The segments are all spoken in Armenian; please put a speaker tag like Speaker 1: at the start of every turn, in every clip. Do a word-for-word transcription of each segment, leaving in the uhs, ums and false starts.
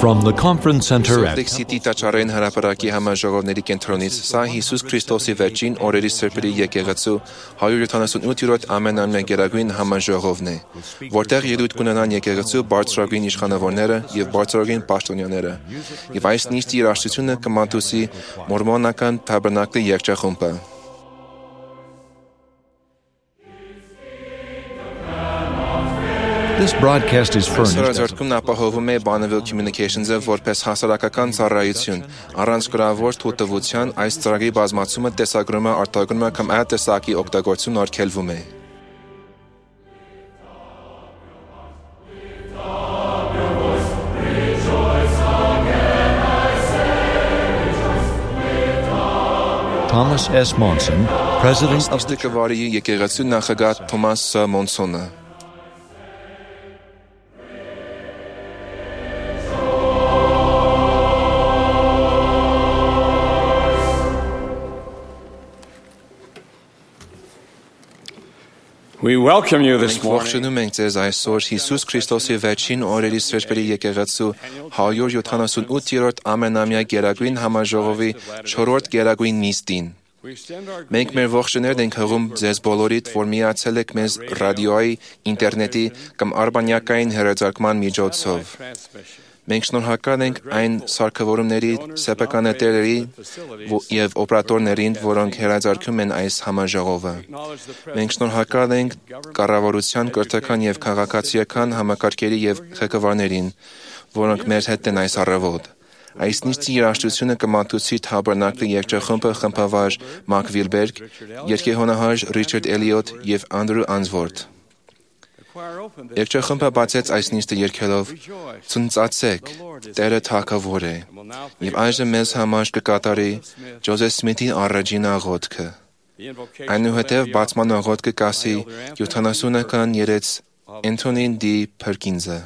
Speaker 1: From the conference center at
Speaker 2: City Տաճարային հրապարակի համաժողովների կենտրոնից սա Հիսուս Քրիստոսի վերջին օրերի սրբերի եկեղեցու հարյուր յոթանասունութ-րդ ամենամյա գերագույն համաժողովն է, որտեղ ելույթ կունենան եկեղեցու բարձրագույն իշխանավորները եւ բարձրագույն պաշտոնյաները, եւ այս նիստի երաժշտությունը կմատուցի մորմոնական Թաբերնակլի երգչախումբը։
Speaker 1: This broadcast is furnished.
Speaker 2: Սրաժարկումն ապահովում է Bonneville Communications-ը որպես հասարակական ծառայություն։ Առանց գրավոր թույլտվության այս ծրագրի բազմացումը, տեսագրումը, արտադրումը կամ այլ տեսակի օգտագործումն արգելվում է։
Speaker 1: Thomas S. Monson, President of the
Speaker 2: Կվարի եկեղեցու նախագահ Թոմաս Ս. Մոնսոնը։
Speaker 3: We welcome you this morning.
Speaker 2: Ողջունում ենք ձեզ այսօր Հիսուս Քրիստոսի վերջին օրերի սրբերի եկեղեցու հարյուր յոթանասունութ-րդ ամենամյա գերագույն համաժողովի չորրորդ գերագույն նիստին։ Մենք մեր ողջույններն ենք հղում ձեզ բոլորիդ, որ միացել եք մեզ ռադիոյի, ինտերնետի կամ արբանյակային հեռարձակման միջոցով։ Մենք շնորհակալ ենք այն սարքավորումների, սեփականատերերի եւ օպերատորներին, որոնք հեռարձակում են այս համաժողովը։ Մենք շնորհակալ ենք կառավարության, կրթական եւ քաղաքացիական համակարգերի եւ ղեկավարներին, որոնք մեր հետ են այս առավոտ։ Այս նիստի երաժշտությունը կմատուցի Թաբերնակլի երգչախումբը խմբավար Մակ Վիլբերգ, երգեհոնահար Ռիչարդ Էլիոտ եւ Անդրու Անսվորթ։ Երգչախումբը բացեց այս նիստը երգելով «Ցնծացեք, Տերը թագավոր է», եւ այժմ մեզ համար կկատարի Ջոզեֆ Սմիթի առաջին աղոթքը։ Այնուհետև բացման աղոթքը կասի յոթանասունական երեց Էնթոնին Դի Փերկինսը։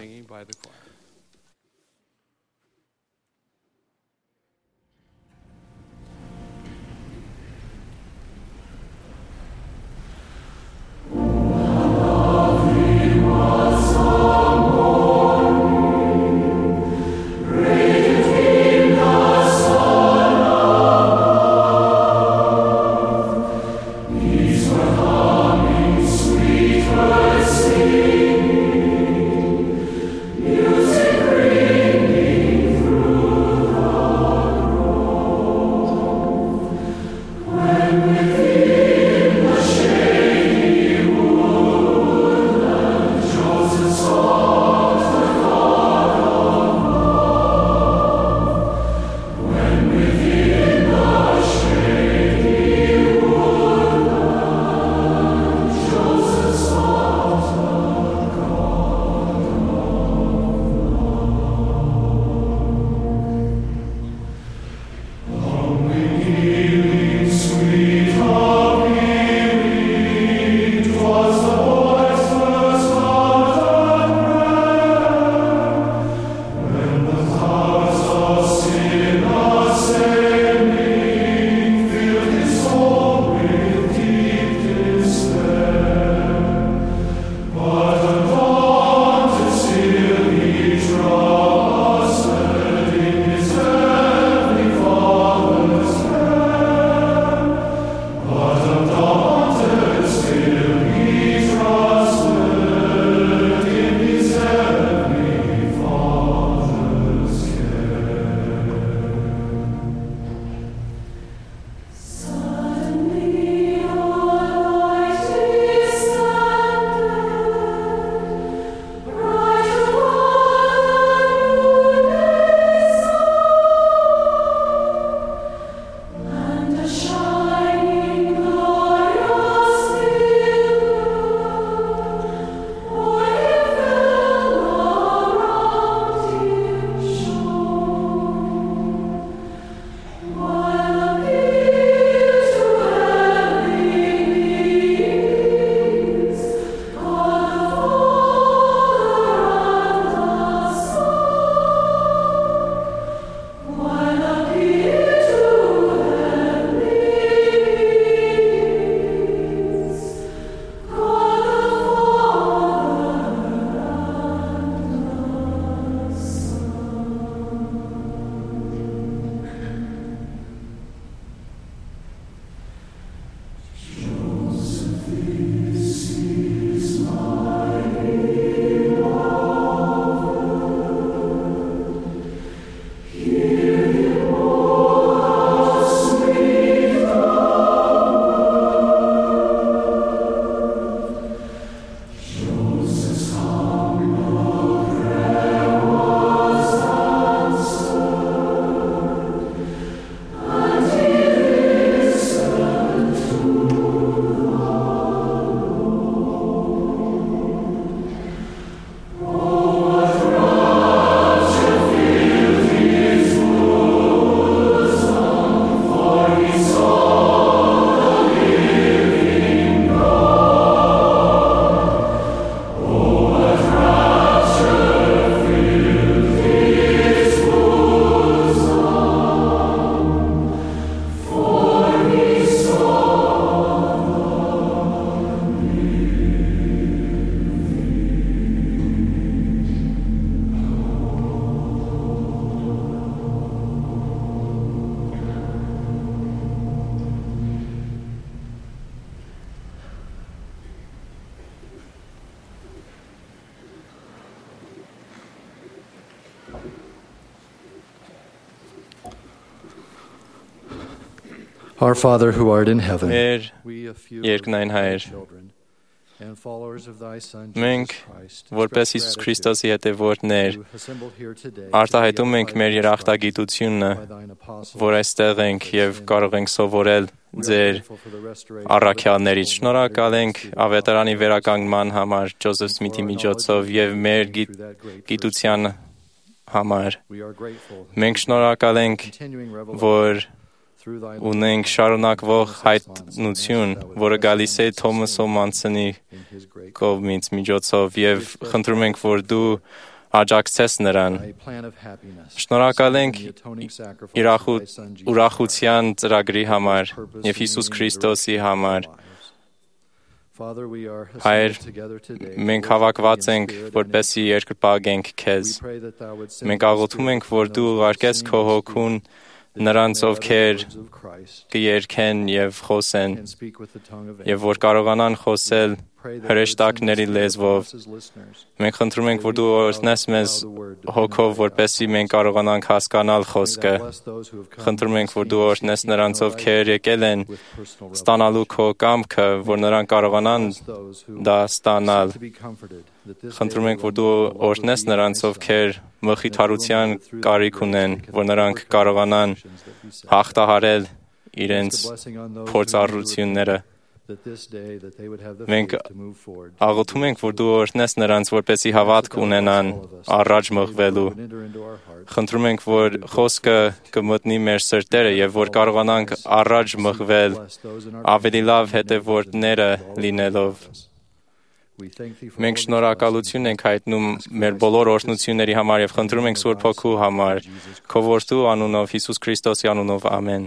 Speaker 3: Our Father who art in heaven,
Speaker 4: Մեր
Speaker 3: we a few
Speaker 4: երկնային Հայր,
Speaker 3: children and followers of thy Son
Speaker 4: մենք
Speaker 3: Jesus Christ,
Speaker 4: որպես
Speaker 3: express
Speaker 4: Հիսուս
Speaker 3: gratitude
Speaker 4: Քրիստոսի հետևորդներ
Speaker 3: who assembled here today
Speaker 4: արտահայտում
Speaker 3: to be
Speaker 4: ենք մեր
Speaker 3: edified
Speaker 4: երախտագիտությունը,
Speaker 3: by thine apostles.
Speaker 4: որ այստեղ ենք եւ կարող ենք սովորել
Speaker 3: We are
Speaker 4: ձեր
Speaker 3: grateful for the restoration of the
Speaker 4: առաքյալներից։
Speaker 3: gospel
Speaker 4: Շնորհակալ ենք
Speaker 3: through the
Speaker 4: ավետարանի
Speaker 3: apostles
Speaker 4: վերականգնման համար Ջոզեֆ
Speaker 3: and for
Speaker 4: Սմիթի
Speaker 3: our
Speaker 4: միջոցով
Speaker 3: knowledge
Speaker 4: եւ
Speaker 3: of
Speaker 4: մեր
Speaker 3: thee
Speaker 4: գիտ-
Speaker 3: through that great
Speaker 4: գիտության համար։
Speaker 3: We are grateful
Speaker 4: Մենք շնորհակալ ենք,
Speaker 3: continuing revelation
Speaker 4: որ
Speaker 3: through thy
Speaker 4: ունենք շարունակվող հայտնություն, որը գալիս է Թոմաս Օմանսոնի
Speaker 3: in his great
Speaker 4: կողմից միջոցով եւ խնդրում ենք, որ դու աջակցես նրան։
Speaker 3: thy plan of happiness.
Speaker 4: Շնորհակալ ենք
Speaker 3: The atoning sacrifice
Speaker 4: իրախու-
Speaker 3: of thy Son Jesus
Speaker 4: ուրախության ծրագրի համար
Speaker 3: purpose
Speaker 4: եւ
Speaker 3: and
Speaker 4: Հիսուս
Speaker 3: meaning
Speaker 4: Քրիստոսի
Speaker 3: directing our
Speaker 4: համար։
Speaker 3: lives. Father, we are
Speaker 4: Հայր,
Speaker 3: assembled together today to
Speaker 4: մենք
Speaker 3: worship
Speaker 4: հավաքված
Speaker 3: thee in
Speaker 4: ենք,
Speaker 3: spirit and in
Speaker 4: որպեսզի երկրպագենք
Speaker 3: truth.
Speaker 4: քեզ։
Speaker 3: We pray that thou would send
Speaker 4: Մենք
Speaker 3: thy
Speaker 4: աղոթում ենք,
Speaker 3: Spirit
Speaker 4: որ
Speaker 3: upon
Speaker 4: դու
Speaker 3: those who
Speaker 4: ուղարկես
Speaker 3: sing
Speaker 4: քո
Speaker 3: and
Speaker 4: հոգուն
Speaker 3: speak, that
Speaker 4: նրանց,
Speaker 3: they may utter the
Speaker 4: ովքեր
Speaker 3: words of Christ
Speaker 4: կերքեն եւ խոսեն
Speaker 3: and speak with the tongue of
Speaker 4: եւ որ կարողանան խոսել
Speaker 3: Pray that thou would send
Speaker 4: հրեշտակների
Speaker 3: thy Spirit
Speaker 4: լեզվով։
Speaker 3: upon us as listeners.
Speaker 4: Մենք խնդրում ենք, որ դու օրհնես մեզ հոգով, որպեսզի մենք կարողանանք հասկանալ
Speaker 3: May thou
Speaker 4: խոսքը։
Speaker 3: bless those who have come
Speaker 4: Խնդրում ենք, որ
Speaker 3: to
Speaker 4: դու
Speaker 3: esteem
Speaker 4: օրհնես
Speaker 3: seeking
Speaker 4: նրանց,
Speaker 3: to know
Speaker 4: ովքեր
Speaker 3: thy
Speaker 4: եկել են
Speaker 3: with personal
Speaker 4: ստանալու
Speaker 3: revelation.
Speaker 4: քո կամքը, որ նրանք կարողանան
Speaker 3: Bless those who
Speaker 4: դա ստանալ։
Speaker 3: seek to be comforted, that this
Speaker 4: Խնդրում
Speaker 3: day
Speaker 4: ենք, որ
Speaker 3: they
Speaker 4: դու
Speaker 3: will know the love of
Speaker 4: օրհնես
Speaker 3: thee and
Speaker 4: նրանց,
Speaker 3: thy Son,
Speaker 4: ովքեր մխիթարության
Speaker 3: and that through thy
Speaker 4: կարիք
Speaker 3: grace
Speaker 4: ունեն,
Speaker 3: they can
Speaker 4: որ նրանք
Speaker 3: overcome
Speaker 4: կարողանան
Speaker 3: the afflictions that beset them.
Speaker 4: հաղթահարել իրենց
Speaker 3: Ask a blessing on those who need to
Speaker 4: փորձառությունները։
Speaker 3: repent, that this day that they would have the
Speaker 4: Մենք
Speaker 3: faith to move forward.
Speaker 4: աղոթում ենք, որ դու օրհնես նրանց, որպեսզի հավատք ունենան առաջ մղվելու։ Խնդրում ենք, որ խոսքը կմտնի մեր սրտերը եւ որ կարողանանք առաջ մղվել ավելի լավ հետևորդները լինելով։ Մենք շնորհակալություն ենք հայտնում մեր բոլոր օրհնությունների համար եւ խնդրում ենք Սուրբ Հոգու համար, քո որդու անունով, Հիսուս Քրիստոսի անունով, ամեն։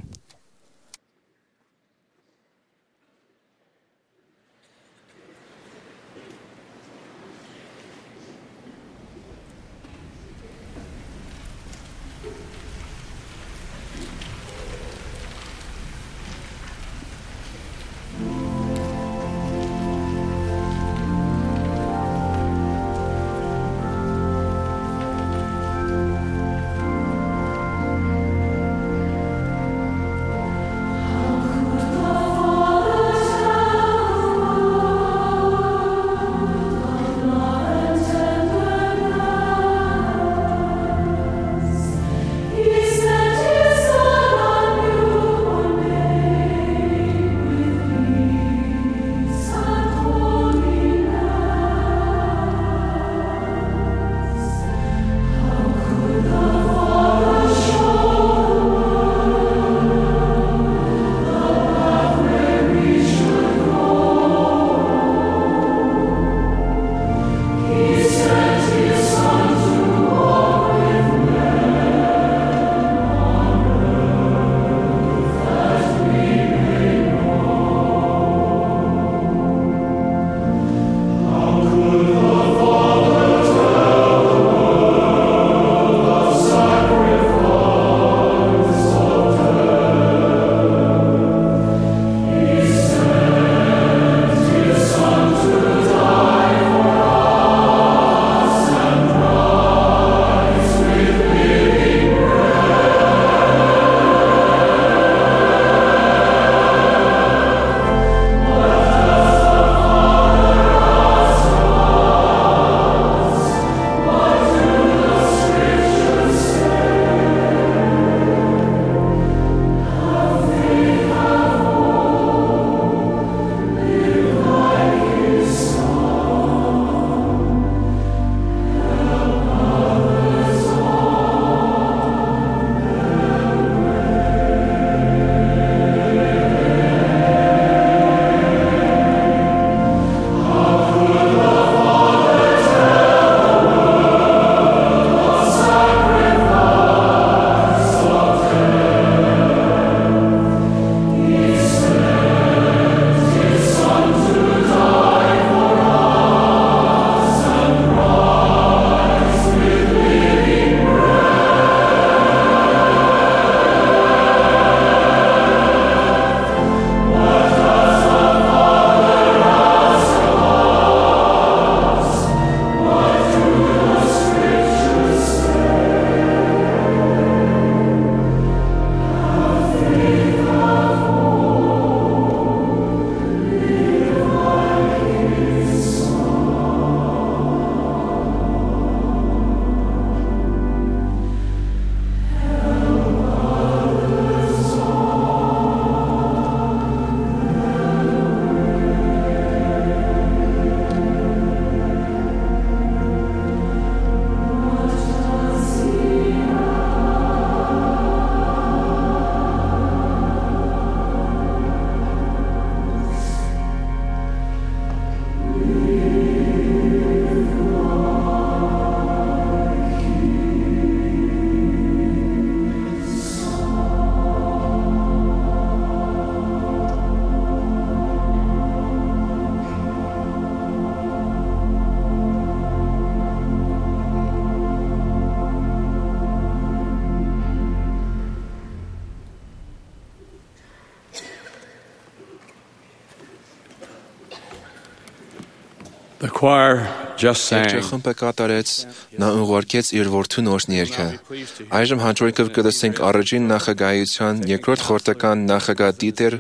Speaker 5: choir just sang.
Speaker 2: Երգչախմբը կատարեց, նա ուղարկեց իր որդու նորն երգը։ Այժմ հաջորդով կլսենք առաջին նախագահության երկրորդ խորհրդական նախագահ Դիտեր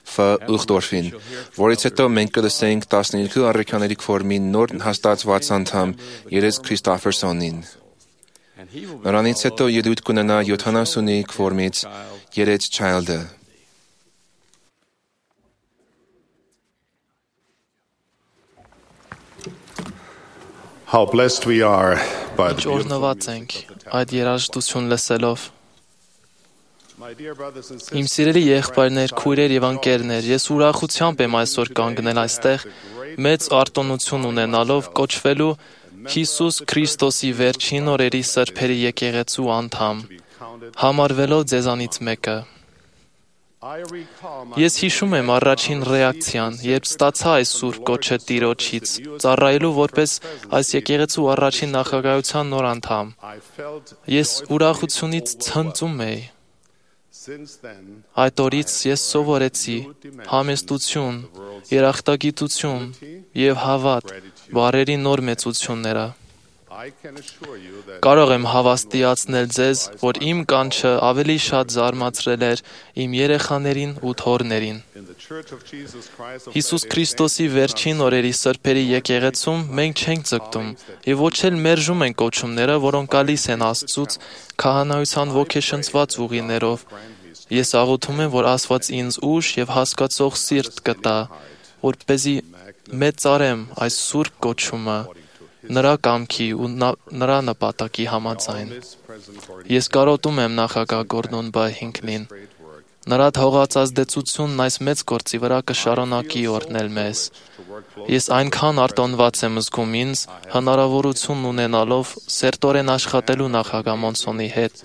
Speaker 2: Ֆ. Ուխտորֆին, որից հետո մենք կլսենք տասնյոթ առաքյաների քվորմի նոր հաստատված անդամ Երես Քրիստոֆերսոնին։ Նրանից հետո ելույթ կունենա յոթանասունի քվորմից Երես Չայլդը։
Speaker 6: How blessed we are by the beautiful
Speaker 7: Օրնված ենք այդ երաժշտություն լսելով։ Իմ սիրելի եղբայրներ, քույրեր եւ ընկերներ, ես ուրախությամբ եմ այսօր կանգնել այստեղ, մեծ արտոնություն ունենալով կոչվելու Հիսուս Քրիստոսի վերջին օրերի սրբերի եկեղեցու անդամ, համարվելով ձեզանից մեկը։ Ես հիշում եմ առաջին ռեակցիան, երբ ստացա այս սուրբ կոչը Տիրոջից, ծառայելու որպես այս եկեղեցու առաջին նախագահության նոր անդամ։ Ես ուրախությունից ցնծում էի։ Այդ օրից ես սովորեցի համեստություն, երախտագիտություն եւ հավատ բառերի նոր մեծությունները։ Կարող եմ հավաստիացնել ձեզ, որ իմ կանչը ավելի շատ զարմացրել էր իմ երեխաներին ու թոռներին։ Հիսուս Քրիստոսի վերջին օրերի սրբերի եկեղեցում մենք չենք ձգտում եւ ոչ էլ մերժում ենք կոչումները, որոնք գալիս են Աստծուց քահանայության ոգեշնչված ուղիներով։ Ես աղոթում եմ, որ Աստված ինձ ուժ եւ հասկացող սիրտ կտա, որպեսզի մեծարեմ այս սուրբ կոչումը նրա կամքի ու նրա նպատակի համաձայն։ Ես կարոտում եմ նախագահ Գորդոն B. Հինքլին։ Նրա թողածազդեցությունն այս մեծ գործի վրա կշարունակի օրհնել մեզ։ Ես այնքան արտոնված եմ զգում ինձ, հնարավորություն ունենալով սերտորեն աշխատելու նախագահ Մոնսոնի հետ։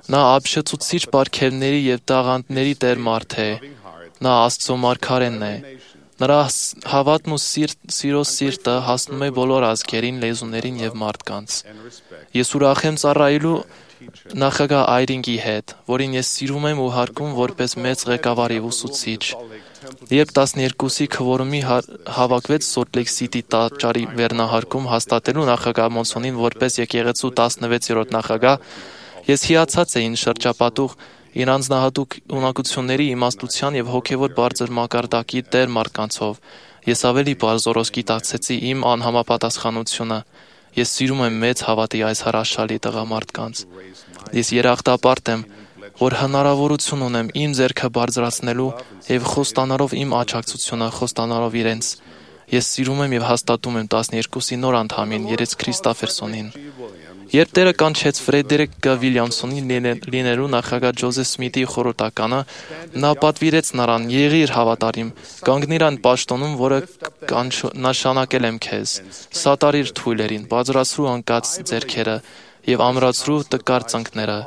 Speaker 7: Նա ապշեցուցիչ պարգևների եւ տաղանդների տեր մարդ է։ Նա Աստծո մարգարեն է։ Նրա հավատն ու սիրո սիրտը հասնում է բոլոր ազգերին, լեզուներին եւ մարդկանց։ Ես ուրախ եմ ծառայելու նախագահ Այրինգի հետ, որին ես սիրում եմ ու հարգում որպես մեծ ղեկավարի ուսուցիչ։ Երբ տասներկուսի քվորումի հավաքվեց Սոլտ Լեյք Սիթի տաճարի վերնահարկում հաստատելու նախագահ Մոնսոնին որպես եկեղեցու տասնվեցերորդ նախագահ, ես հիացած էի շրջապատող իր անձնահատուկ ունակությունների, իմաստության եւ հոգեվոր բարձր մակարդակի տեր մարդկանցով։ Ես ավելի բարձրորոշ գիտակցեցի իմ անհամապատասխանությունը։ Ես սիրում եմ մեծ հավատի այս հրաշալի տղամարդկանց։ Ես երախտապարտ եմ, որ հնարավորություն ունեմ իմ ձեռքը բարձրացնելու եւ խոստանալով իմ աջակցությունը, խոստանալով իրենց։ Ես սիրում եմ եւ հաստատում եմ տասներկուսի նոր անդամին Երես Քրիստոֆերսոնին։ Երբ Տերը կանչեց Ֆրեդերիկ Գ. Վիլյամսոնի լինելու նախագահ Ջոզեֆ Սմիթի խորհրդականը, նա պատվիրեց նրան. «Եղիր հավատարիմ, կանգնիր այն պաշտոնում, որը նշանակել եմ քեզ, սատարիր թույլերին, բարձրացրու անկած ձեռքերը եւ ամրացրու տկար ծնկները»։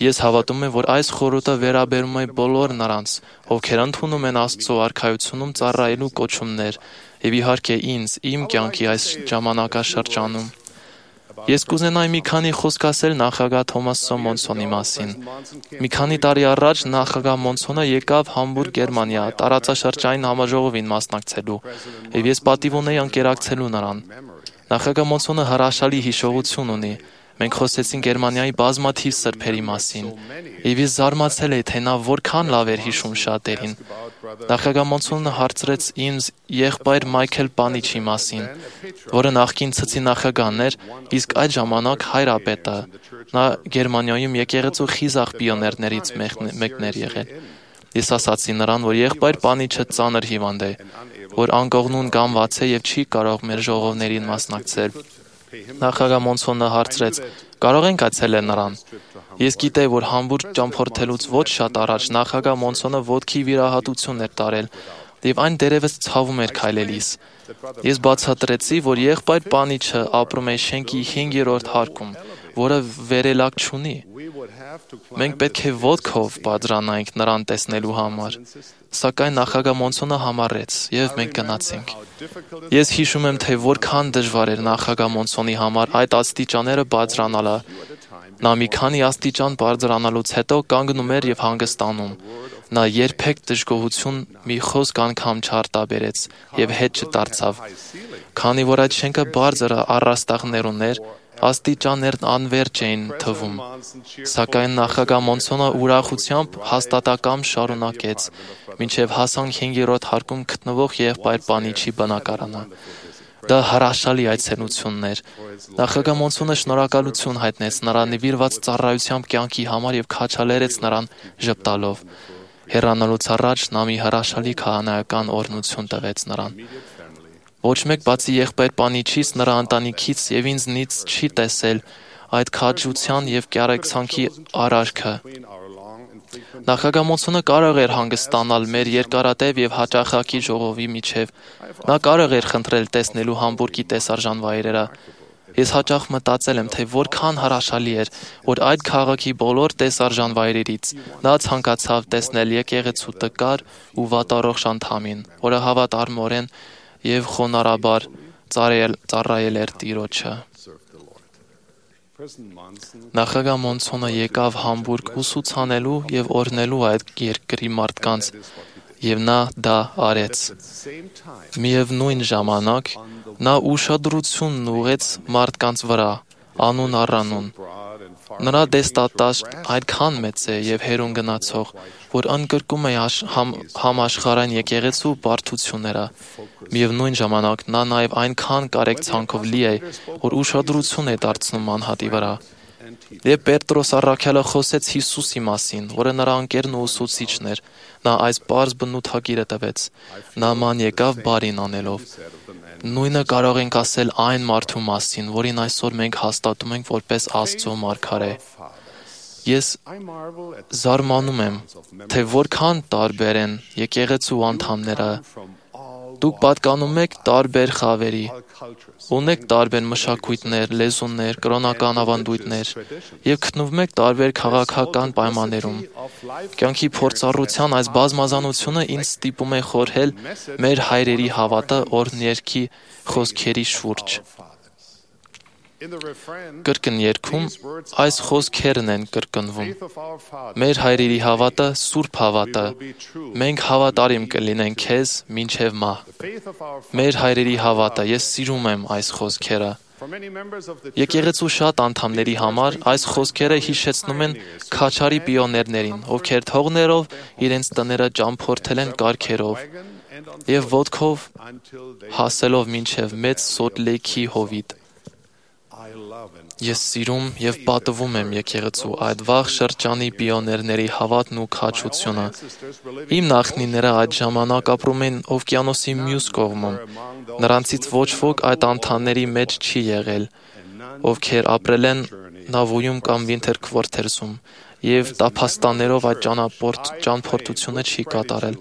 Speaker 7: Ես հավատում եմ, որ այս խորհուրդը վերաբերում է բոլոր նրանց, ովքեր ընդունում են Աստծո արքայությունում ծառայելու կոչումներ, եւ իհարկե ինձ, իմ կյանքի այս ժամանակաշրջանում։ Ես կուզենայի մի քանի խոսք ասել նախագահ Թոմաս Մոնսոնի մասին։ Մի քանի տարի առաջ նախագահ Մոնսոնը եկավ Համբուրգ, Գերմանիա, տարածաշրջանային համաժողովին մասնակցելու, եւ ես պատիվ ունեի ընկերակցելու նրան։ Նախագահ Մոնսոնը հրաշալի հիշողություն ունի։ Մենք խոսեցինք Գերմանիայի բազմաթիվ սրբերի մասին, եւ ես զարմացել էի, թե նա որքան լավ էր հիշում շատերին։ Նախագահ Մոնսոնը հարցրեց ինձ եղբայր Մայքլ Պանիչի մասին, որը նախկին ցցի նախագահն էր, իսկ այդ ժամանակ հայրապետը։ Նա Գերմանիայում եկեղեցու խիզախ պիոներներից մեկն էր եղել։ Ես ասացի նրան, որ եղբայր Պանիչը ծանր հիվանդ է, որ անկողնուն կամված է եւ չի կարող մեր ժողովներին մասնակցել։ Նախագահ Մոնսոնը հարցրեց. «Կարող ենք այցելել նրան»։ Ես գիտեի, որ Համբուրգ ճամփորդելուց ոչ շատ առաջ նախագահ Մոնսոնը ոտքի վիրահատություն էր տարել, եւ այն դերևս ցավում էր քայլելիս։ Ես բացատրեցի, որ եղբայր Պանիչը ապրում է շենքի հինգերորդ հարկում, որը վերելակ չունի։ Մենք պետք է ոտքով բարձրանայինք նրան տեսնելու համար։ Սակայն նախագահ Մոնսոնը համառեց, եւ մենք գնացինք։ Ես հիշում եմ, թե որքան դժվար էր նախագահ Մոնսոնի համար այդ աստիճանները բարձրանալը։ Նա մի քանի աստիճան բարձրանալուց հետո կանգնում էր եւ հանգստանում։ Նա երբեք դժգոհություն մի խոսք անգամ չարտաբերեց եւ հետ չդարձավ, քանի որ այդ շենքը բարձր առաստաղներ ուներ, աստիճաններն անվերջ էին թվում, սակայն նախագահ Մոնսոնը ուրախությամբ հաստատակամ շարունակեց, մինչև հասան հինգերորդ հարկում գտնվող եղբայր Պանիչի բնակարանը։ Դա հրաշալի այցելությունն էր։ Նախագահ Մոնսոնը շնորհակալություն հայտնեց նրան նվիրված ծառայությամբ կյանքի համար եւ քաչալերեց նրան ժպտալով։ Հեռանալուց առաջ նա մի հրաշալի քահանայական օրհնություն տվեց նրան։ Ոչ մեկ բացի եղբայր Պանիչից, նրա ընտանիքից եւ ինձնից չի տեսել այդ քաջության եւ կյարեկցանքի արարքը։ Նախագահ Մոնսոնը կարող էր հանգստանալ մեր երկարատև եւ հաճախակի ժողովի միջև։ Նա կարող էր խնդրել տեսնելու Համբուրգի տեսարժան վայրերը։ Ես հաճախ մտածել եմ, թե որքան հրաշալի էր, որ այդ քաղաքի բոլոր տեսարժան վայրերից նա ցանկացավ տեսնել եկեղեցու տկար ու վատառողջ անդամին, որը հավատարմորեն եւ խոնարհաբար ծառայել էր Տիրոջը։ Նախագահ Մոնսոնը եկավ Համբուրգ ուսուցանելու եւ օրհնելու այդ երկրի մարդկանց, եւ նա դա արեց։ Միևնույն ժամանակ նա ուշադրությունն ուղղեց մարդկանց վրա, անուն առանուն։ Նրա դեստատաշն այդքան մեծ է եւ հերուն գնացող, որ ընդգրկում է համ, համաշխարհային եկեղեցու բարդությունները։ Միևնույն ժամանակ նա նաեւ այնքան կարեկցանքով լի է, որ ուշադրություն է դարձնում անհատի վրա։ Երբ Պետրոս առաքյալը խոսեց Հիսուսի մասին, որը նրա ընկերն ու ուսուցիչն էր, նա այս պարզ բնութագիրը տվեց. նման եկավ բարին անելով։ Նույնը կարող ենք ասել այն մարդու մասին, որին այսօր մենք հաստատում ենք որպես Աստծո մարգարե։ Ես զարմանում եմ, թե որքան տարբեր են եկեղեցու անդամները։ Դուք պատկանում եք տարբեր խավերի, ունեք տարբեր մշակույթներ, լեզուներ, կրոնական ավանդույթներ եւ գտնվում եք տարբեր քաղաքական պայմաններում։ Կյանքի փորձառության այս բազմազանությունը ինձ ստիպում է խորհել մեր հայրերի հավատը օրհներքի խոսքերի շուրջ։ Կրկներքում այս խոսքերն են կրկնվում։ Մեր հայրերի հավատը սուրբ հավատը, մենք հավատարիմ կլինենք քեզ մինչև մահ։ Մեր հայրերի հավատը, ես սիրում եմ այս խոսքերը։ Եկեղեցու շատ անդամների համար այս խոսքերը հիշեցնում են քաչարի պիոներներին, ովքեր թողներով իրենց տները ճամփորդել են կառքերով եւ ոտքով հասելով մինչև մեծ Սոլտ Լեյքի հովիտ։ Ես սիրում եւ պատվում եմ եկեղեցու այդ վաղ շրջանի պիոներների հավատն ու քաջությունը։ Իմ նախնիները այդ ժամանակ ապրում են օվկիանոսի մյուս կողմում։ Նրանցից ոչ ոք այդ անդամների մեջ չի եղել, ովքեր ապրել են Նավոյում կամ Վինթերքվորթերսում եւ տափաստաններով այդ ճանապարհորդությունը չի կատարել։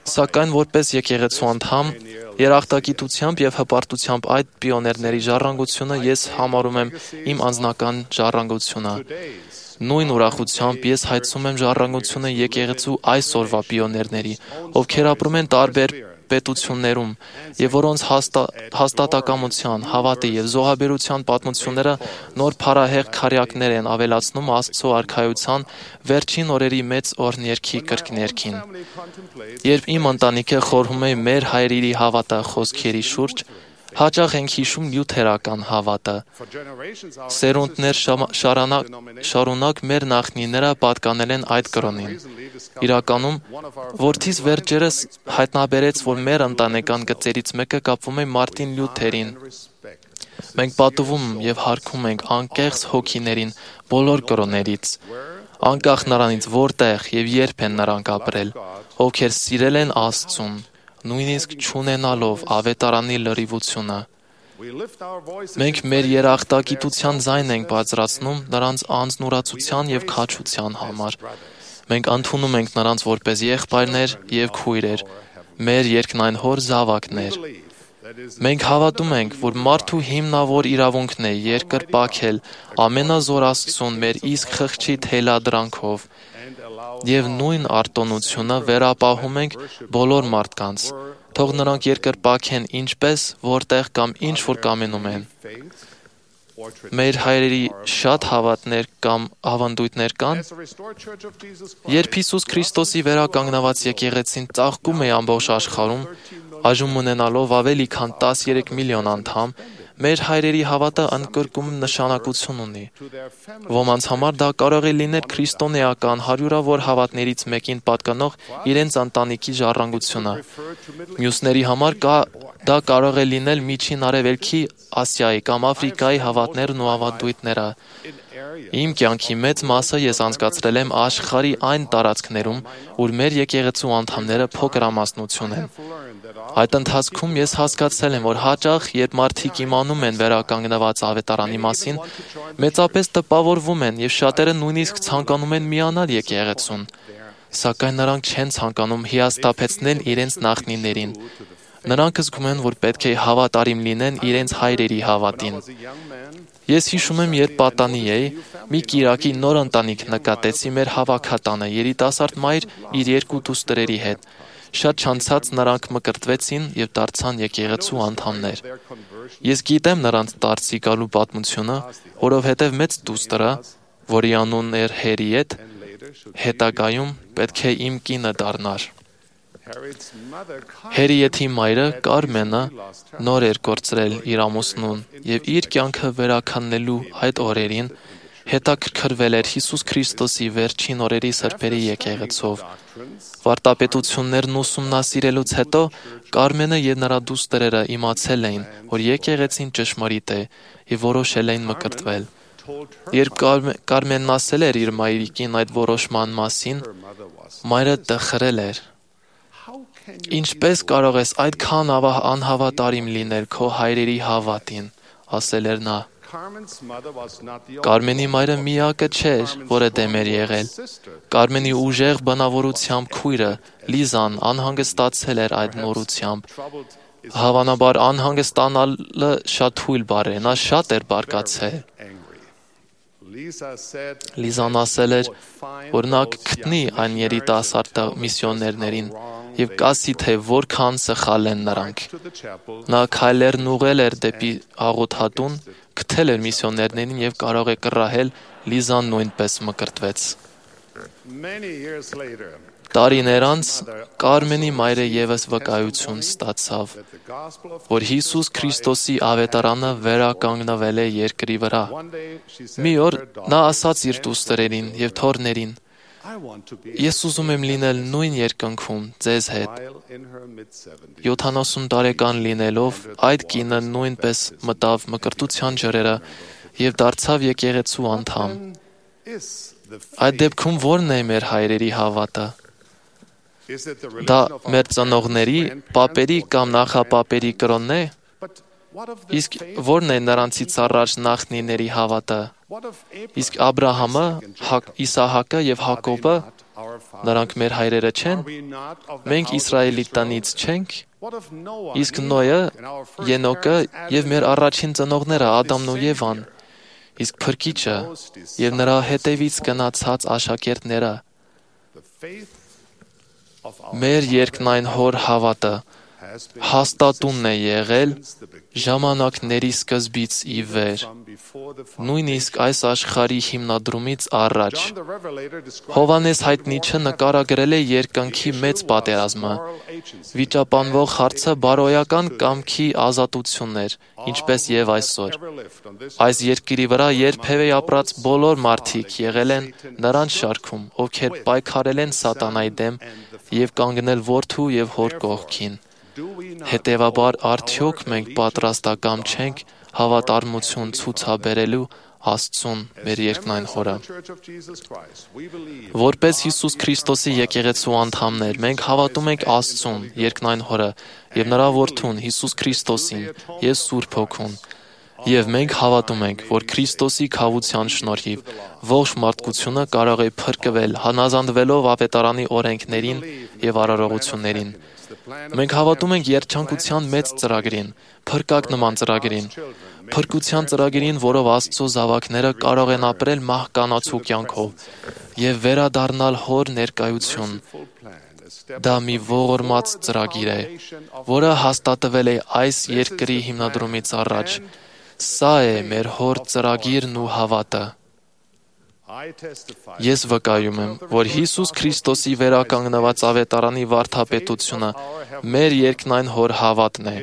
Speaker 7: Սակայն որպես եկեղեցու անդամ երախտագիտությամբ եւ հպարտությամբ այդ պիոներների ժառանգությունը ես համարում եմ իմ անձնական ժառանգությունը։ Նույն ուրախությամբ ես հայցում եմ ժառանգությունը եկեղեցու այսօրվա պիոներների, ովքեր ապրում են տարբեր պետություններում եւ որոնց հաստա, հաստատակամության, հավատի եւ զոհաբերության պատմությունները նոր փառահեղ քարյակներ են ավելացնում Աստծո արքայության վերջին օրերի մեծ օրհներքի կրկներքին։ Երբ իմ ընտանիքը խորհում է մեր հայրերի հավատը խոսքերի շուրջ, հաճախ ենք հիշում լյութերական հավատը։ Սերունդներ շարունակ, շարունակ մեր նախնիները պատկանել են այդ կրոնին։ Իրականում, որդիս վերջերս հայտնաբերեց, որ մեր ընտանեկան գծերից մեկը կապվում է Մարտին Լյութերին։ Մենք պատվում եւ հարգում ենք անկեղծ հոգիներին բոլոր կրոններից, անկախ նրանից որտեղ եւ երբ են նրանք ապրել, ովքեր սիրել են Աստծուն, նույնիսկ չունենալով ավետարանի լրիվությունը։ Մենք մեր երախտագիտության ձայնն ենք բարձրացնում նրանց անձնուրացության եւ քաջության համար։ Մենք ընդունում ենք նրանց որպես եղբայրներ եւ քույրեր, մեր երկնային հոր զավակներ։ Մենք հավատում ենք, որ մարդու հիմնավոր իրավունքն է երկրպագել ամենազոր Աստծուն մեր իսկ խղճի թելադրանքով եւ նույն արտոնությունը վերապահում ենք բոլոր մարդկանց։ Թող նրանք երկրպագեն ինչպես, որտեղ կամ ինչ որ կամենում են։ մեր հայրերի շատ հավատներ կամ ավանդույթներ կան, երբ Հիսուս Քրիստոսի վերականգնված եկեղեցին ծաղկում է ամբողջ աշխարհում, այժմ ունենալով ավելի քան տասներեք միլիոն անդամ, մեր հայրերի հավատը ընդգրկում նշանակություն ունի։ Ոմանց համար դա կարող է լինել քրիստոնեական հարյուրավոր հավատներից մեկին պատկանող իրենց ընտանիքի ժառանգությունը։ Մյուսների համար կա, դա կարող է լինել Միջին Արևելքի, Ասիայի կամ Աֆրիկայի հավատներն ու ավանդույթները։ Իմ կյանքի մեծ մասը ես անցկացրել եմ աշխարհի այն տարածքներում, ուր մեր եկեղեցու անդամները փոքրամասնություն են։ Այդ ընթացքում ես հասկացել եմ, որ հաճախ, երբ մարդիկ իմանում են վերականգնված ավետարանի մասին, մեծապես տպավորվում են եւ շատերը նույնիսկ ցանկանում են միանալ եկեղեցուն, սակայն նրանք չեն ցանկանում հիասթափեցնել իրենց նախնիներին։ Նրանք զգում են, որ պետք է հավատարիմ լինեն իրենց հայրերի հավատին։ Ես հիշում եմ, երբ պատանի էի, մի կիրակի նոր ընտանիք նկատեցի մեր հավաքատանը, երիտասարդ մայր իր երկու դուստրերի հետ։ Շատ չանցած նրանք մկրտվեցին եւ դարձան եկեղեցու անդամներ։ Ես գիտեմ նրանց դարձի գալու պատմությունը, որովհետեւ մեծ դուստրը, որի անունն էր Հերիետ, հետագայում պետք է իմ կինը դառնար։ Հերիեթի մայրը Կարմենը նոր էր կորցրել իր ամուսնուն եւ իր կյանքը վերաքննելու այդ օրերին հետաքրքրվել էր Հիսուս Քրիստոսի վերջին օրերի սրբերի եկեղեցով։ Վարտապետություններն ուսումնասիրելուց հետո Կարմենը եւ նրա դուստրերը իմացել էին, որ եկեղեցին ճշմարիտ է եւ որոշել էին մկրտվել։ Երբ Կարմենն ասել էր իր մայրիկին այդ որոշման մասին, մայրը տխրել էր։ Ինչպես կարող ես այդքան անհավատարիմ լինել քո հայրերի հավատին, ասել էր նա։ Կարմենի մայրը միակը չէր, որը դեմ էր եղել։ Կարմենի ուժեղ բնավորությամբ քույրը Լիզան անհանգստացել էր այդ նորությամբ։ Հավանաբար անհանգստանալը շատ թույլ բառ է, նա շատ էր բարկացել։ Լիզան ասել էր, որ նա կգտնի այն երիտասարդ միսիոներներին եւ կասի, թե որքան սխալ են նրանք։ Նա քայլերն ուղղել էր դեպի աղոթատուն, գտել էր միսիոներներին եւ կարող է կռահել, Լիզան նույնպես մկրտվեց։ Տարիներ անց Կարմենի մայրը եւս վկայություն ստացավ, որ Հիսուս Քրիստոսի ավետարանը վերականգնվել է երկրի վրա։ Մի օր նա ասաց իր դուստրերին եւ թոռներին. Ես ուզում եմ լինել նույն երկնքում ձեզ հետ։ յոթանասուն տարեկան լինելով այդ կինը նույնպես մտավ մկրտության ջրերը եւ դարձավ եկեղեցու անդամ։ Այդ դեպքում ո՞րն է մեր հայրերի հավատը։ Դա մեր ծնողների, պապերի կամ նախապապերի կրոնն է։ Իսկ ո՞րն է նրանցից առաջ նախնիների հավատը։ Իսկ Աբրահամը, Իսահակը եւ Հակոբը, նրանք մեր հայրերը չեն։ Մենք Իսրայելի տնից չենք։ Իսկ Նոյը, Ենոկը եւ մեր առաջին ծնողները Ադամն ու Եվան։ Իսկ Փրկիչը եւ նրա հետևից գնացած աշակերտները։ Մեր երկնային հոր հավատը հաստատունն է եղել ժամանակների սկզբից ի վեր, նույնիսկ այս աշխարհի հիմնադրումից առաջ։ Հովհաննես հայտնիչը նկարագրել է երկնքի մեծ պատերազմը։ Վիճապանվող հարցը բարոյական կամքի ազատությունն էր, ինչպես եւ այսօր։ Այս երկրի վրա երբևէ ապրած բոլոր մարդիկ եղել են նրանց շարքում, ովքեր պայքարել են սատանայի դեմ եւ կանգնել որդու եւ հոր կողքին։ Հետևաբար արդյոք մենք պատրաստակամ չենք հավատարմություն ցուցաբերելու Աստծուն մեր երկնային Հորը։ Որպես Հիսուս Քրիստոսի եկեղեցու անդամներ, մենք հավատում ենք Աստծուն, երկնային Հորը, եւ նրա որդուն Հիսուս Քրիստոսին եւ Սուրբ Հոգուն։ Եվ մենք հավատում ենք, որ Քրիստոսի քավության շնորհիվ ողջ մարդկությունը կարող է փրկվել, հանազանդվելով ավետարանի օրենքներին եւ արարողություններին։ Մենք հավատում ենք երջանկության մեծ ծրագրին, փրկակ նման ծրագրին, փրկության ծրագրին, որով Աստծո զավակները կարող են ապրել մահկանացու կյանքով եւ վերադառնալ Հոր ներկայություն։ Դա մի ողորմած ծրագիր է, որը հաստատվել է այս երկրի հիմնադրումից առաջ, Սա է մեր հոր ծրագիրն ու հավատը։ Ես վկայում եմ, որ Հիսուս Քրիստոսի վերականգնված ավետարանի վարդապետությունը մեր երկնային հոր հավատն է։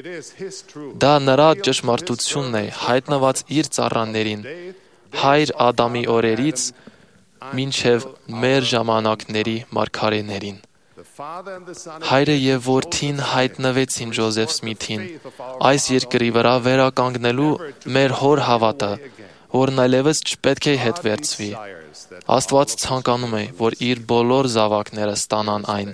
Speaker 7: Դա նրա ճշմարտությունն է, հայտնված իր ծառաներին, հայր Ադամի օրերից մինչև մեր ժամանակների մարգարեներին։ Հայրը և որդին հայտնվեցին Ջոզեֆ Սմիթին, այս երկրի վրա վերականգնելու մեր հոր հավատը, որն այլևս չպետք է հետ վերցվի։ Աստված ցանկանում է, որ իր բոլոր զավակները ստանան այն,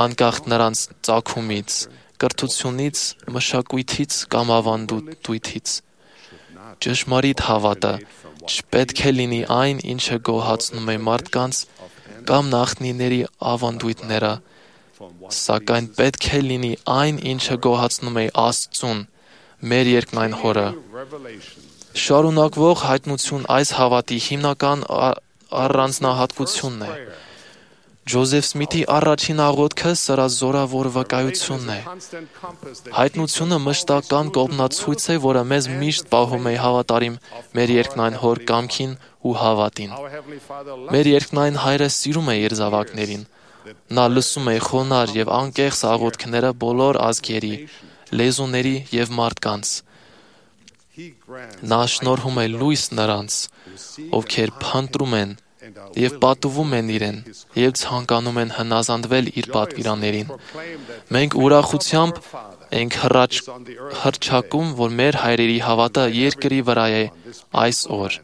Speaker 7: անկախ նրանց ծագումից, կրթությունից, մշակույթից կամ ավանդույթից։ Ճշմարիտ հավատը չպետք է լինի այն, ինչը գոհացնում է մարդկանց կամ նախնիների ավանդույթները, սակայն պետք է լինի այն, ինչը գոհացնում է Աստծուն, մեր երկնային հորը։ Շարունակվող հայտնություն այս հավատի հիմնական առանձնահատկությունն է։ Ջոզեֆ Սմիթի առաջին աղոթքը սրա զորավոր վկայությունն է։ Հայտնությունը մշտական կողմնացույց է, որը մեզ միշտ պահում է հավատարիմ մեր երկնային հոր կամքին ու հավատին։ Մեր երկնային հայրը սիրում է իր զավակներին։ Նա լսում է խոնար և անկեղծ աղոթքները բոլոր ազգերի, լեզուների և մարդկանց։ Նա շնորհում է լույս նրանց, ովքեր փնտրում են և պատուվում են իրեն և ցանկանում են հնազանդվել իր պատվիրաններին։ Մենք ուրախությամբ ենք հռչակում, որ մեր հայրերի հավատը երկրի վրա է այս օր։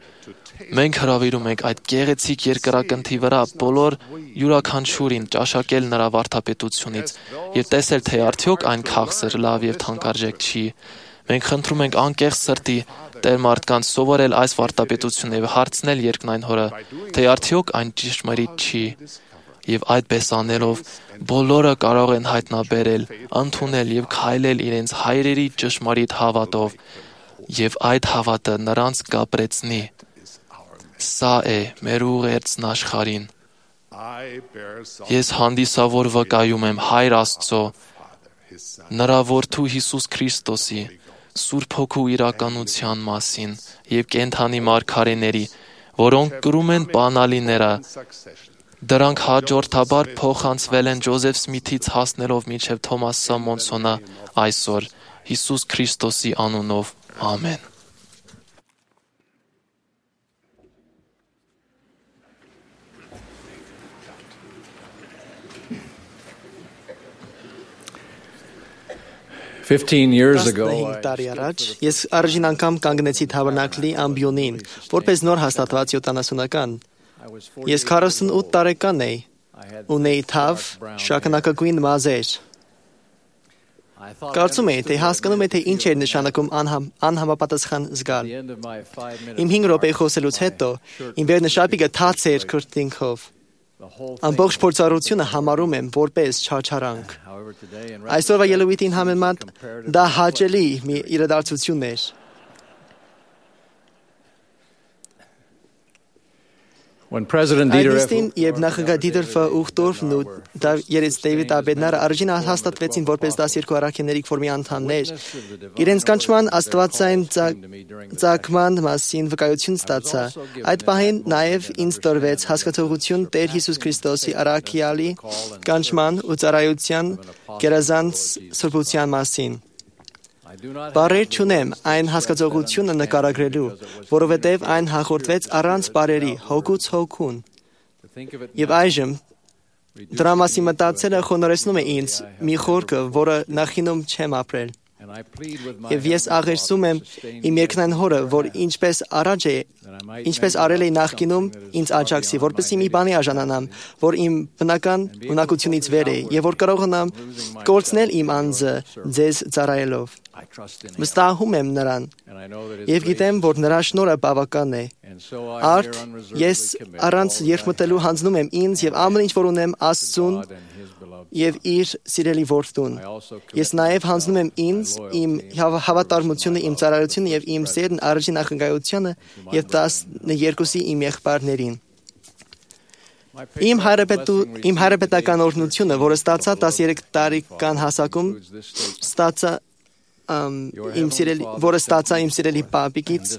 Speaker 7: Մենք հրավիրում ենք այդ գեղեցիկ երկրակնթի վրա բոլոր յուրաքանչյուրին ճաշակել նրա վարդապետությունից և տեսել, թե արդյոք այն քաղցր, լավ և թանկարժեք չի։ Մենք խնդրում ենք անկեղծ սրտի Տեր մարդկանց սովորել այս վարդապետությունը և հարցնել երկնային հորը, թե արդյոք այն ճշմարիտ չի։ Եվ այդպես անելով բոլորը կարող են հայտնաբերել, ընդունել և քայլել իրենց հայրերի ճշմարիտ հավատով, և այդ հավատը նրանց կապրեցնի։ Սա է մեր ուղերձն աշխարհին։ Ես հանդիսավոր վկայում եմ Հայր Աստծո, նրա որդու Հիսուս Քրիստոսի, Սուրբ Հոգու իրականության մասին և կենդանի մարգարեների, որոնք կրում են բանալիները։ Դրանք հաջորդաբար փոխանցվել են Ջոզեֆ Սմիթից հասնելով մինչև Թոմաս Սամոնսոնը այսօր, Հիսուս Քրիստոսի անունով, ամեն։
Speaker 5: տասնհինգ տարի առաջ ես առաջին անգամ կանգնեցի Թաբերնակլի ամբիոնին, որպես նոր հաստատված յոթանասունական։ Ես քառասունութ տարեկան էի, ունեի թավ, շագանակագույն մազեր։ Կարծում էի, թե հասկանում է, թե ինչ էր նշանակում անհամ, անհամապատասխան զգալ։ Իմ հինգ րոպե խոսելուց հետո իմ վերնշապիկը թաց էր քրտինքով։ Ամբողջ փորձառությունը համարում եմ որպես չարչարանք։ Այսօրվա ելույթին համեմատ դա հաճելի մի իրադարձություն էր։ Այդնստին, երբ նախագահ Դիտերֆը Ուխտորֆն ու երեց Դեյվիդ Աբեդնարը առաջին հաստատվեցին որպես դասերկու առաքելների ֆորմի անդամներ, իրենց կանչման աստվածային ծագման մասին վկայություն ստացա։ Այդ պահին նաև ինձ տրվեց հասկացողություն Տեր Հիսուս Քրիստոսի առաքյալի կանչման ու ծառայության գերազանց սրբության մասին։ Բառեր չունեմ այն հասկացողությունը նկարագրելու, որովհետև այն հաղորդվեց առանց բառերի, հոգուց հոգուն։ Եվ այժմ դրա մասին մտածելը խոնարհեցնում է ինձ մի խորքը, որը նախինում չեմ ապրել։ Եվ ես աղերսում եմ իմ երկնային հորը, որ ինչպես առաջ է, ինչպես արել է նախկինում ինձ աջակցի, որպեսզի մի բանի արժանանամ, որ իմ բնական ունակությունից վեր է, եւ որ կարողանամ կորցնել իմ անձը ձեզ ծառայելով։ Վստահում եմ նրան եւ գիտեմ, որ նրա շնորհը բավական է։ Արդ ես առանց երկմտելու հանձնում եմ ինձ եւ ամեն ինչ, որ ունեմ, Աստծուն եւ իր սիրելի որդուն։ Ես նաեւ հանձնում եմ ինձ, իմ հավատարմությունը, իմ ծառայությունը եւ իմ սերն առաջին նախագահությանը եւ տասներկուսի իմ եղբայրներին։ Իմ հայրապետու իմ հայրապետական օրհնությունը, որը ստացա տասներեք տարեկան հասակում, ստացա իմ սիրելի, որը ստացա իմ սիրելի պապիկից,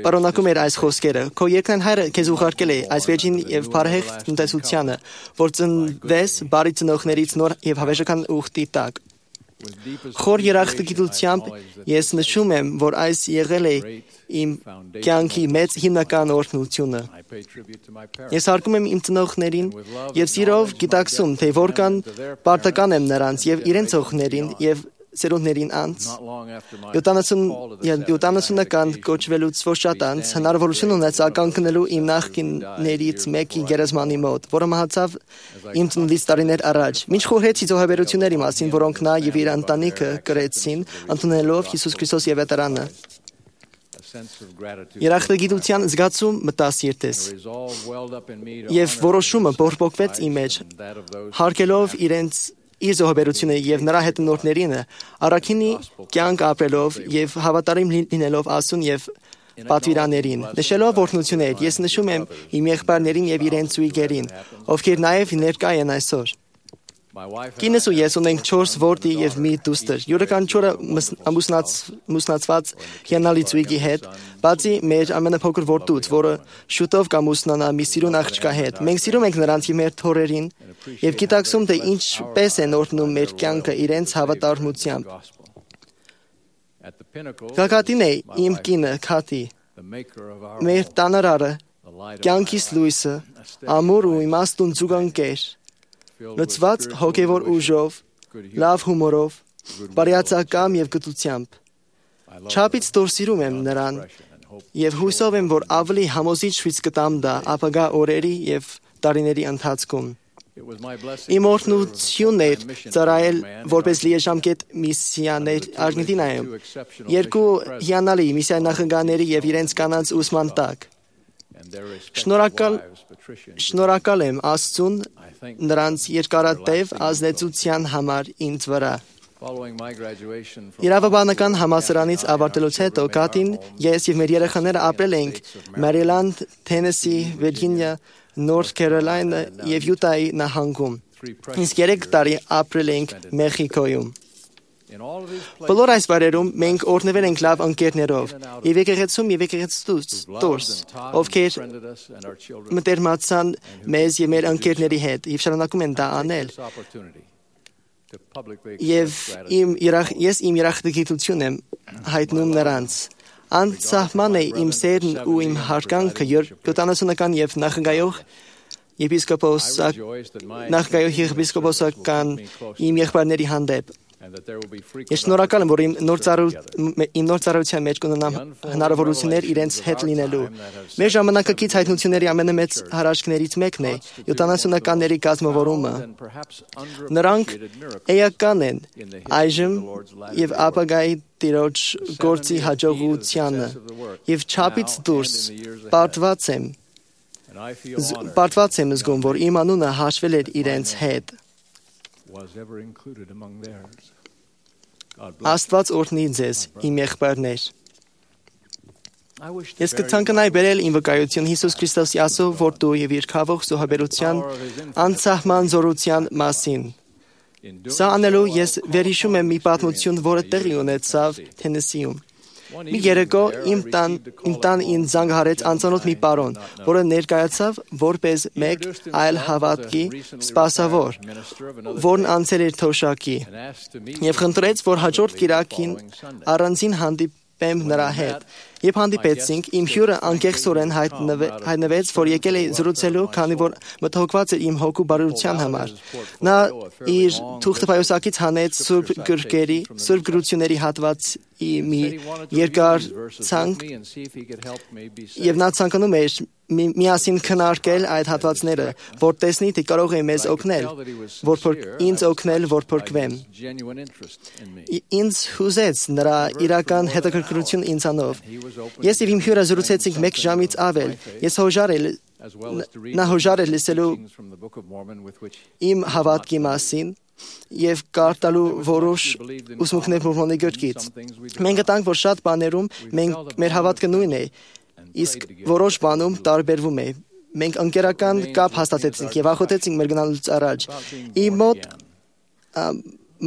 Speaker 5: պարունակում էր այս խոսքերը. Քո երկնային հայրը քեզ ուղարկել է այս վերջին եւ բարեհեղ տնտեսությանը, որ ծնվես բարի ծնողներից նոր եւ հավերժական ուխտի տակ։ Խոր երախտագիտությամբ ես նշում եմ, որ այս եղել է իմ կյանքի մեծ հիմնական օրհնությունը։ Ես հարգում եմ իմ ծնողներին եւ սիրով գիտակցում, թե որքան պարտական եմ նրանց եւ իրենց օգներին եւ սերունդներին անց։ յոթանասունական կոչվելուց ոչ շատ անց հնարավորություն ունեցա կանգնելու իմ նախկիններից մեկի գերեզմանի մոտ, որը մահացավ իմ ծննդից տարիներ առաջ։ Մինչ խորհեցի զոհաբերությունների մասին, որոնք նա եւ իր ընտանիքը կրեցին, ընդունելով Հիսուս Քրիստոսի եվետարանը։ Երախտագիտության զգացում մտա սիրտես, եւ որոշումը բորբոքվեց իմ մեջ, հարգելով իրենց իր զոհաբերությունը եւ նրա հետնորդներին, առաքինի կյանք ապրելով եւ հավատարիմ լինելով Աստծուն եւ պատվիրաններին, նշելով օրհնություններ, ես նշում եմ իմ եղբայրներին եւ իրենց զույգերին, ովքեր նաեւ ներկա են այսօր։ Կինս ու ես ունենք չորս որդի եւ մի դուստր։ Յուրաքանչյուրը ամուսնացված հիանալի զույգի հետ, բացի մեր ամենափոքր որդուց, որը շուտով կամուսնանա մի սիրուն աղջկա հետ։ Մենք սիրում ենք նրանց եւ մեր թորերին եւ գիտակցում, թե ինչպես են օրհնում մեր կյանքը իրենց հավատարմությամբ։ Գագաթին է իմ կինը Քաթի, մեր տանարարը, կյանքիս լույսը, ամուր ու իմաստուն զուգընկեր, լցված հոգևոր ուժով, լավ հումորով, բարյացակամ եւ գտությամբ։ Չափից դուրս սիրում եմ նրան եւ հույսով եմ, որ ավելի համոզիչ ցույց կտամ դա ապագա օրերի եւ տարիների ընթացքում։ Իմ օրհնությունն էր ծառայել որպես լիեժամկետ միսիաներ Արգենտինայում, երկու հիանալի միսիայի նախագահների եւ իրենց կանանց ուսման տակ։ Շնորհակալ շնորհակալ եմ Աստծուն նրանց երկարատև ազդեցության համար ինձ վրա։ Իրավաբանական համալսարանից ավարտելուց հետո Կաթին, ես եւ մեր երեխաները ապրել ենք Մերիլանդ, Թենեսի, Վիրջինիա, Նորթ Քարոլայնա եւ Յուտայի նահանգում։ Իսկ երեք տարի ապրել ենք Մեխիկոյում։ Բոլոր այս վայրերում մենք օրհնվել ենք լավ ընկերներով եւ եկեղեցում եւ եկեղեցուց դուրս, ովքեր մտերմացան մեզ եւ մեր ընկերների հետ եւ շարունակում են դա անել։ Եվ իմ ես իմ երախտագիտություն եմ հայտնում նրանց։ Անսահման է իմ սերն ու իմ հարգանքը յոթանասունական եւ նախագահող եպիսկոպոս նախագահող եպիսկոպոսական իմ եղբայրների հանդեպ։ Ես շնորհակալ եմ, որ իմ նոր ծառայության մեջ կունենամ հնարավորություններ իրենց հետ լինելու։ Մեր ժամանակակից հայտնությունների ամենամեծ հարաշքներից մեկն է յոթանասունականների կազմավորումը։ Նրանք էական են այժմ եւ ապագայի Տիրոջ գործի հաջողությանը եւ չափից դուրս պարտված եմ պարտված եմ զգում, որ իմ անունը հաշվել էր իրենց հետ։ Աստված օրհնի ձեզ, իմ եղբայրներ։ Ես կցանկանայի բերել իմ վկայություն Հիսուս Քրիստոսի Աստծո որդու եւ իր քավող զոհաբերության անսահման զորության մասին։ Սա անելու ես վերհիշում եմ մի պատմություն, որը տեղի ունեցավ Թենեսիում։ Մի երեկո իմ տան իմ տան ինձ զանգահարեց անծանոթ մի պարոն, որը ներկայացավ որպես մեկ այլ հավատքի սպասավոր, որն անցել էր թոշակի, եւ խնդրեց, որ հաջորդ կիրակին առանձին հանդիպեմ նրա հետ։ Երբ հանդիպեցինք, իմ հյուրը անկեղծորեն հայտնվեց, որ եկել է զրուցելու, քանի որ մտահոգված էր իմ հոգու բարության համար։ Նա իր թուղթը պայուսակից հանեց սուրբ գրքերի, սուրբ գրությունների հատվածի մի երկար ցանկ, եւ նա ցանկանում էր միասին քննարկել այդ հատվածները, որ տեսնի, թե կարող է մեզ օգնել, որ ինձ օգնել, որ փրկվեմ։ Ինձ հուզեց նրա իրական հետաքրքրություն ինձանով։ Ես եւ իմ հյուրը զրուցեցինք մեկ ժամից ավել։ Ես հոժարել նա հոժարել լսելու իմ հավատքի մասին եւ կարդալու որոշ ուսմունքներ Մորմոնի գրքից։ Մենք գտանք, որ շատ բաներում մենք մեր հավատքը նույնն է, իսկ որոշ բանում տարբերվում է։ Մենք ընկերական կապ հաստատեցինք եւ ախոթեցինք մեր գնալուց առաջ։ Իմ մոտ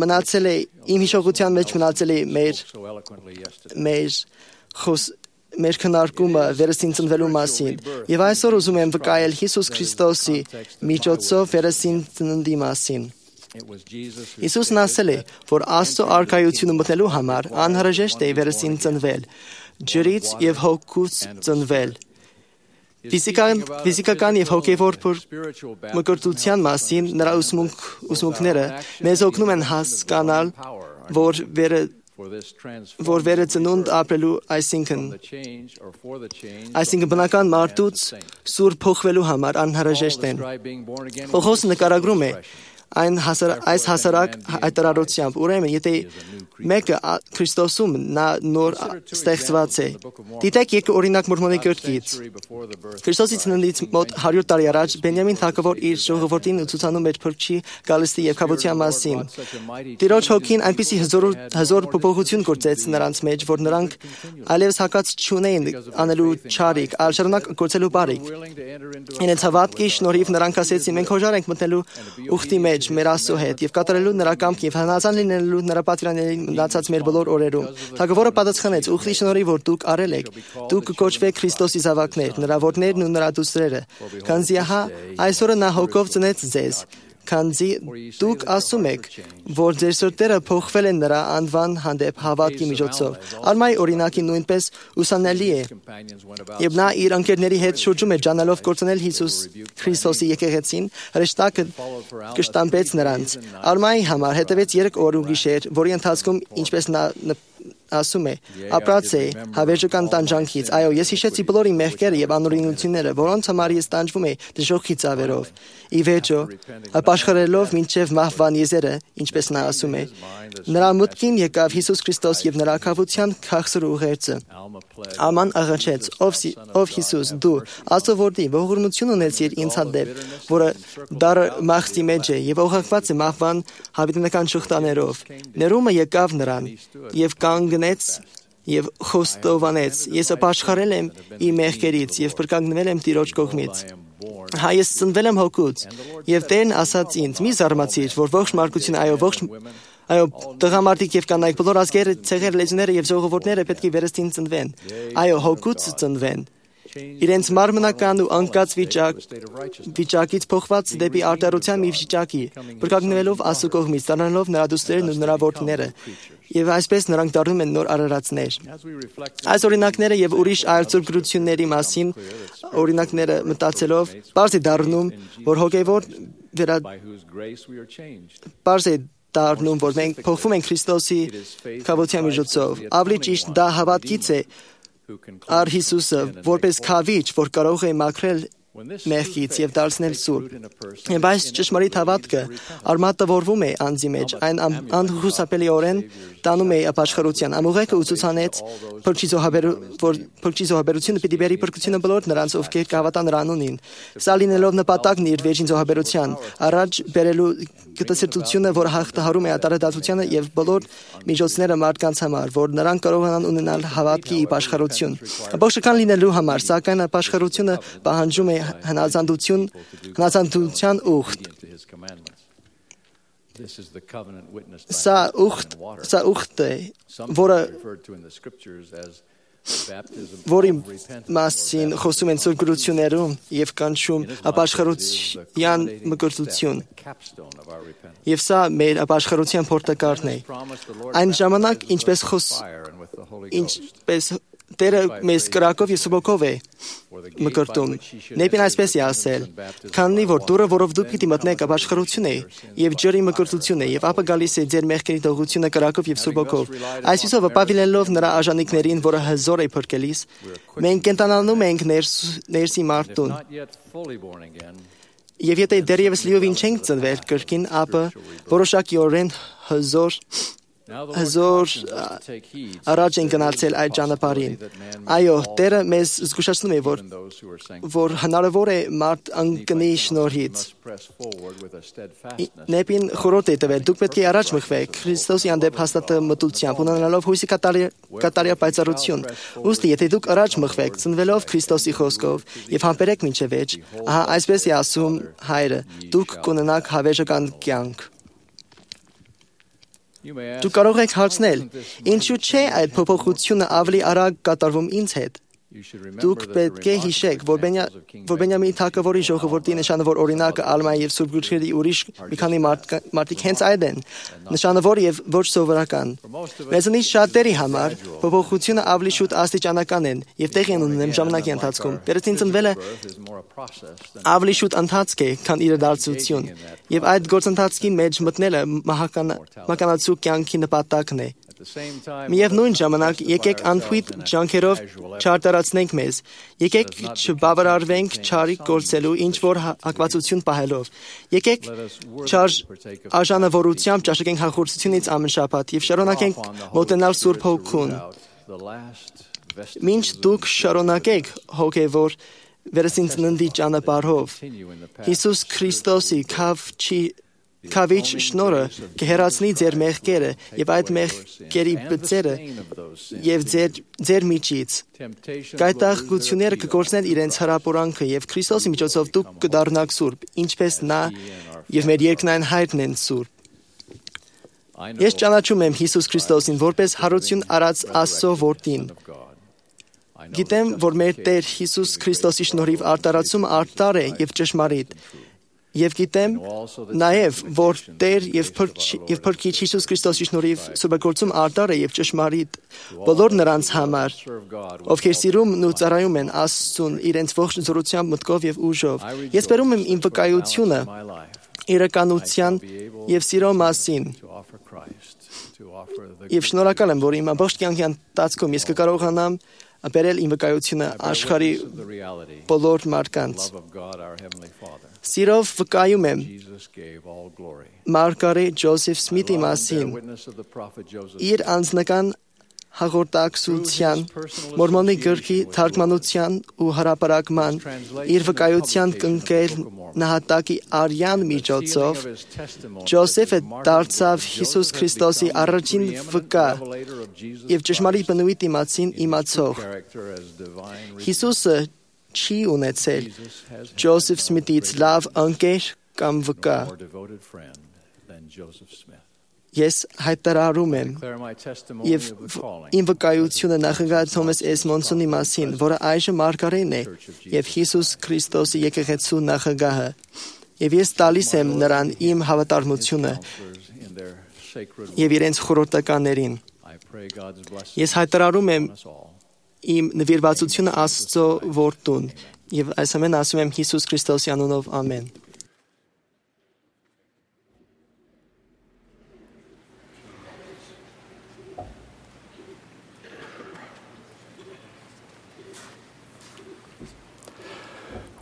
Speaker 5: մնացել է իմ հիշողության մեջ մնացել է մեր մեր խոս մեր քննարկումը վերստին ծնվելու մասին եւ այսօր ուզում եմ վկայել Հիսուս Քրիստոսի միջոցով վերստին ծննդի մասին։ Հիսուսն ասել է, որ Աստծո արքայությունը մտնելու համար անհրաժեշտ է վերստին ծնվել, ջրից եւ հոգուց ծնվել։ Ֆիզիկական, ֆիզիկական եւ հոգեվոր մկրտության մասին նրա ուսմունք, ուսմունքները մեզ օգնում են հասկանալ, որ վերը որ վերածնունդ ապրելու, այսինքն այսինքն բնական մարդուց սուր փոխվելու համար անհրաժեշտ են։ Պողոս նկարագրում է այն հասար, այս հասարակ հայտարարությամբ, ուրեմն եթե մեկը Քրիստոսում նա նոր ստեղծված է։ Դիտեք երկու օրինակ Մորմոնի գրքից։ Քրիստոսի ծննդից մոտ հարյուր տարի առաջ Բենյամին թագավոր իր ժողովրդին ուսուցանում էր փրկչի գալստի եւ կապության մասին։ Տիրոջ հոգին այնպիսի հզոր հզոր փոփոխություն գործեց նրանց մեջ, որ նրանք այլևս հակած չունեին անելու չարիք, այլ շարունակ գործելու բարիք։ Իրենց հավատքի շնորհիվ նրանք ասեցին, մենք հոժար ենք մտնելու ուխտի մեջ մեր Աստծո հետ եւ կատարելու նրա կամքին եւ հնազան լինելու նրա պատվիրաններին մնացած մեր բոլոր օրերում։ Թագավորը պատասխանեց. ուխտի շնորհիվ որ դուք արել եք, դուք կոչվեք Քրիստոսի զավակներ, նրա որդներն ու նրա դուստրերը։ Քանզի ահա այսօրը նա հոգով ծնեց ձեզ, քանզի դուք ասում եք, որ ձեր սրտերը փոխվել են նրա անվան հանդեպ հավատքի միջոցով։ Արմայի օրինակի նույնպես ուսանելի է, եւ նա իր ընկերների հետ շրջում է ջանալով կործանել Հիսուս Քրիստոսի եկեղեցին, հրեշտակը կշտամբեց նրանց։ Արմայի համար հետևեց երեք օր ու գիշեր, որի ընթացքում ինչպես նա ասում է, ապրած է հավերժական տանջանքից։ Այո, ես հիշեցի բոլոր իմ մեղքերը եւ անօրինությունները, որոնց համար ես տանջվում էի դժոխքի ծավերով։ Ի վերջո, ապաշխարելով մինչև մահվան եզերը, ինչպես նա ասում է, նրա մտքին եկավ Հիսուս Քրիստոս եւ նրա քավության քաղցր ուղերձը։ Աման աղաչեց. ով ով Հիսուս, դու Աստծո որդի, ողորմություն ունեցիր ինձ հանդեպ, որը դառը մաղձի մեջ է եւ օղակված է մահվան հավիտենական շղթաներով։ Ներումը եկավ նրան եւ կանգնեց եւ խոստովանեց. ես ապաշխարել եմ իմ մեղքերից եւ փրկագնվել եմ Տիրոջ կողմից։ Հա ես ծնվել եմ հոգուց եւ Տերն ասաց ինձ. մի զարմացիր, որ ողջ մարդկությունը, այո ողջ այո տղամարդիկ եւ կանայք, բոլոր ազգերը, ցեղեր, լեզուները եւ ժողովուրդները պետք է վերստին ծնվեն։ Այո, հոգուց ծնվեն։ Իրենց մարմնական ու անկած վիճակ վիճակից փոխված դեպի արտարության մի վիճակի, փրկագնվելով Աստծո կողմից, դառնալով նրա դուստրերն ու նրա որդիները, եւ այսպես նրանք դառնում են նոր արարածներ։ Այս օրինակները եւ ուրիշ այլ ծրագրությունների մասին օրինակները մտածելով, բարձ է դառնում, որ հոգեվոր վերա բարձ է դառնում, որ մենք փոխվում ենք Քրիստոսի քավության միջոցով։ Ավելի ճիշտ դա հավատքից է առ Հիսուսը, որպես քավիչ, որ կարող է մաքրել մեղքից եւ դարձնել սուրբ։ Եվ այս ճշմարիտ հավատքը արմատավորվում է անձի մեջ, այն անխուսափելիորեն տանում է ապաշխարության։ Ամուղեկը ուսուցանեց փրկչի զոհաբերությունը պիտի բերի փրկությունը բոլոր նրանց, ովքեր կհավատան նրա անունին։ Սա լինելով նպատակն իր վերջին զոհաբերության, առաջ բերելու գտասրտությունը, որ հաղթահարում է ատարադատությանը եւ բոլոր միջոցները մարդկանց համար, որ նրանք կարողանան ունենալ հավատքի ապաշխարություն։ Ապաշխարական լինելու համար, սակայն ապաշխարությունը պահանջում է հնազանդություն, հնազանդության ուխտ։ Սա ուխտ, սա ուխտ է, որը որի մասին խոսում են սուրբ գրություններում եւ կանչում ապաշխարության մկրտություն։ Եվ սա մեր ապաշխարության պորտակառն է։ Այն ժամանակ, ինչպես խոս ինչպես Տերը մեզ կրակով եւ սուբոքով է մկրտում։ Նեպին այսպես է ասել. քանի որ դուրը, որով դուք պիտի մտնեք, ապաշխարություն է եւ ջրի մկրտություն է, եւ ապա գալիս է ձեր մեղքերի թողությունը կրակով եւ սուբոքով։ Այսպիսով ապավինելով նրա արժանինքներին, որը հզոր է փրկելիս, մենք կենտանանում ենք ներս, ներսի մարդուն։ Եվ եթե դեռևս լիովին չենք ծնվել կրկին, ապա որոշակիորեն հզոր Հզոր առաջ են գնացել այդ ճանապարհին։ Այո, Տերը մեզ զգուշացնում է, որ որ հնարավոր է մարդ անկնի շնորհից։ Նեպին խորհուրդ է տվել. դուք պետք է առաջ մղվեք Քրիստոսի հանդեպ հաստատմտությամբ, ունենալով հույսի կատարյալ պայծառություն։ Ուստի, եթե դուք առաջ մղվեք, ծնվելով Քրիստոսի խոսքով եւ համբերեք մինչև վերջ, ահա այսպես է ասում Հայրը, դուք կունենաք հավերժական կյանք։ Դու կարող եք հարցնել. ինչու՞ չէ այդ փոփոխությունը ավելի արագ կատարվում ինձ հետ։ Դուք պետք է հիշեք, որ Բենյամինի թագավորի ժողովրդի նշանը, որ օրինակը Ալմայի եւ Սուրբ Գրքերի ուրիշ մի քանի մարդիկ հենց այդ են, նշանավոր եւ ոչ սովորական։ Մեզանից շատերի համար փոփոխությունը ավելի շուտ աստիճանական են եւ տեղի են ունենում ժամանակի ընթացքում։ Վերցին ծնվելը ավելի շուտ ընթացք է, քան իրադարձություն, եւ այդ գործընթացքի մեջ մտնելը մահկանացու կյանքի նպատակն է։ Միևնույն ժամանակ եկեք անփույթ ջանքերով չարտարացնենք մեզ, եկեք չբավարարվենք չարիք գործելու ինչ-որ հակվածություն պահելով, եկեք արժանավորությամբ ճաշակենք հաղորդությունից ամեն շաբաթ եւ շարունակենք մոտենալ Սուրբ Հոգուն։ Մինչ դուք շարունակեք հոգևոր վերսինցննդի ճանապարհով, Հիսուս Քրիստոսի քավչի Քավիչ շնորհը կհեռացնի ձեր մեղքերը եւ այդ մեղքերի բծերը եւ ձեր ձեր միջից գայթակղությունները կգործնեն իրենց հրապորանքը եւ Քրիստոսի միջոցով դուք կդառնաք սուրբ, ինչպես նա եւ մեր երկնային հայրն են սուրբ։ Ես ճանաչում եմ Հիսուս Քրիստոսին որպես հարություն արած Աստծո որդին։ Գիտեմ, որ մեր Տեր Հիսուս Քրիստոսի շնորհիվ արտարացումը արդար է եւ ճշմարիտ։ Եվ գիտեմ նաև, որ Տեր եւ Փրկիչ Հիսուս Քրիստոսի շնորհիվ սուբագործում արդար է եւ ճշմարիտ բոլոր նրանց համար, ովքեր սիրում ու ծառայում են Աստծուն իրենց ողջ զորությամբ, մտքով եւ ուժով։ Ես բերում եմ իմ վկայությունը իրականության եւ սիրո մասին։ Եվ շնորհակալ եմ, որ իմ ամբողջ կյանքի ընթացքում ես կկարողանամ բերել իմ վկայությունը աշխարհի բոլոր մարդկանց։ Սիրով վկայում եմ Մարգարետ Ջոզեֆ Սմիթի մասին, իր անձնական հաղորդակցության, Մորմոնի գրքի թարգմանության ու հրապարակման, իր վկայության կնքել նահատակի արյան միջոցով, Ջոզեֆը դարձավ Հիսուս Քրիստոսի առաջին վկա եւ ճշմարիտ բնույթի մասին իմացող։ Հիսուսը չի ունեցել Ջոզեֆ Սմիթից լավ ընկեր կամ վկա։ Ես հայտարարում եմ եւ իմ վկայությունը նախագահ Թոմաս Էսմոնսոնի մասին, որը այժմ մարգարեն է եւ Հիսուս Քրիստոսի եկեղեցու նախագահը։ Եվ ես տալիս եմ նրան իմ հավատարմությունը եւ իրենց խորհրդականներին։ Ես հայտարարում եմ իմ նվիրվածությունը Աստծո որդուն եւ այս ամեն ասում եմ Հիսուս Քրիստոսի անունով ամեն։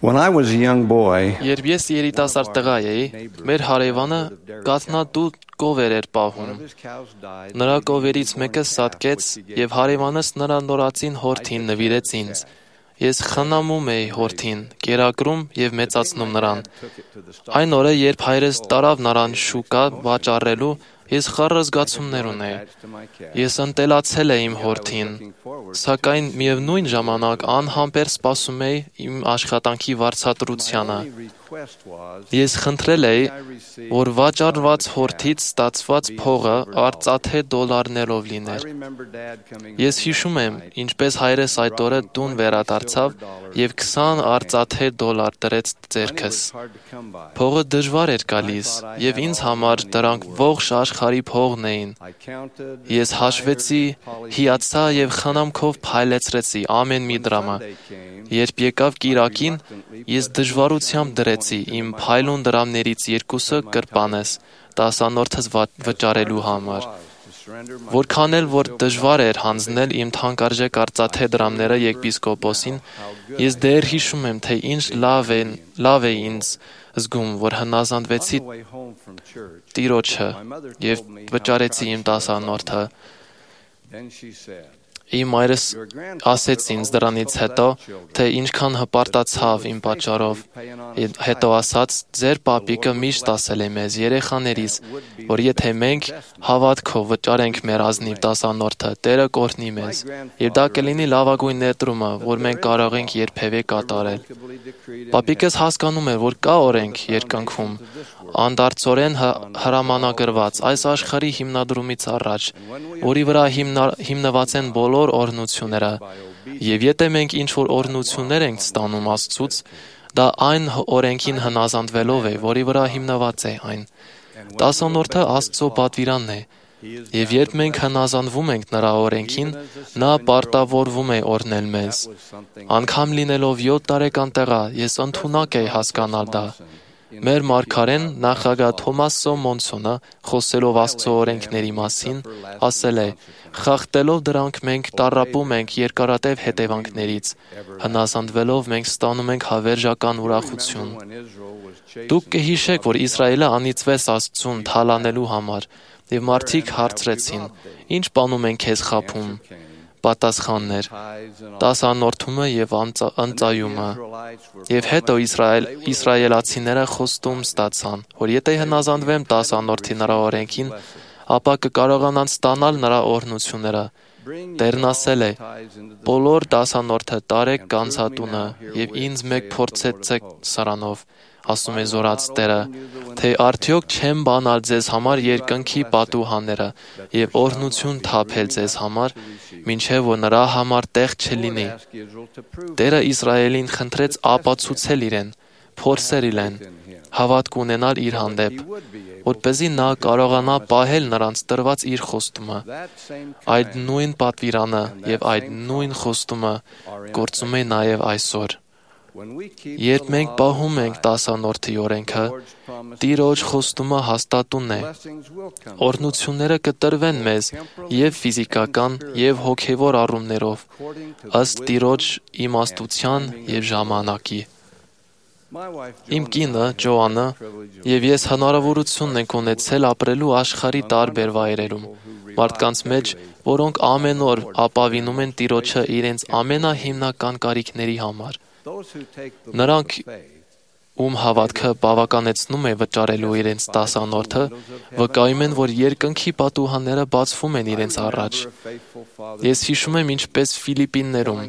Speaker 6: When I was a young boy,
Speaker 7: Երբ ես երիտասարդ տղա էի, մեր հարևանը գաթնատու կովեր էր պահում։ Նրա կովերից մեկը սատկեց եւ հարևանս նրա նորածին հորթին նվիրեց ինձ։ Ես խնամում էի հորթին, կերակրում եւ մեծացնում նրան։ Այն օրը, երբ հայրս տարավ նրան շուկա վաճառելու, ես խառը զգացումներ ունեի։ Ես ընտելացել էի իմ հորթին, սակայն միևնույն ժամանակ անհամբեր սպասում էի իմ աշխատանքի վարձատրությանը։ Ես խնդրել էի, որ վաճառված հորթից ստացված փողը արծաթե դոլարներով լիներ։ Ես հիշում եմ, ինչպես հայրս այդ օրը տուն վերադարձավ եւ քսան արծաթե դոլար դրեց ձեռքս։ Փողը դժվար էր գալիս եւ ինձ համար դրանք ողջ աշխարհի փողն էին։ Ես հաշվեցի, հիացա եւ խնամքով փայլեցրեցի ամեն մի դրամը։ Երբ եկավ կիրակին, ես դժվարությամբ դրեցի իմ փայլուն դրամներից երկուսը կրպանես տասանորդս վճարելու համար։ Որքան էլ որ դժվար էր հանձնել իմ թանկարժեք արծաթե դրամները եպիսկոպոսին, ես դեռ հիշում եմ, թե ինչ լավ է, լավ է ինձ զգում, որ հնազանդվեցի Տիրոջը եւ վճարեցի իմ տասանորդը։ Իմ մայրս ասեց ինձ դրանից հետո, թե ինչքան հպարտացավ իմ պատճառով։ Հետո ասաց, ձեր պապիկը միշտ ասել է մեզ երեխաներիս, որ եթե մենք հավատքով վճարենք մեր ազնիվ դասանորդը, Տերը կօրհնի մեզ։ Եվ դա կլինի լավագույն ներդրումը, որ մենք կարող ենք երբևէ կատարել։ Պապիկս հասկանում էր, որ կա օրենք երկնքում, անդարձորեն հրամանագրված այս աշխարհի հիմնադրումից առաջ, որի վրա հիմնված են բոլոր օրհնությունները, եւ եթե մենք ինչ-որ օրհնություններ ենք ստանում Աստծուց, դա այն օրենքին հնազանդվելով է, որի վրա հիմնված է այն։ Դասանորդը Աստծո պատվիրանն է, եւ երբ մենք հնազանդվում ենք նրա օրենքին, նա պարտավորվում է օրհնել մեզ։ Անգամ լինելով յոթ տարեկան տղա, ես ընդունակ էի հասկանալ դա։ Մեր մարգարեն նախագահ Թոմաս Մոնսոնը, խոսելով Աստծո օրենքների մասին, ասել է. «Խախտելով դրանք մենք տառապում ենք երկարատև հետևանքներից, հնազանդվելով մենք ստանում ենք հավերժական ուրախություն»։ Դուք կհիշեք, որ Իսրայելը անիծվեց Աստծուն թալանելու համար, եւ մարդիկ հարցրեցին. «Ինչ բանում են քեզ խաբում»։ Պատասխանն էր. «Դասանորդումը եւ ընծայումը»։ Եվ հետո Իսրայել իսրայելացիները խոստում ստացան, որ եթե հնազանդվեն դասանորդի նրա օրենքին, ապա կկարողանան ստանալ նրա օրհնությունները։ Տերն ասել է. «Բոլոր դասանորդը տարեք կանցատունը եւ ինձ մեկ փորձեցեք սրանով», ասում է զորաց Տերը, թե արդյոք չեմ բանալ ձեզ համար երկնքի պատուհանները եւ օրհնություն թափել ձեզ համար, մինչեւ որ նրա համար տեղ չլինի։ Տերը Իսրայելին խնդրեց ապացուցել իրեն, փորձել իրեն, հավատք ունենալ իր հանդեպ, որպեսզի նա կարողանա պահել նրանց տրված իր խոստումը։ Այդ նույն պատվիրանը եւ այդ նույն խոստումը գործում է նաեւ այսօր։ Երբ մենք պահում ենք դասանորդի օրենքը, Տիրոջ խոստումը հաստատուն է։ Օրհնությունները կտրվեն մեզ եւ ֆիզիկական եւ հոգեվոր առումներով, ըստ Տիրոջ իմաստության եւ ժամանակի։ Իմ կինը, Ջոանը, եւ ես հնարավորություն ենք ունեցել ապրելու աշխարհի տարբեր վայրերում, մարդկանց մեջ, որոնք ամեն օր ապավինում են Տիրոջը իրենց ամենահիմնական կարիքների համար։ Նրանք, ում հավատքը բավականեցնում է վճարելու իրենց դասանորդը, վկայում են, որ երկնքի պատուհանները բացվում են իրենց առաջ։ Ես հիշում եմ, ինչպես Ֆիլիպիններում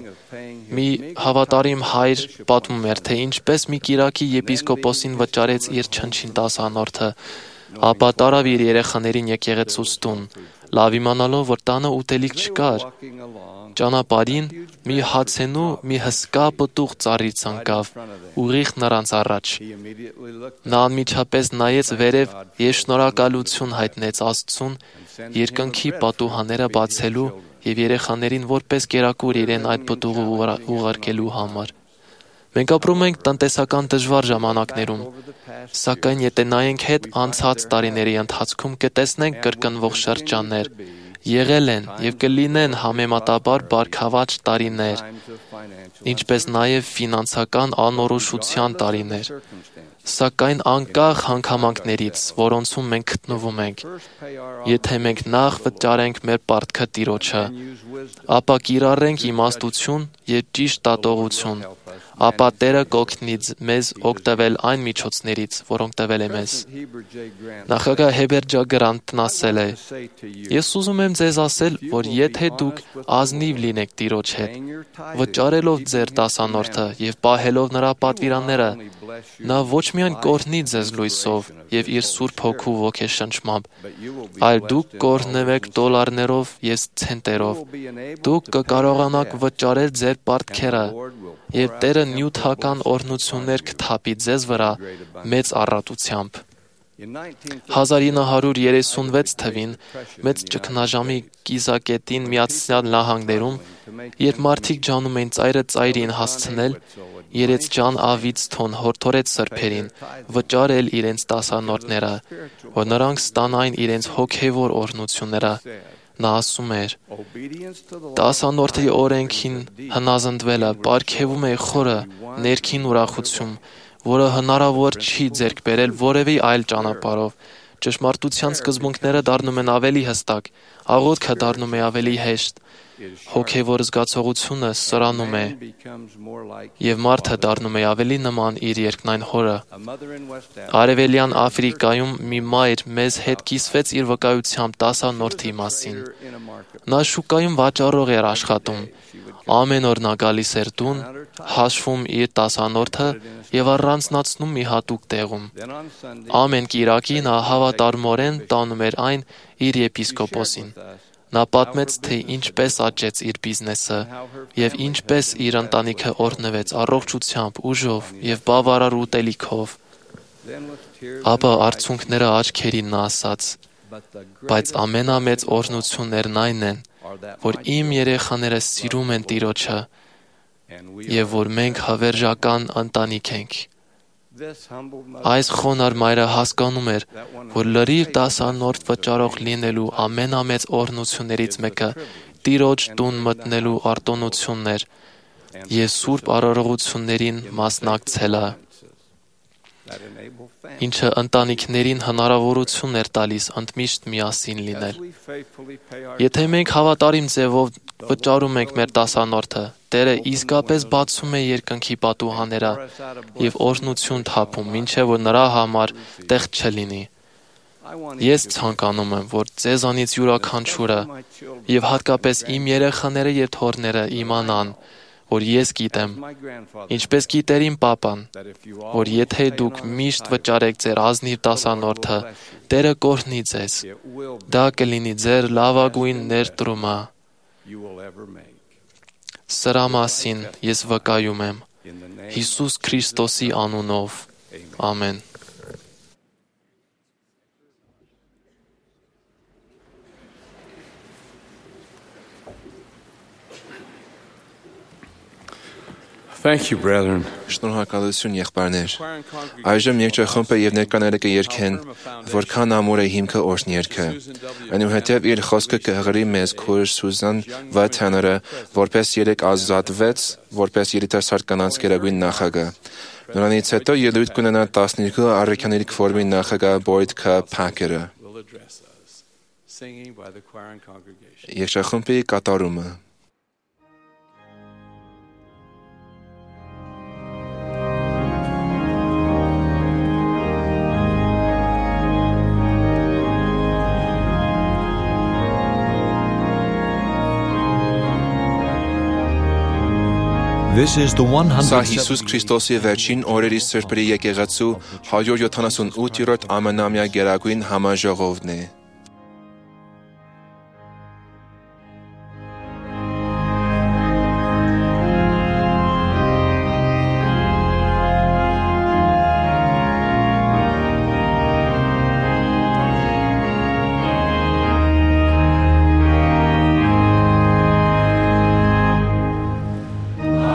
Speaker 7: մի հավատարիմ հայր պատմում էր, թե ինչպես մի կիրակի եպիսկոպոսին վճարեց իր չնչին դասանորդը, ապա տարավ իր երեխաներին եկեղեցուց տուն, լավ իմանալով, որ տանը ուտելիք չկար։ Ճանապարհին մի հացենու մի հսկա պտուղ ծառից ընկավ, ուղիղ նրանց առաջ։ Նա անմիջապես նայեց վերև եւ շնորհակալություն հայտնեց Աստծուն երկնքի պատուհանները բացելու եւ երեխաներին որպես կերակուր իրեն այդ պտուղը ուղարկելու համար։ Մենք ապրում ենք տնտեսական դժվար ժամանակներում, սակայն եթե նայենք հետ անցած տարիների ընթացքում կտեսնենք կրկնվող շրջաններ, եղել են եւ կլինեն համեմատաբար բարգավաճ տարիներ, ինչպես նաեւ ֆինանսական անորոշության տարիներ, սակայն անկախ հանգամանքներից, որոնցում մենք գտնվում ենք, եթե մենք նախ վճարենք մեր պարտքը Տիրոջը, ապա կիրառենք իմաստություն եւ ճիշտ դատողություն, ապա Տերը կօգնի մեզ օգտվել այն միջոցներից, որոնք տվել է մեզ։ Նախագահ Հեբեր Ջագրանտն ասել է. «Ես ուզում եմ ձեզ ասել, որ եթե դուք ազնիվ լինեք Տիրոջ հետ, վճարելով ձեր դասանորդը եւ պահելով նրա պատվիրանները, նա ոչ միայն կօրհնի ձեզ լույսով եւ իր Սուրբ Հոգու ոգեշնչմամբ, այլ դուք կօրհնվեք դոլարներով եւ ցենտերով, դուք կկարողանաք վճարել ձեր պարտքերը եւ Տերը նյութական օրհնություններ կթափի ձեզ վրա մեծ առատությամբ»։ հազար ինը հարյուր երեսունվեց թվին մեծ ճգնաժամի կիզակետին Միացյալ Նահանգներում, երբ մարդիկ ջանում էին ծայրը ծայրին հասցնել, երեցջան Ավիցթոն հորդորեց սրբերին վճարել իրենց դասանորդները, որ նրանք ստանային իրենց հոգևոր օրհնությունները։ Նա ասում էր. «Դասանորդի օրենքին հնազանդվելը պարգևում է խորը ներքին ուրախություն, որը հնարավոր չի ձեռք բերել որևէ այլ ճանապարհով, ճշմարտության սկզբունքները դառնում են ավելի հստակ, աղոթքը դառնում է ավելի հեշտ, հոգևոր զգացողությունը սրանում է, եւ մարդը դառնում է ավելի նման իր երկնային հորը։ Արևելյան Աֆրիկայում մի մայր մեզ հետ կիսվեց իր վկայությամբ տասանորդի մասին։ Նա շուկայում վաճառող էր աշխատում։ Ամեն օր նա գալիս էր տուն, հաշվում իր տասանորդը եւ առանձնացնում մի հատուկ տեղում։ Ամեն կիրակի նա հավատարմորեն տանում էր այն իր եպիսկոպոսին։ Նա պատմեց, թե ինչպես աճեց իր բիզնեսը եւ ինչպես իր ընտանիքը օրհնվեց առողջությամբ, ուժով եւ բավարար ուտելիքով։ Ապա արցունքները աչքերին նա ասաց. «Բայց ամենամեծ օրհնություններն այն են, որ իմ երեխաները սիրում են Տիրոջը եւ որ մենք հավերժական ընտանիք ենք»։ Այս խոնար մայրը հասկանում էր, որ լրիվ տասանորդ վճարող լինելու ամենամեծ օրհնություններից մեկը Տիրոջ տուն մտնելու արտոնությունն էր եւ սուրբ արարողություններին մասնակցելը, ինչը ընտանիքներին հնարավորություն էր տալիս ընդմիշտ միասին լինել։ Եթե մենք հավատարիմ ձևով վճարում ենք մեր տասանորդը, Տերը իսկապես բացում է երկնքի պատուհանները եւ օրհնություն թափում, մինչեւ որ նրա համար տեղ չլինի։ Ես ցանկանում եմ, որ ձեզանից յուրաքանչյուրը եւ հատկապես իմ երեխաները եւ թոռները իմանան, որ ես գիտեմ, ինչպես գիտեր իմ պապան, որ եթե դուք միշտ վճարեք ձեր ազնիվ տասանորդը, Տերը կօրհնի ձեզ։ Դա կլինի ձեր լավագույն ներդրումը։ Սրա մասին ես վկայում եմ Հիսուս Քրիստոսի անունով։ Ամեն։
Speaker 8: Thank you, brethren.
Speaker 2: Շնորհակալություն, եղբայրներ։ Այժմ երկչախումբը եւ ներկաները կերքեն, որքան ամուր է հիմքը օրհն երգը։ Այնուհետև իր խոսքը կհղրի մեզ քույր Սուզան Վաթաները, որպես երեք ազատվեց, որպես երիտասարդ կանանց գերագույն նախագահ։ Նրանից հետո ելույթ կունենա տասներկու առաքյաների քվորմի նախագահ Բոյդ Քա Փակերը։ Երկչախումբի կատարումը։
Speaker 1: This is the
Speaker 2: Սա Հիսուս Քրիստոսի վերջին օրերի սրբերի եկեղեցու հարյուր յոթանասունութերորդ ամենամյա գերագույն համաժողովն է։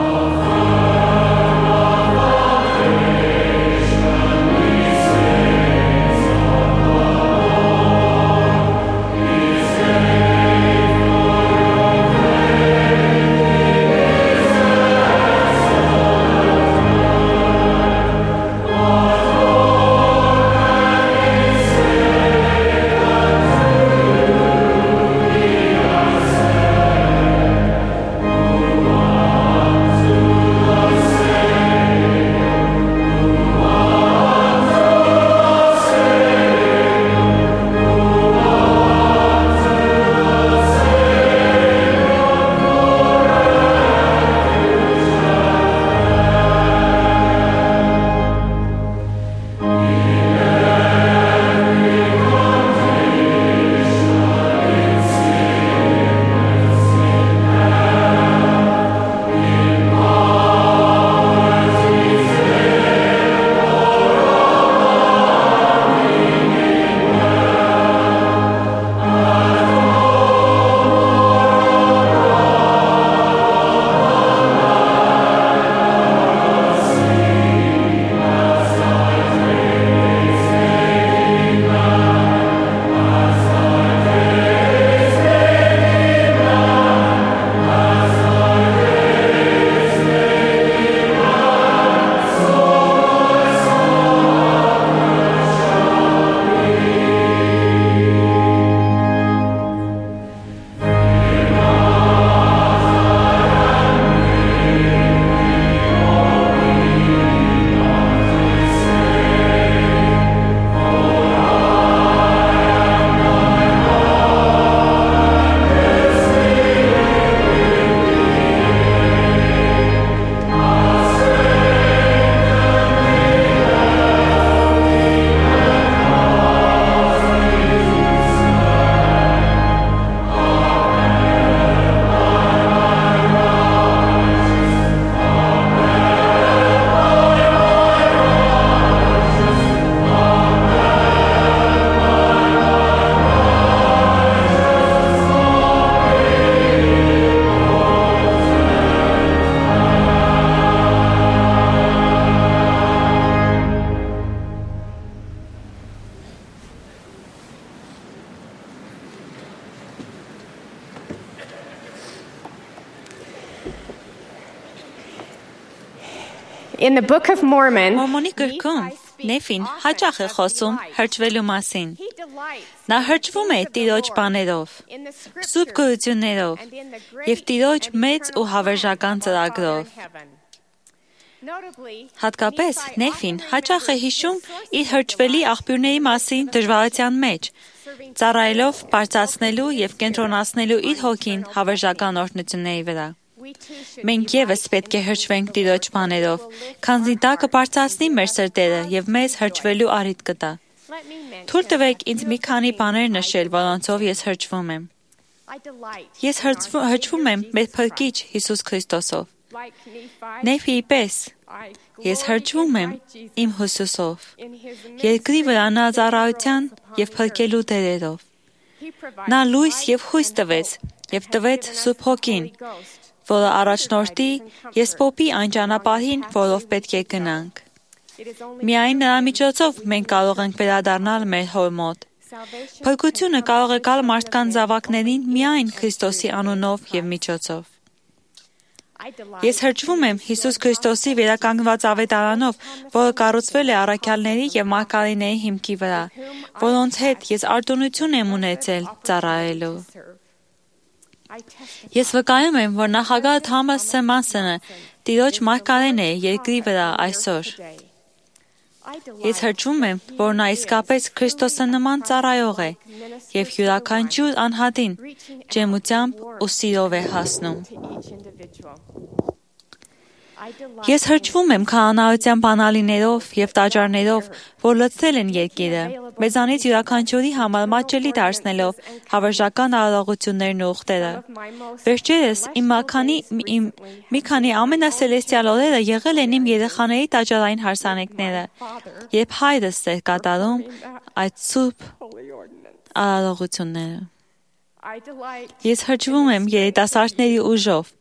Speaker 9: Oh In the Book of Mormon,
Speaker 10: Մորմոնի գրքում Նեֆին հաճախ է խոսում հրճվելու մասին։ Նա հրճվում է Տիրոջ բաներով, սուրբ գոյություններով եւ Տիրոջ մեծ ու հավերժական ծրագրով։ Հատկապես Նեֆին հաճախ է հիշում իր հրճվելի աղբյուրների մասին դժվարության մեջ, ծառայելով բարձրացնելու եւ կենտրոնացնելու իր հոգին հավերժական օրհնությունների վրա։ Մենք եւս պետք է հրճվենք Տիրոջ բաներով, քանզի դա կբարձրացնի մեր սրտերը եւ մեզ հրճվելու առիթ կտա։ Թույլ տվեք ինձ մի քանի բաներ նշել, որոնցով ես հրճվում եմ։ Ես հրճվում եմ մեր Փրկիչ Հիսուս Քրիստոսով։ Նեֆիի պես ես հրճվում եմ իմ Հիսուսով, երկրի վրա նա ծառայության եւ փրկելու դերերով։ Նա լույս եւ հույս տվեց եւ տվեց Սուրբ Հոգին, որը առաջնորդի եսպոպի այն ճանապարհին, որով պետք է գնանք։ Միայն նրա միջոցով մենք կարող ենք վերադառնալ մեր հոր մոտ։ Փրկությունը կարող է գալ մարդկանց զավակներին միայն Քրիստոսի անունով եւ միջոցով։ Ես հրճվում եմ Հիսուս Քրիստոսի վերականգնված ավետարանով, որը կառուցվել է առաքյալների եւ մարգարեների հիմքի վրա, որոնց հետ ես արտոնություն եմ ունեցել ծառայելու։ Ես վկայում եմ, որ նախագահ Թոմաս Սեմասոնը Տիրոջ մարգարեն է երկրի վրա այսօր։ Ես հրճվում եմ, որ նա իսկապես Քրիստոսը նման ծառայող է եւ յուրաքանչյուր անհատին ջերմությամբ ու սիրով է հասնում։ Ես հրճվում եմ քահանայության բանալիներով եւ տաճարներով, որ լցնել են երկիրը, մեզանից յուրաքանչյուրի համար մատչելի դարձնելով հավերժական արարողություններն ու ուխտերը։ Վերջերս իմ մի քանի ամենասելեստիալ օրերը եղել են իմ երեխաների տաճարային հարսանիքները, երբ հայրս էր կատարում այդ սուրբ արարողությունները։ Ես հրճվում եմ երիտասարդների ուժով,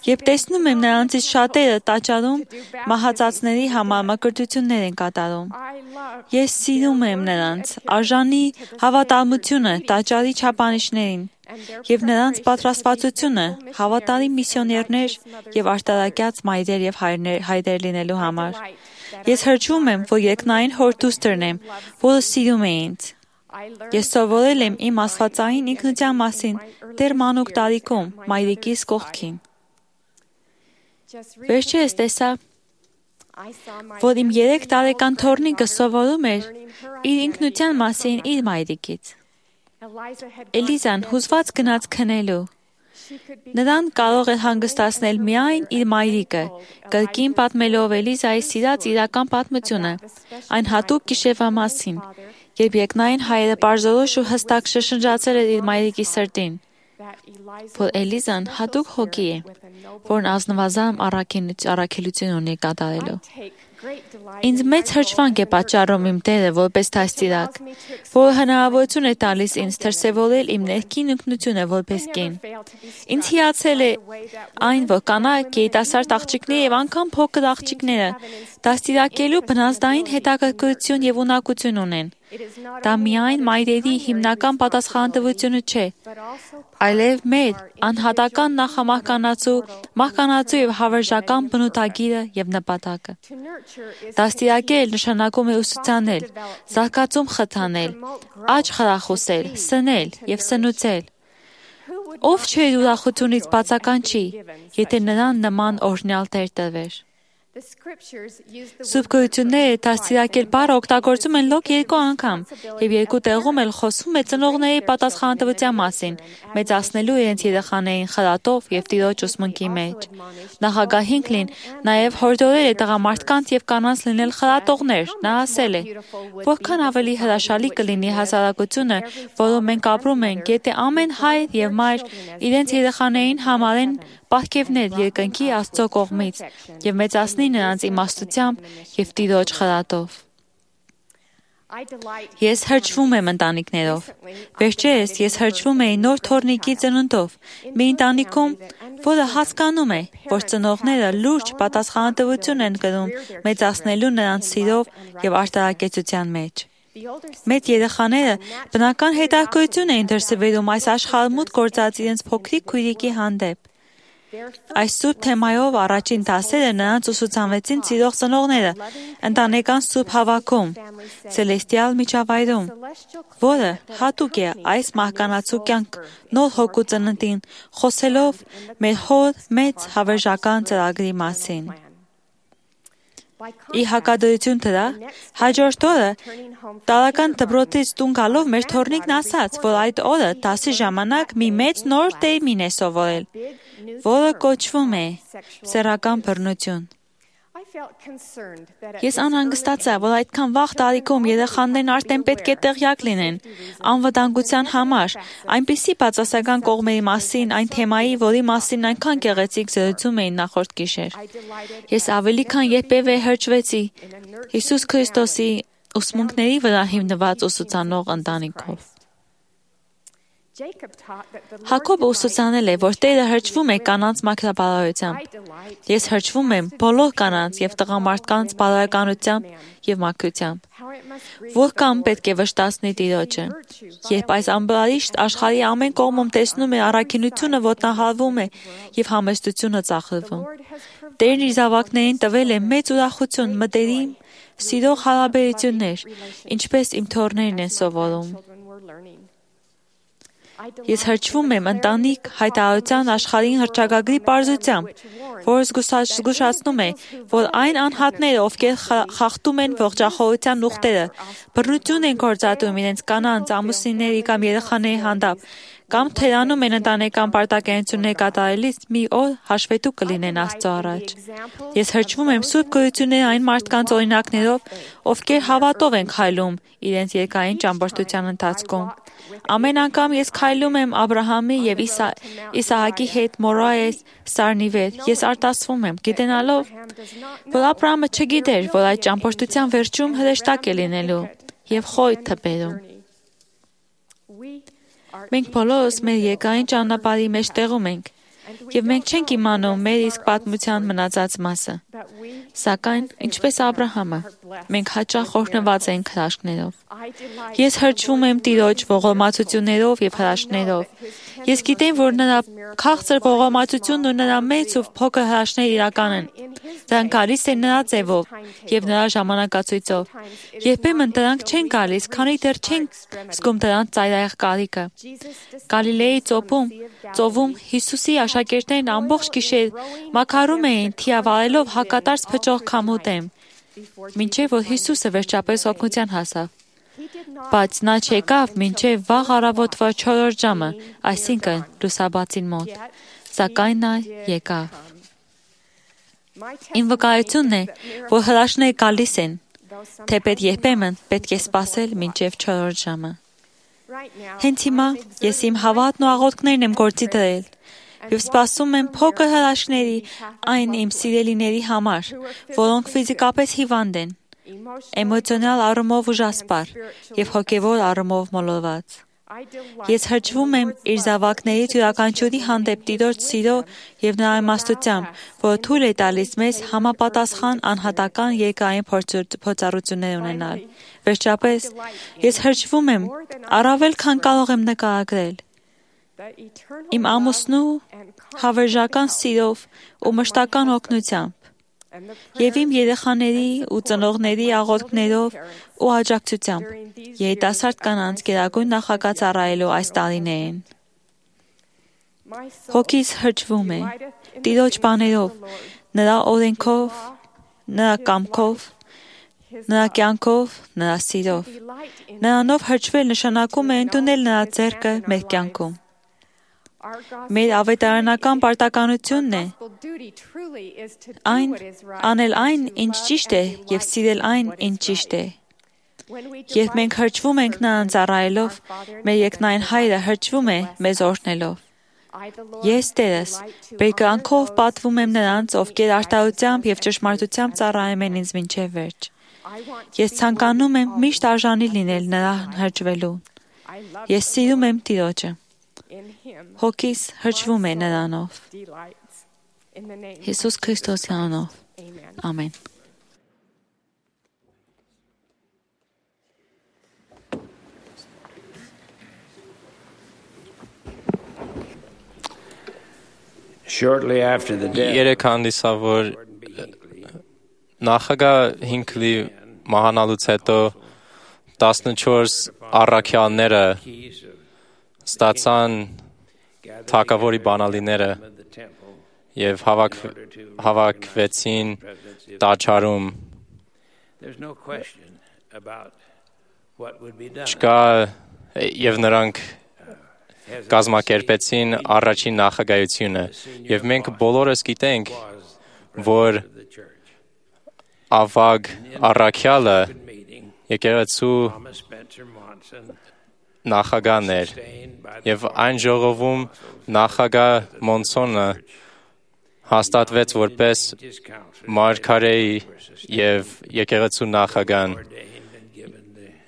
Speaker 10: Երբ տեսնում եմ նրանցից շատերը տաճարում մահացածների համար մկրտություններ են կատարում, ես սիրում եմ նրանց արժանի հավատարմությունը տաճարի չափանիշներին եւ նրանց պատրաստվածությունը հավատարիմ միսիոներներ եւ արտարակյաց մայրեր եւ հայրեր լինելու համար։ Ես հրճվում եմ, որ երկնային հոր դուստրն եմ, որը սիրում է ինձ։ Ես սովորել եմ իմ աստվածային ինքնության մասին դեռ մանուկ տարիքում մայրիկիս կողքին։ Վերջերս տեսա, որ իմ երեք տարեկան թոռնիկը սովորում էր իր ինքնության մասին իր մայրիկից։ Էլիզան հուզված գնաց քնելու։ Նրան կարող էր հանգստացնել միայն իր մայրիկը, կրկին պատմելով Էլիզայի սիրած իրական պատմությունը, այն հատուկ գիշերվա մասին, երբ երկնային հայրը պարզորոշ ու հստակ շշնջացել էր իր մայրիկի սրտին, որ Էլիզան հատուկ հոգի է, որն ազնվազան առաքելություն ունի կատարելու։ Ինձ մեծ հրճվանք է պատճառում իմ Տերը որպես դաստիարակ, որը հնարավորություն է տալիս ինձ դրսևորել իմ ներքին ինքնությունը որպես կին։ Ինձ հիացել է այն, որ կանայք, երիտասարդ աղջիկները եւ անգամ փոքր աղջիկները դաստիարակելու բնազդային հետաքրքրություն եւ ունակություն ունեն։ Դա միայն մայրերի հիմնական պատասխանատվությունը չէ, այլև մեր անհատական նախամահկանացու, մահկանացու եւ հավերժական բնութագիրը եւ նպատակը։ Դաստիարակել նշանակում է ուսուցանել, զարգացում խթանել, աճ խրախուսել, սնել եւ սնուցել։ Ով չէ ուրախությունից բացականչի, եթե նրան նման օրհնյալ տեր տրվեր։ Սուրբ գոյությունները դաստիարակել բառը օգտագործում են լոկ երկու անգամ եւ երկու տեղում էլ խոսում է ծնողների պատասխանատվության մասին, մեծացնելու իրենց երեխաներին խրատով եւ Տիրոջ ուսմունքի մեջ։ Նախագահ Հինքլին նաեւ հորդորել է տղամարդկանց եւ կանանց լինել խրատողներ։ Նա ասել է. որքան ավելի հրաշալի կլինի հասարակությունը, որում մենք ապրում ենք, եթե ամեն հայր եւ մայր իրենց երեխաներին համարեն պարգևներ երկնքի Աստծո կողմից եւ մեծացնի նրանց իմաստությամբ եւ Տիրոջ խրատով։ Ես հրճվում եմ ընտանիքներով։ Վերջերս ես հրճվում էի նոր թոռնիկի ծնունդով, մի ընտանիքում, որը հասկանում է, որ ծնողները լուրջ պատասխանատվություն են կրում մեծացնելու նրանց սիրով եւ արտարակեցության մեջ։ Մեծ երեխաները բնական հետաքրքրություն էին դրսևորում այս աշխարհմուտ գործած իրենց փոքրիկ քույրիկի հանդեպ։ Այս սուրբ թեմայով առաջին դասերը նրանց ուսուցանվեցին սիրող ծնողները ընտանեկան սուրբ հավաքում, Ցելեստիալ միջավայրում, որը հատուկ է այս մահկանացու կյանք նոր հոգու ծննդին, խոսելով մեր հոր մեծ հավերժական ծրագրի մասին։ Ի հակադրություն դրա, հաջորդ օրը տարական դպրոցից տուն գալով մեր թորնիկն ասաց, որ այդ օրը դասի ժամանակ մի մեծ նոր տերմին է սովորել, որը կոչվում է սեռական բռնություն։ Ես անհանգստացա, որ այդքան վաղ տարիքում երեխաներն արդեն պետք է տեղյակ լինեն անվտանգության համար, այնպիսի բացասական կողմերի մասին, այն թեմայի, որի մասին այնքան գեղեցիկ զրուցում էին նախորդ գիշեր։ Ես ավելի քան երբևէ հրճվեցի Հիսուս Քրիստոսի ուսմունքների վրա հիմնված ուսուցանող ընտանիքով։ Հակոբը ուսուցանել է, որ Տերը հրճվում է կանանց մաքրաբարոյությամբ։ Ես հրճվում եմ բոլոր կանանց և տղամարդկանց բարոյականությամբ և մաքրությամբ։ Որքան պետք է վշտացնի Տիրոջը, երբ այս ամբարիշտ աշխարհի ամեն կողմում տեսնում է առաքինությունը ոտնահարվում է և համեստությունը ծախրվում։ Տերն իր զավակներին տվել է մեծ ուրախություն, մտերիմ, սիրող հարաբերություններ, ինչպես իմ թոռներն են սովորում։ Ես հրճվում եմ ընտանիք հայտարարության աշխարհին հռչակագրի պարզությամբ, որը զգուշացնում է, որ այն անհատները, ովքեր խախտում են ողջախոհության ուխտերը, բռնություն են գործադրում իրենց կանանց, ամուսինների կամ երեխաների հանդեպ, կամ թերանում են ընտանեկան պարտականություններ կատարելիս, մի օր հաշվետու կլինեն Աստծո առաջ։ Ես հրճվում եմ սուրբ գոյությունների այն մարդկանց օրինակներով, ովքեր հավատով են քայլում իրենց երկրային ճամփորդության ընթացքում։ Ամեն անգամ ես քայլում եմ Աբրահամի և Իսա, Իսահակի հետ Մորայես սարնի վեր, ես արտասվում եմ, գիտենալով, որ Աբրահամը չգիտեր, որ այդ ճամփորդության վերջում հրեշտակ է լինելու և խոյթ թփերում։ Մենք բոլորս մեր երկրային ճանապարհի մեջ տեղում ենք, և մենք չենք իմանում մեր իսկ պատմության մնացած մասը։ Սակայն, ինչպես Աբրահամը, մենք հաճախ օրհնված ենք հրաշքներով։ Ես հրճվում եմ Տիրոջ ողորմածություններով և հրաշքներով։ Ես գիտեմ, որ նրա քաղցր ողորմածությունն ու նրա մեծ ու փոքր հրաշքները իրական են։ Դրանք գալիս են նրա ձևով և նրա ժամանակացույցով։ Երբեմն դրանք չեն գալիս, քանի դեռ չենք զգում դրանց ծայրահեղ կարիքը։ Գալիլեի ծովում, ծովում Հիսուսի աշակերտներն ամբողջ գիշեր մաքարում էին, թիավարելով հակատարած փչող քամու դեմ, մինչև որ Հիսուսը վերջապես օգնության հասավ։ Բայց նա չեկավ մինչև վաղ առավոտվա չորրորդ ժամը, այսինքն լուսաբացին մոտ, սակայն նա եկավ։ Իմ վկայությունն է, որ հրաշքները գալիս են, թեպետ երբեմն պետք է սպասել մինչև չորրորդ ժամը։ Հենց հիմա ես իմ հավատն ու աղոթքներն եմ գործի դրել և սպասում եմ փոքր հրաշքների այն իմ սիրելիների համար, որոնք ֆիզիկապես հիվանդ են, էմոցիոնալ առումով ուժասպառ և հոգևոր առումով մոլորված։ Ես հրճվում եմ իր զավակներից յուրաքանչյուրի հանդեպ Տիրոջ սիրո և նրա իմաստությամբ, որը թույլ է տալիս մեզ համապատասխան անհատական երկրային փորձառություններ ունենալ։ Վերջապես, ես հրճվում եմ առավել քան կարող եմ նկարագրել իմ ամուսնու հավերժական սիրով ու մշտական օգնությամբ և իմ երեխաների ու ծնողների աղոթքներով ու աջակցությամբ երիտասարդ կանանց գերագույն նախագահ ծառայելու այս տարիներին։ Հոգիս հրճվում է Տիրոջ բաներով, նրա օրենքով, նրա կամքով, նրա կյանքով, նրա սիրով։ Նրանով հրճվել նշանակում է ընդունել նրա ձեռքը մեր կյանքում։ Մեր ավետարանական պարտականությունն է այն անել այն, ինչ ճիշտ է և սիրել այն, ինչ ճիշտ է։ Երբ մենք հրճվում ենք նրան ծառայելով, մեր երկնային Հայրը հրճվում է մեզ օրհնելով։ Ես Տերս բերկրանքով պատվում եմ նրանց, ովքեր արդարությամբ և ճշմարտությամբ ծառայում են ինձ մինչև վերջ։ Ես ցանկանում եմ միշտ արժանի լինել նրան հրճվելու։ Ես սիրում եմ Տիրոջը։ Հոգիս հրճվում է նրանով։ Հիսուս Քրիստոսի անունով։ Ամեն։
Speaker 4: Երեք հանդիսավոր նախագահ Հինքլի մահանալուց հետո տասնչորս առաքյալները ստացան թագավորի բանալիները եւ հավաք, հավաքվեցին տաճարում։ Չկա եւ նրանք կազմակերպեցին առաջին նախագահությունը եւ մենք բոլորս գիտենք, որ ավագ առաքյալը եկեղեցու նախագահն էր եւ այն ժողովում նախագահ Մոնսոնը հաստատվեց որպես մարգարեի եւ եկեղեցու նախագահն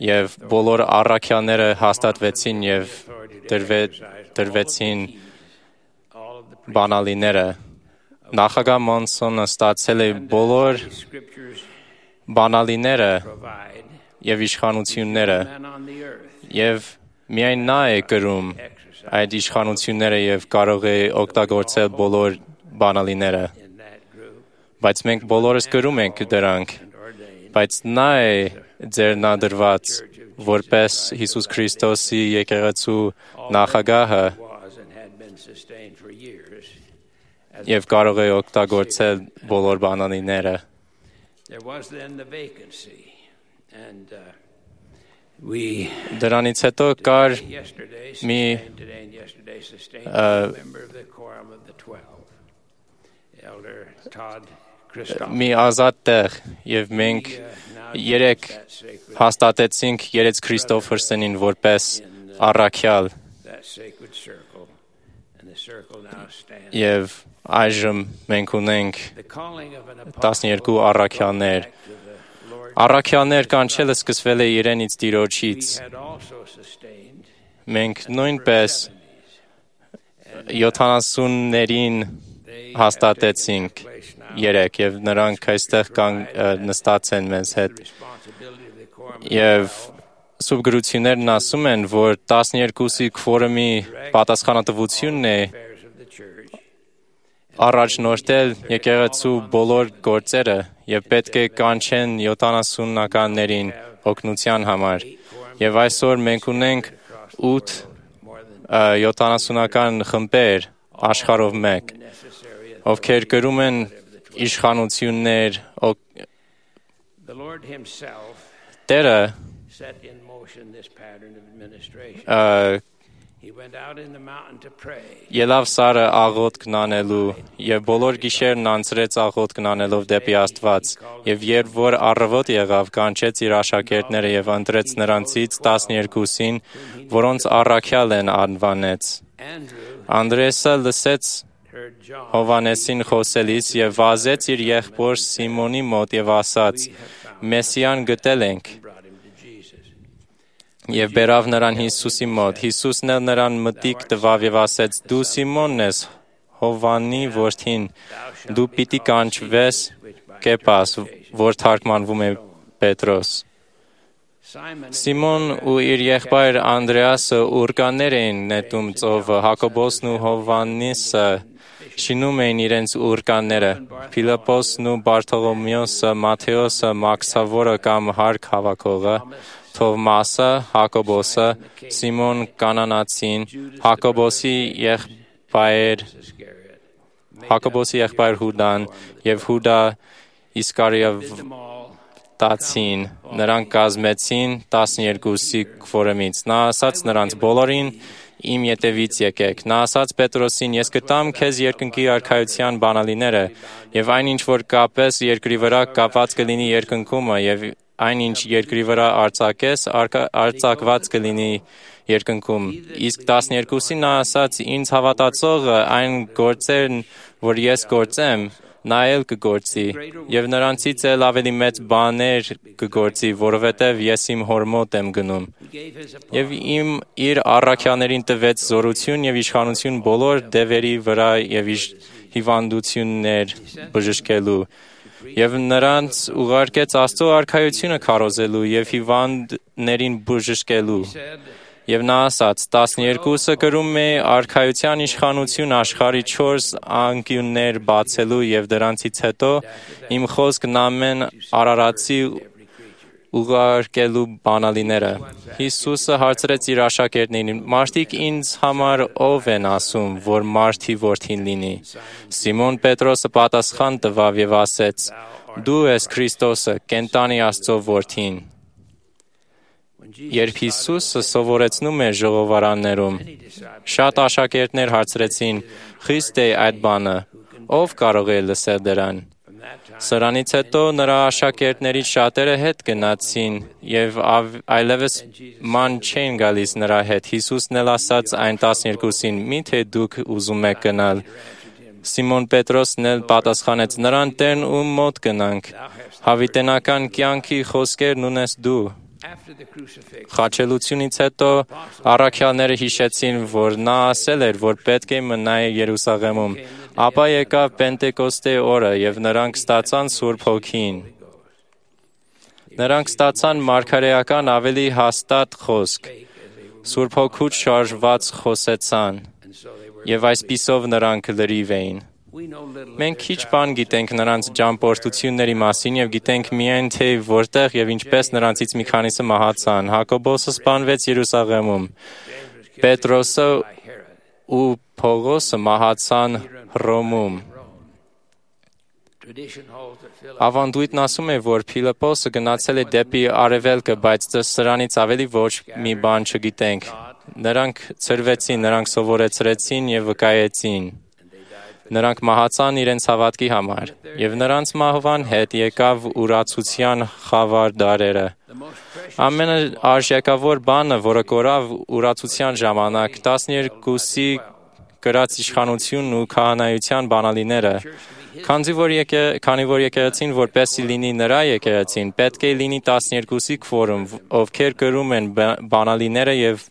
Speaker 4: եւ բոլոր առաքյալները հաստատվեցին եւ դրվեցին բանալիները։ Նախագահ Մոնսոնը ստացել է բոլոր բանալիները եւ իշխանությունները եւ միայն նա է կրում այդ իշխանությունները եւ կարող է օգտագործել բոլոր բանալիները, բայց մենք բոլորս կրում ենք դրանք, բայց նա է ձեռնադրված որպես Հիսուս Քրիստոսի եկեղեցու նախագահը եւ կարող է օգտագործել բոլոր բանալիները։ Դրանից հետո կար մի մի ազատ տեղ եւ մենք երեք հաստատեցինք Երեց Քրիստոֆերսոնին որպես առաքյալ եւ այժմ մենք ունենք տասներկու առաքյալներ։ Առաքյալներ կանչելը սկսվել է իրենից Տիրոջից։ Մենք նույնպես յոթանասուններին հաստատեցինք երեք եւ նրանք այստեղ կան նստած են մեզ հետ եւ սուրբ գրություններն ասում են, որ տասներկուսի քվորումի պատասխանատվությունն է առաջնորդել եկեղեցու բոլոր գործերը եւ պետք է կանչեն յոթանասունականներին օգնության համար եւ այսօր մենք ունենք ութ յոթանասունական խմբեր աշխարհով մեկ, ովքեր կրում են իշխանություններ, Տերը ելավ սարը աղոթքն անելու եւ բոլոր գիշերն անցրեց աղոթքն անելով դեպի Աստված եւ երբ որ առավոտ եղավ կանչեց իր աշակերտները եւ ընտրեց նրանցից տասներկուսին, որոնց առաքյալ են անվանեց։ Անդրեսը լսեց Հովանեսին խոսելիս եւ վազեց իր եղբոր Սիմոնի մոտ եւ ասաց. Մեսիան գտել ենք։ Եվ բերավ նրան Հիսուսի մոտ։ Հիսուսն էլ նրան մտիկ տվավ եւ ասեց. Դու Սիմոնն ես, Հովանի որդին, դու պիտի կանչվես Կեպաս, որ թարգմանվում է Պետրոս։ Սիմոն ու իր եղբայր Անդրեասը ուռկաներ էին նետում ծովը, Հակոբոսն ու Հովաննիսը շինում էին իրենց ուռկանները, Փիլիպոսն ու Բարթողոմեոսը, Մատթեոսը, Մաքսավորը կամ Հարկ հավաքողը, Թովմասը, Հակոբոսը, Սիմոն Կանանացին, Հակոբոսի եղբայր Հակոբոսի եղբայր Հուդան եւ Հուդա Իսկարիովտացին, նրանք կազմեցին տասներկուսի քվորումից։ Նա ասաց նրանց բոլորին. Իմ ետևից եկեք։ Նա ասաց Պետրոսին. Ես կտամ քեզ երկնքի արքայության բանալիները, եւ այն ինչ որ կապես երկրի վրա կապված կլինի երկնքումը, եւ այն ինչ երկրի վրա արձակես արձակված կլինի երկնքում։ Իսկ տասներկուսին նա ասաց. Ինձ հավատացողը այն գործերն, որ ես գործեմ, նա էլ կգործի, եւ նրանցից էլ ավելի մեծ բաներ կգործի, որովհետեւ ես իմ հոր մոտ եմ գնում։ Եվ իմ իր առաքյալներին տվեց զորություն եւ իշխանություն բոլոր դևերի վրա եւ հիվանդություններ բժշկելու, եւ նրանց ուղարկեց Աստծո արքայությունը քարոզելու եւ հիվանդներին բժշկելու։ Եվ նա ասաց. տասներկուսը կրում է արքայության իշխանություն աշխարհի չորս անկյուններ բացելու եւ դրանցից հետո իմ խոսքն ամեն արարածի ուղարկելու բանալիները։ Հիսուսը հարցրեց իր աշակերտներին. մարդիկ ինձ համար ով են ասում, որ մարդի որդին լինի։ Սիմոն Պետրոսը պատասխան տվավ եւ ասեց. դու ես Քրիստոսը, կենտանի Աստծո որդին։ Երբ Հիսուսը սովորեցնում էր ժողովարաններում, շատ աշակերտներ հարցրեցին. խիստ է այդ բանը, ով կարող է լսել դրան։ Սրանից հետո նրա աշակերտներից շատերը հետ գնացին եւ այլևս ման չեն գալիս նրա հետ։ Հիսուսն էլ ասաց այն տասներկուսին. միթե դուք ուզում եք գնալ։ Սիմոն Պետրոսն էլ պատասխանեց. նրան Տերն ում մոտ գնանք։ Հավիտենական կյանքի խոսքերն ունես դու։ Խաչելությունից հետո առաքյալները հիշեցին, որ նա ասել էր, որ պետք է մնայ Երուսաղեմում։ Ապա եկավ Պենտեկոստե օրը եւ նրանք ստացան Սուրբ Հոգին։ Նրանք ստացան մարգարեական ավելի հաստատ խոսք։ Սուրբ Հոգուց շարժված խոսեցան եւ այսպիսով նրանք լրիվ էին։ Մենք քիչ բան գիտենք նրանց ճամփորդությունների մասին եւ գիտենք միայն թե որտեղ եւ ինչպես նրանցից մի քանիսը մահացան։ Հակոբոսը սպանվեց Երուսաղեմում։ Պետրոսը ու Պողոսը մահացան Հռոմում։ Ավանդույթն ասում է, որ Փիլիպոսը գնացել է դեպի արևելքը, բայց սրանից ավելի ոչ մի բան չգիտենք։ Նրանք ցրվեցին, նրանք սովորեցրեցին եւ վկայեցին։ Նրանք մահացան իրենց հավատքի համար, եւ նրանց մահվան հետ եկավ ուրացության խավար դարերը։ Ամենաարժեքավոր բանը, որը կորավ ուրացության ժամանակ, տասներկուսի կրած իշխանությունն ու քահանայության բանալիները, քանի որ եկե, քանի որ եկեղեցին որպեսզի լինի նրա եկեղեցին, պետք է լինի տասներկուսի քվորում, ովքեր կրում են բանալիները եւ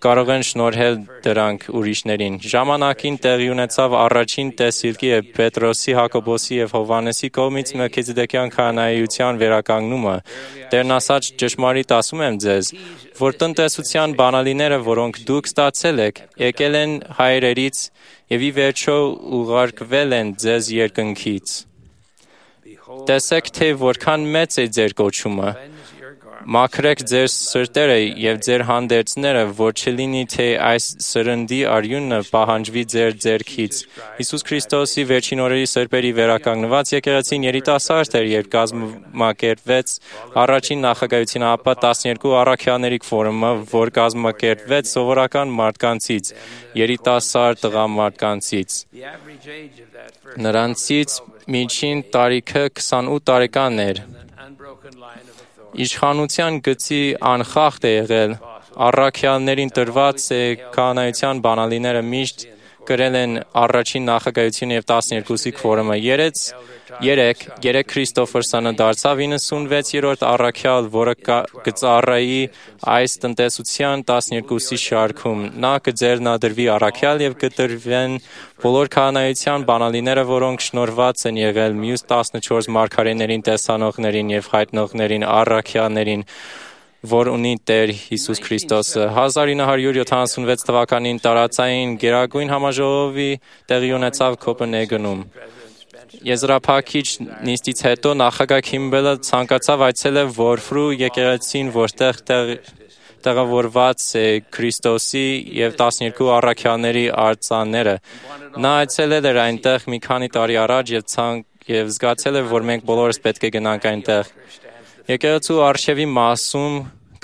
Speaker 4: կարող են շնորհել դրանք ուրիշներին։ Ժամանակին տեղի ունեցավ առաջին տեսիլքի եւ Պետրոսի, Հակոբոսի եւ Հովհաննեսի կողմից Մելքիցեդեկյան քահանայության վերականգնումը։ Տերն ասաց. ճշմարիտ ասում եմ ձեզ, որ տնտեսության բանալիները, որոնք դուք ստացել եք, եկել են հայրերից եւ ի վերջո ուղարկվել են ձեզ երկնքից։ Տեսեք, թե որքան մեծ է ձեր կոչումը։ Մաքրեք ձեր սրտերը եւ ձեր հանդերձները, որ չլինի թե այս սրնդի արյունը պահանջվի ձեր ձեռքից։ Հիսուս Քրիստոսի վերջին օրերի սրբերի վերականգնված եկեղեցին երիտասարդ էր, երբ կազմակերպվեց առաջին նախագահությունը, ապա տասներկու առաքյալների ֆորումը, որ կազմակերպվեց սովորական մարդկանցից, երիտասարդ տղամարդկանցից։ Նրանցից միջին տարիքը քսանութ տարեկան էր։ Իշխանության գծի անխախտ է եղել, առաքյալներին տրված է քահանայության բանալիները միշտ կրել են առաջին նախագահությունը եւ տասներկուսի քվորումը։ Երեք, երեք Քրիստոֆորսանը դարձավ իննսունվեցերորդ առաքյալ, որը կծառայի այս տնտեսության տասներկուսի շարքում։ Նա կձեռնադրվի առաքյալ եւ կտրվեն բոլոր քահանայության բանալիները, որոնք շնորհված են եղել մյուս տասնչորս մարգարեներին, տեսանողներին եւ հայտնողներին, առաքյալներին, որ ունի Տեր Հիսուս Քրիստոսը։ հազար ինը հարյուր յոթանասունվեց թվականին տարածային Գերագույն համաժողովի տեղի ունեցավ Կոպենհագենում։ Եզրափակիչ նիստից հետո նախագահ Քիմբելը ցանկացավ այցելել Որֆրու եկեղեցին, որտեղ տեղավորված է Քրիստոսի եւ տասներկու առաքյալների արձանները։ Նա այցելել էր այնտեղ մի քանի տարի առաջ եւ ցանկ եւ զգացել է, որ մենք բոլորս պետք է գնանք այնտեղ։ Եկեղեցու արշավի մասում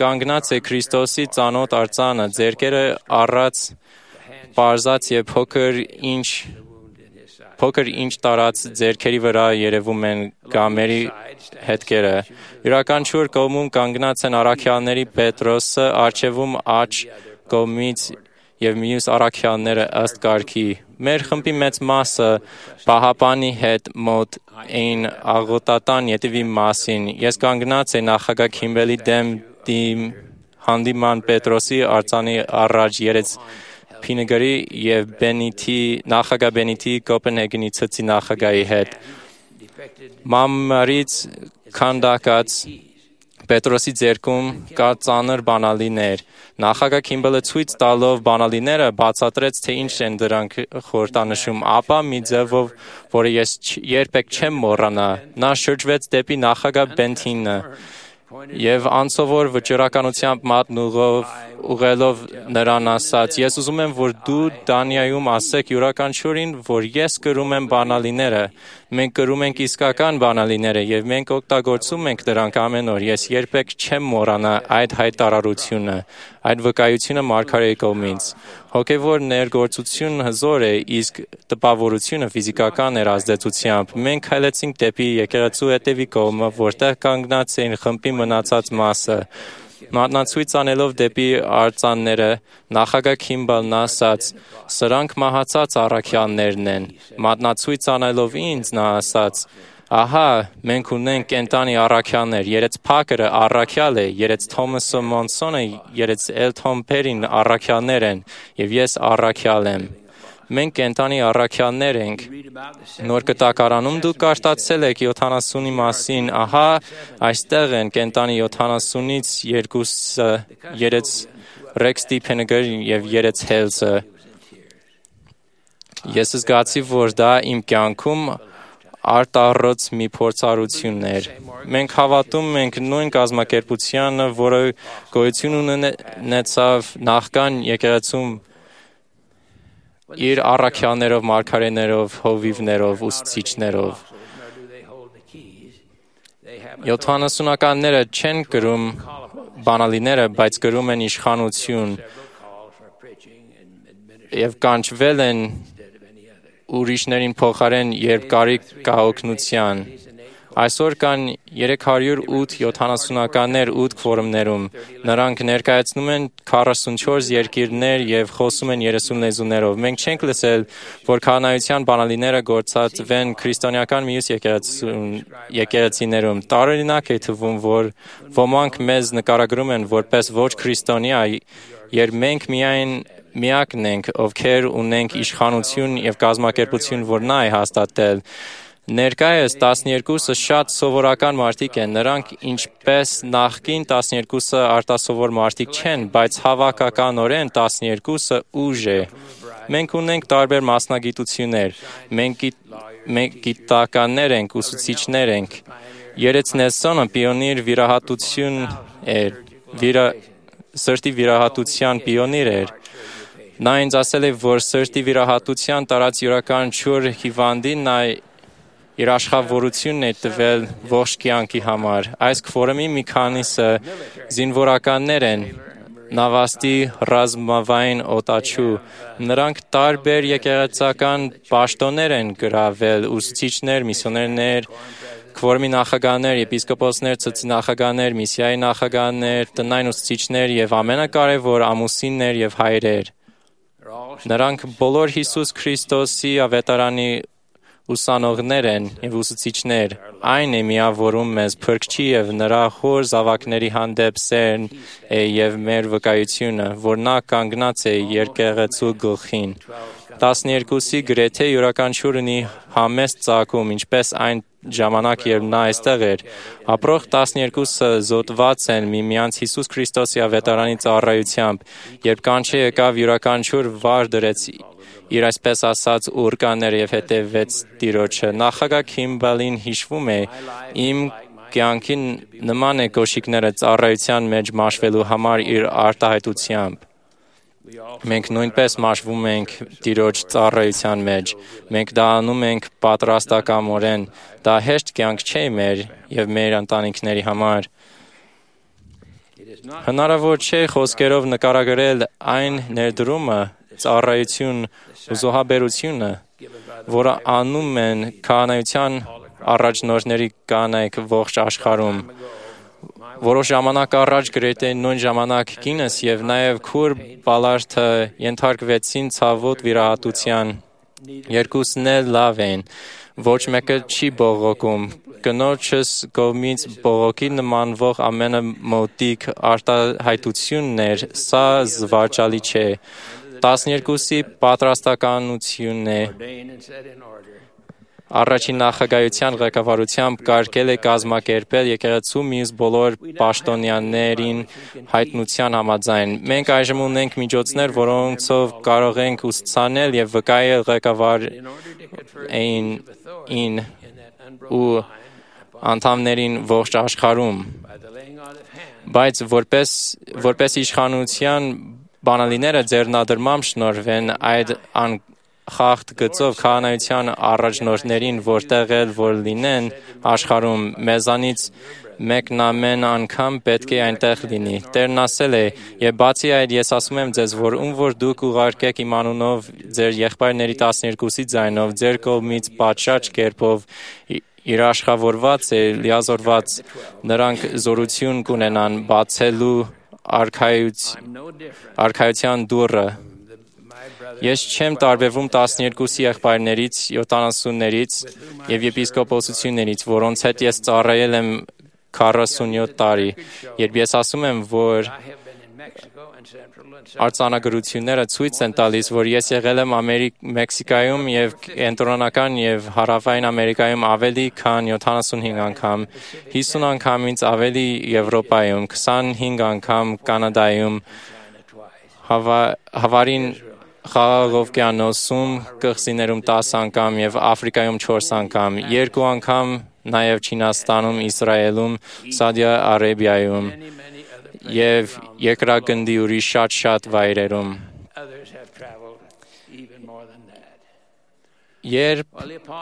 Speaker 4: կանգնած է Քրիստոսի ծանոթ արձանը, ձեռքերը առած, պարզած եւ փոքր ինչ Փոքր ինչ տարած ձեռքերի վրա երևում են գամերի հետքերը։ Յուրաքանչյուր կողմում կանգնած են առաքյալների Պետրոսը, առջևում աջ կողմից եւ մյուս առաքյալները ըստ կարգի։ Մեր խմբի մեծ մասը Պահապանի հետ մոտ էին աղոթատան ետևի մասին։ Ես կանգնած եմ նախագահ Քիմբելի դեմ հանդիման Պետրոսի արձանի առաջ երեց Փինեգրի եւ Բենիթի նախագահ Բենիթի Կոպենհագենի ցցի նախագահի հետ։ Մամարից քանդակած Պետրոսի ձեռքում կա ծանր բանալիներ։ Նախագահ Քիմբելը ցույց տալով բանալիները բացատրեց, թե ինչ են դրանք խորհրդանշում, ապա մի ձևով, որը ես երբեք չեմ մոռանա, նա շրջվեց դեպի նախագահ Բենթինը եւ անսովոր վճռականությամբ մատն ուղղելով նրան ասաց. «Ես ուզում եմ, որ դու Դանիայում ասեք յուրաքանչյուրին, որ ես կրում եմ բանալիները։ Մենք կրում ենք իսկական բանալիները եւ մենք օգտագործում ենք դրանք ամեն օր։ Ես երբեք չեմ մոռանա այդ հայտարարությունը, այդ վկայությունը մարգարեի կողմից»։ Հոգևոր ներգործություն հզոր է, իսկ տպավորությունը ֆիզիկական էր ազդեցությամբ։ Մենք քայլեցինք դեպի եկեղեցու հետևի կողմը, որտեղ կանգնած էին խմբի մնացած մասը։ Մատնացույց անելով դեպի արձանները, նախագահ Քիմբելն ասաց. «Սրանք մահացած առաքյալներն են»։ Մատնացույց անելով ինձ, նա ասաց. «Ահա, մենք ունենք կենտանի առաքյալներ, երեց Փակերը առաքյալ է, երեց Թոմասը Մոնսոնը, երեց Էլթոն Փերին առաքյալներ են, եւ ես առաքյալ եմ։ Մենք կենտանի առաքյալներ ենք»։ Նոր կտակարանում դուք կարդացել եք յոթանասունի մասին, ահա այստեղ են կենտանի յոթանասունից երկուսը, երեց Ռեքս Դիփենգեր եւ երեց Հելսը։ Ես զգացի, որ դա իմ կյանքում արտառոց մի փորձառություն էր։ Մենք հավատում ենք նույն կազմակերպությանը, որը գոյություն ունեցավ նախքան եկեղեցում իր առաքյալներով, մարգարեներով, հովիվներով, ուսուցիչներով։ Յոթանասունականները չեն կրում բանալիները, բայց կրում են իշխանություն եւ կանչվել են ուրիշներին փոխարեն, երբ կարիք կա օգնության։ Այսօր կան երեք հարյուր ութ յոթանասունականներ ութ քվորումներում։ Նրանք ներկայացնում են քառասունչորս երկիրներ եւ խոսում են երեսուն լեզուներով։ Մենք չենք լսել, որ քահանայության բանալիները գործածվեն քրիստոնեական մյուս եկեղեցիներում։ Տարօրինակ է թվում, որ ոմանք մեզ նկարագրում են որպես ոչ քրիստոնյա, երբ մենք միայն միակն ենք, ովքեր ունենք իշխանություն եւ կազմակերպություն, որ նա է հաստատել։ Ներկայիս տասներկուսը շատ սովորական մարդիկ են, նրանք ինչպես նախկին տասներկուսը արտասովոր մարդիկ չեն, բայց հավաքականորեն տասներկուսը ուժ է։ Մենք ունենք տարբեր մասնագիտություններ, մենք, մենք գիտականներ ենք, ուսուցիչներ ենք։ Երեց Նելսոնը պիոնիր վիրահատություն էր, վիրա, սրտի վիրահատության պիոնիր էր։ Նա ինձ ասել է, որ սրտի վիրահատության տարած յուրաքանչյուր հիվանդին նա իր աշխավորությունն է տվել ողջ կյանքի համար։ Այս քվորումի մի քանիսը զինվորականներ են, նավաստի ռազմավային օտաչու։ Նրանք տարբեր եկեղեցական պաշտոններ են գրավել, ուսուցիչներ, միսիոներներ, քվորումի նախագահներ, եպիսկոպոսներ, ցծի նախագահներ, միսիայի նախագահներ, տնային ուսուցիչներ եւ ամենակարևոր ամուսիններ եւ հայրեր։ Նրանք բոլոր Հիսուս Քրիստոսի ավետարանի ուսանողներ են եւ ուսուցիչներ։ Այն է միավորում մեզ Փրկչի եւ նրա խոր զավակների հանդեպ սերն է եւ մեր վկայությունը, որ նա կանգնած է եկեղեցու գլխին։ տասներկուսի գրեթե յուրաքանչյուր ունի համեստ ծագում, ինչպես այն ժամանակ, երբ նա այստեղ էր։ Ապրող տասներկուսը զոհված են միմյանց Հիսուս Քրիստոսի ավետարանի ծառայությամբ, երբ կանչե եկավ յուրաքանչյուր վար դրեց իր այսպես ասած ուրկաներ եւ հետևեց Տիրոջը։ Նախագահ Քիմբելին հիշվում է, իմ կյանքին նման է կոշիկները ծառայության մեջ մաշվելու համար իր արտահայտությամբ։ Մենք նույնպես մաշվում ենք Տիրոջ ծառայության մեջ։ Մենք դա անում ենք պատրաստակամորեն։ Դա հեշտ կյանք չէ մեր եւ մեր ընտանիքների համար։ Հնարավոր չէ խոսքերով նկարագրել այն ներդրումը, ծառայություն ու զոհաբերությունը, որը անում են քահանայության առաջնորդների կանայք ողջ աշխարհում։ Որոշ ժամանակ առաջ գրեթե նույն ժամանակ կինս եւ նաեւ քուր Բալարդը ենթարկվեցին ցավոտ վիրահատության։ Երկուսն էլ լավ են, ոչ մեկը չի բողոքում։ Կնոջս կողմից բողոքի նմանվող ամենամոտիկ արտահայտությունն էր, սա զվարճալի չէ։ տասներկուսի պատրաստականությունն է։ Առաջին նախագահության ղեկավարությամբ կարգել է կազմակերպել եկեղեցու մյուս բոլոր պաշտոնյաներին հայտնության համաձայն։ Մենք այժմ ունենք միջոցներ, որոնցով կարող ենք ուսուցանել եւ վկայել ղեկավարին ին ու անդամներին ողջ աշխարհում։ Բայց որպես որպես իշխանության բանալիները ձեռնադրմամբ շնորհվեն այդ անխախտ գծով քահանայության առաջնորդներին, որտեղ էլ որ լինեն աշխարհում, մեզանից մեկն ամեն անգամ պետք է այնտեղ լինի։ Տերն ասել է. «Եվ բացի այդ, ես ասում եմ ձեզ, որ ում որ դուք ուղարկեք իմ անունով ձեր եղբայրների տասներկուսի ձայնով, ձեր կողմից պատշաճ կերպով երաշխավորված է, լիազորված, նրանք զորություն կունենան բացելու արքայության դուռը»։ Ես չեմ տարբերվում տասներկուսի եղբայրներից, յոթանասուններից եւ եպիսկոպոսություններից, որոնց հետ ես ծառայել եմ քառասունյոթ տարի, երբ ես ասում եմ, որ արձանագրությունները ցույց են տալիս, որ ես եղել եմ Ամերիկ, Մեքսիկայում եւ Կենտրոնական եւ Հարավային Ամերիկայում ավելի քան յոթանասունհինգ անգամ, հիսուն անգամից ավելի Եվրոպայում, քսանհինգ անգամ Կանադայում, Հավարին Խաղաղօվկիանոսում, կղզիներում տասը անգամ եւ Աֆրիկայում չորս անգամ, երկու անգամ նաեւ Չինաստանում, Իսրայելում, Սաուդի Արաբիայում եւ երկրագնդի ուրիշ շատ-շատ վայրերում։ Երբ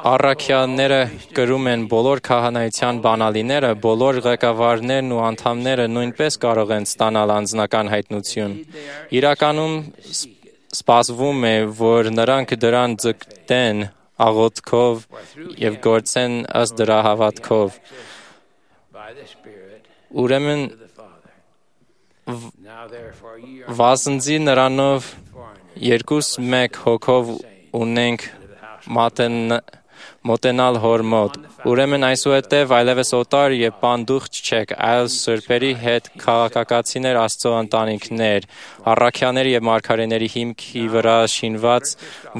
Speaker 4: առաքյալները կրում են բոլոր քահանայության բանալիները, բոլոր ղեկավարներն ու անդամները նույնպես կարող են ստանալ անձնական հայտնություն։ Իրականում սպասվում է, որ նրանք դրան ձգտեն աղոթքով եւ գործեն ըստ դրա հավատքով։ Ուրեմն վասնզի նրանով երկուս մեկ հոգով ունենք մատեն մոտենալ հոր մոտ։ Ուրեմն այսուհետև այլևս օտար եւ պանդուխտ չեք, այլ սրբերի հետ քաղաքակացիներ Աստծո ընտանիքներ, առաքյալների եւ մարգարեների հիմքի վրա շինված,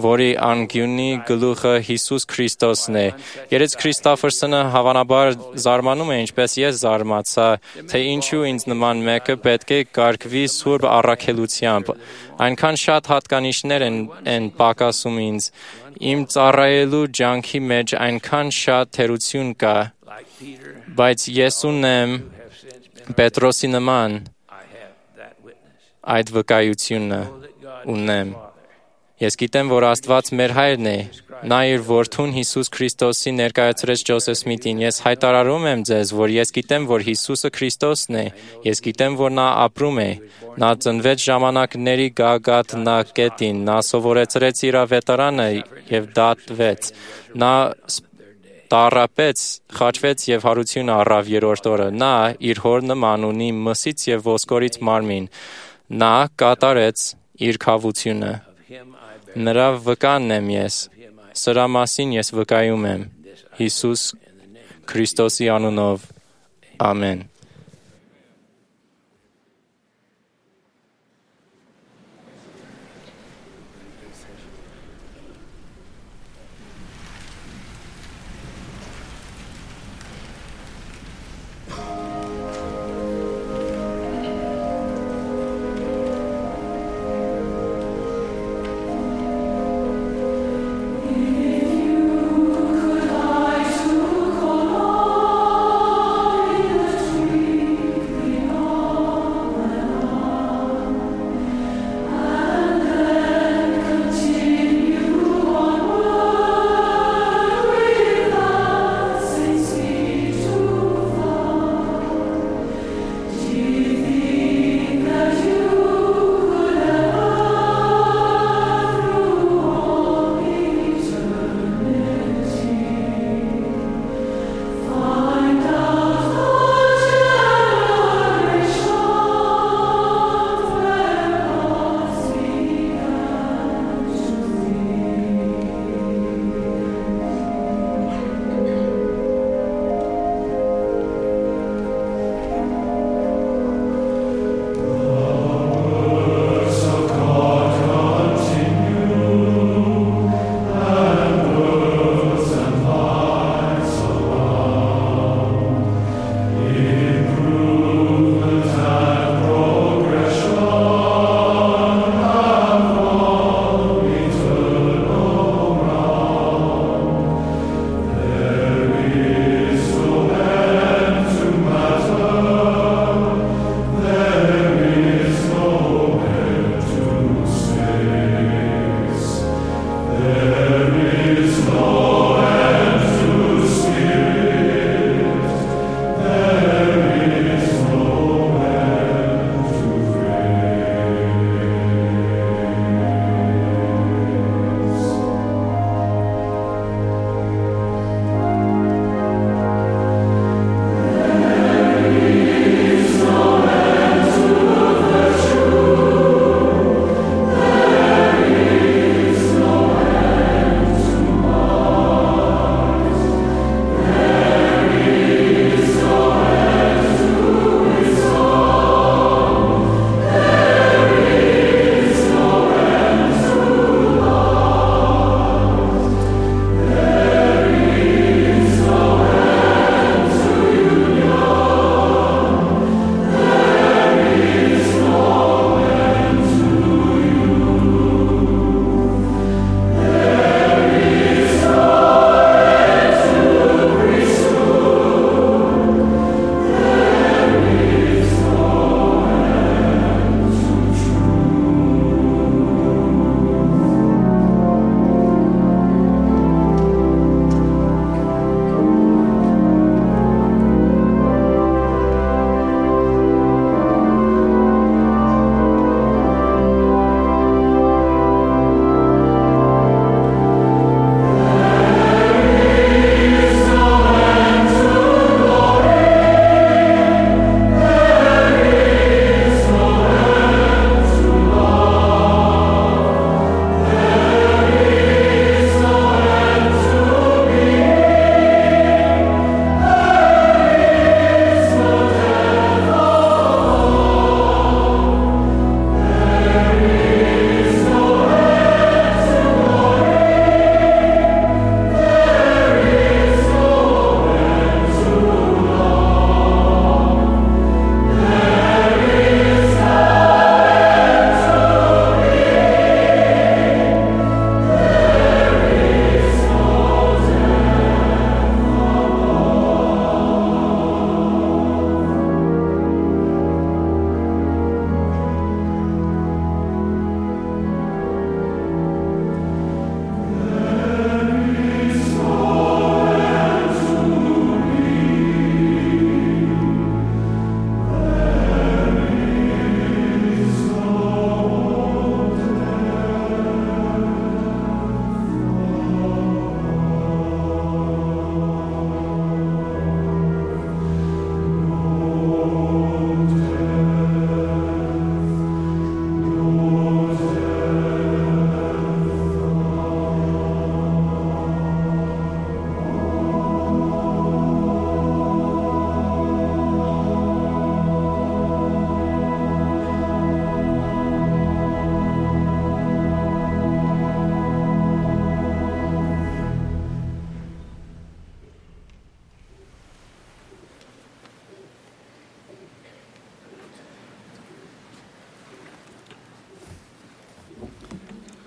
Speaker 4: որի անկյունի գլուխը Հիսուս Քրիստոսն է։ Երեց Քրիստոֆերսոնը հավանաբար զարմանում է, ինչպես ես զարմացա, թե ինչու ինձ նման մեկը պետք է կարգվի սուրբ առաքելությամբ։ Այնքան շատ հատկանիշներ են, են պակասում ինձ։ Իմ ծառայելու ջանքի մեջ այնքան շատ թերություն կա, բայց ես ունեմ Պետրոսի նման այդ վկայությունը ունեմ։ Ես գիտեմ, որ Աստված մեր հայրն է, նա իր որդուն Հիսուս Քրիստոսի ներկայացրեց Ջոսեֆ Սմիթին։ Ես հայտարարում եմ ձեզ, որ ես գիտեմ, որ Հիսուսը Քրիստոսն է, ես գիտեմ, որ նա ապրում է, նա ծնվեց ժամանակների գագաթնակետին, նա սովորեցրեց իր ավետարանը եւ դատվեց, նա տառապեց, խաչվեց եւ հարություն առավ երրորդ օրը, նա իր հոր նման ունի մսից եւ ոսկորից մարմին, նա կատարեց իր քավությունը։ Նրա վկանն եմ ես, սրա մասին ես վկայում եմ, Հիսուս Քրիստոսի անունով, ամեն։
Speaker 9: Thank you.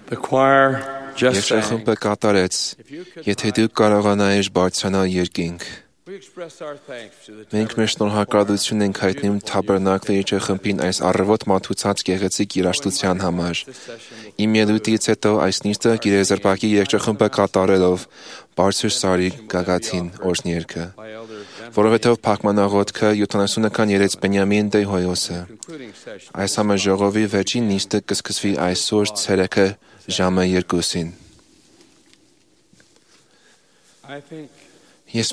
Speaker 8: The choir just sang.
Speaker 2: Երգչախումբը կատարեց, եթե դուք կարողանայիր բարձրանալ երկինք։ Մենք մեր շնորհակալություն ենք հայտնում Թաբերնակլի երգչախմբին այս առավոտ մատուցած գեղեցիկ երաժշտության համար։ Իմ ելույթից հետո այս նիստը գիրեզրպակի երգչախումբը կատարելով բարձր սարի գագաթին օրհներգը, որովհետև փակմանաղոթքը յոթանասունական երեց Բենյամին Դեյհոյոսը։ Այս համաժողովի վերջին նիստը կսկսվի այսօր ցերեկը ժամը երկուսին։ Ես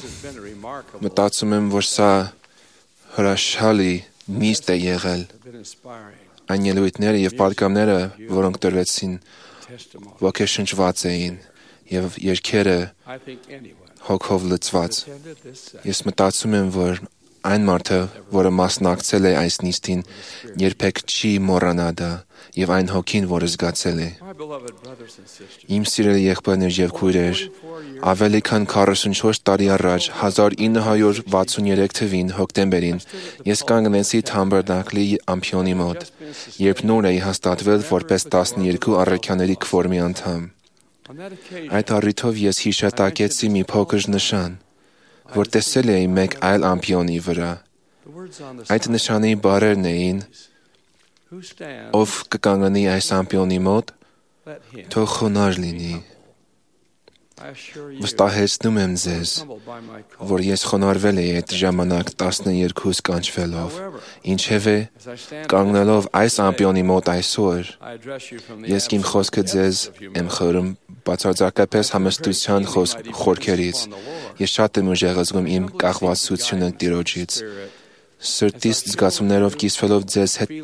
Speaker 2: մտածում եմ, որ սա հրաշալի նիստ է եղել։ Այն ելույթները եւ պատգամները, որոնք տրվեցին, ոգեշնչված էին եւ երգերը հոգով լցված։ Ես մտածում եմ, որ այն մարդը, որը մասնակցել է այս նիստին, երբեք չի մոռանա դա եւ այն հոգին, որը զգացել է։ Իմ սիրելի եղբայրներ եւ քույրեր, ավելի քան քառասունչորս տարի առաջ, հազար ինը հարյուր վաթսուներեք թվին հոկտեմբերին, ես կանգնեցի Թաբերնակլի ամփիոնի մոտ, երբ նոր էի հաստատվել որպես տասներկու առաքյաների քվորմի անդամ։ Այդ առիթով ես հիշատակեցի մի փոքր նշան, որ տեսել էի մեկ այլ ամփիոնի վրա։ Այդ նշանի բառերն էին. ով կկանգնի այս ամփիոնի մոտ, թող խոնարհ լինի։ Վստահեցնում եմ ձեզ, որ ես խոնարհվել էի այդ ժամանակ տասներկուս կանչվելով, ինչևէ, կանգնելով այս ամփիոնի մոտ այսօր, ես իմ խոսքը ձեզ եմ խորում բացարձակապես համստության խորքերից, ես շատ եմ ուժեղ զգում իմ կախվածությունը Տիրոջից, սրտիս զգացումներով կիսվելով ձեզ հետ,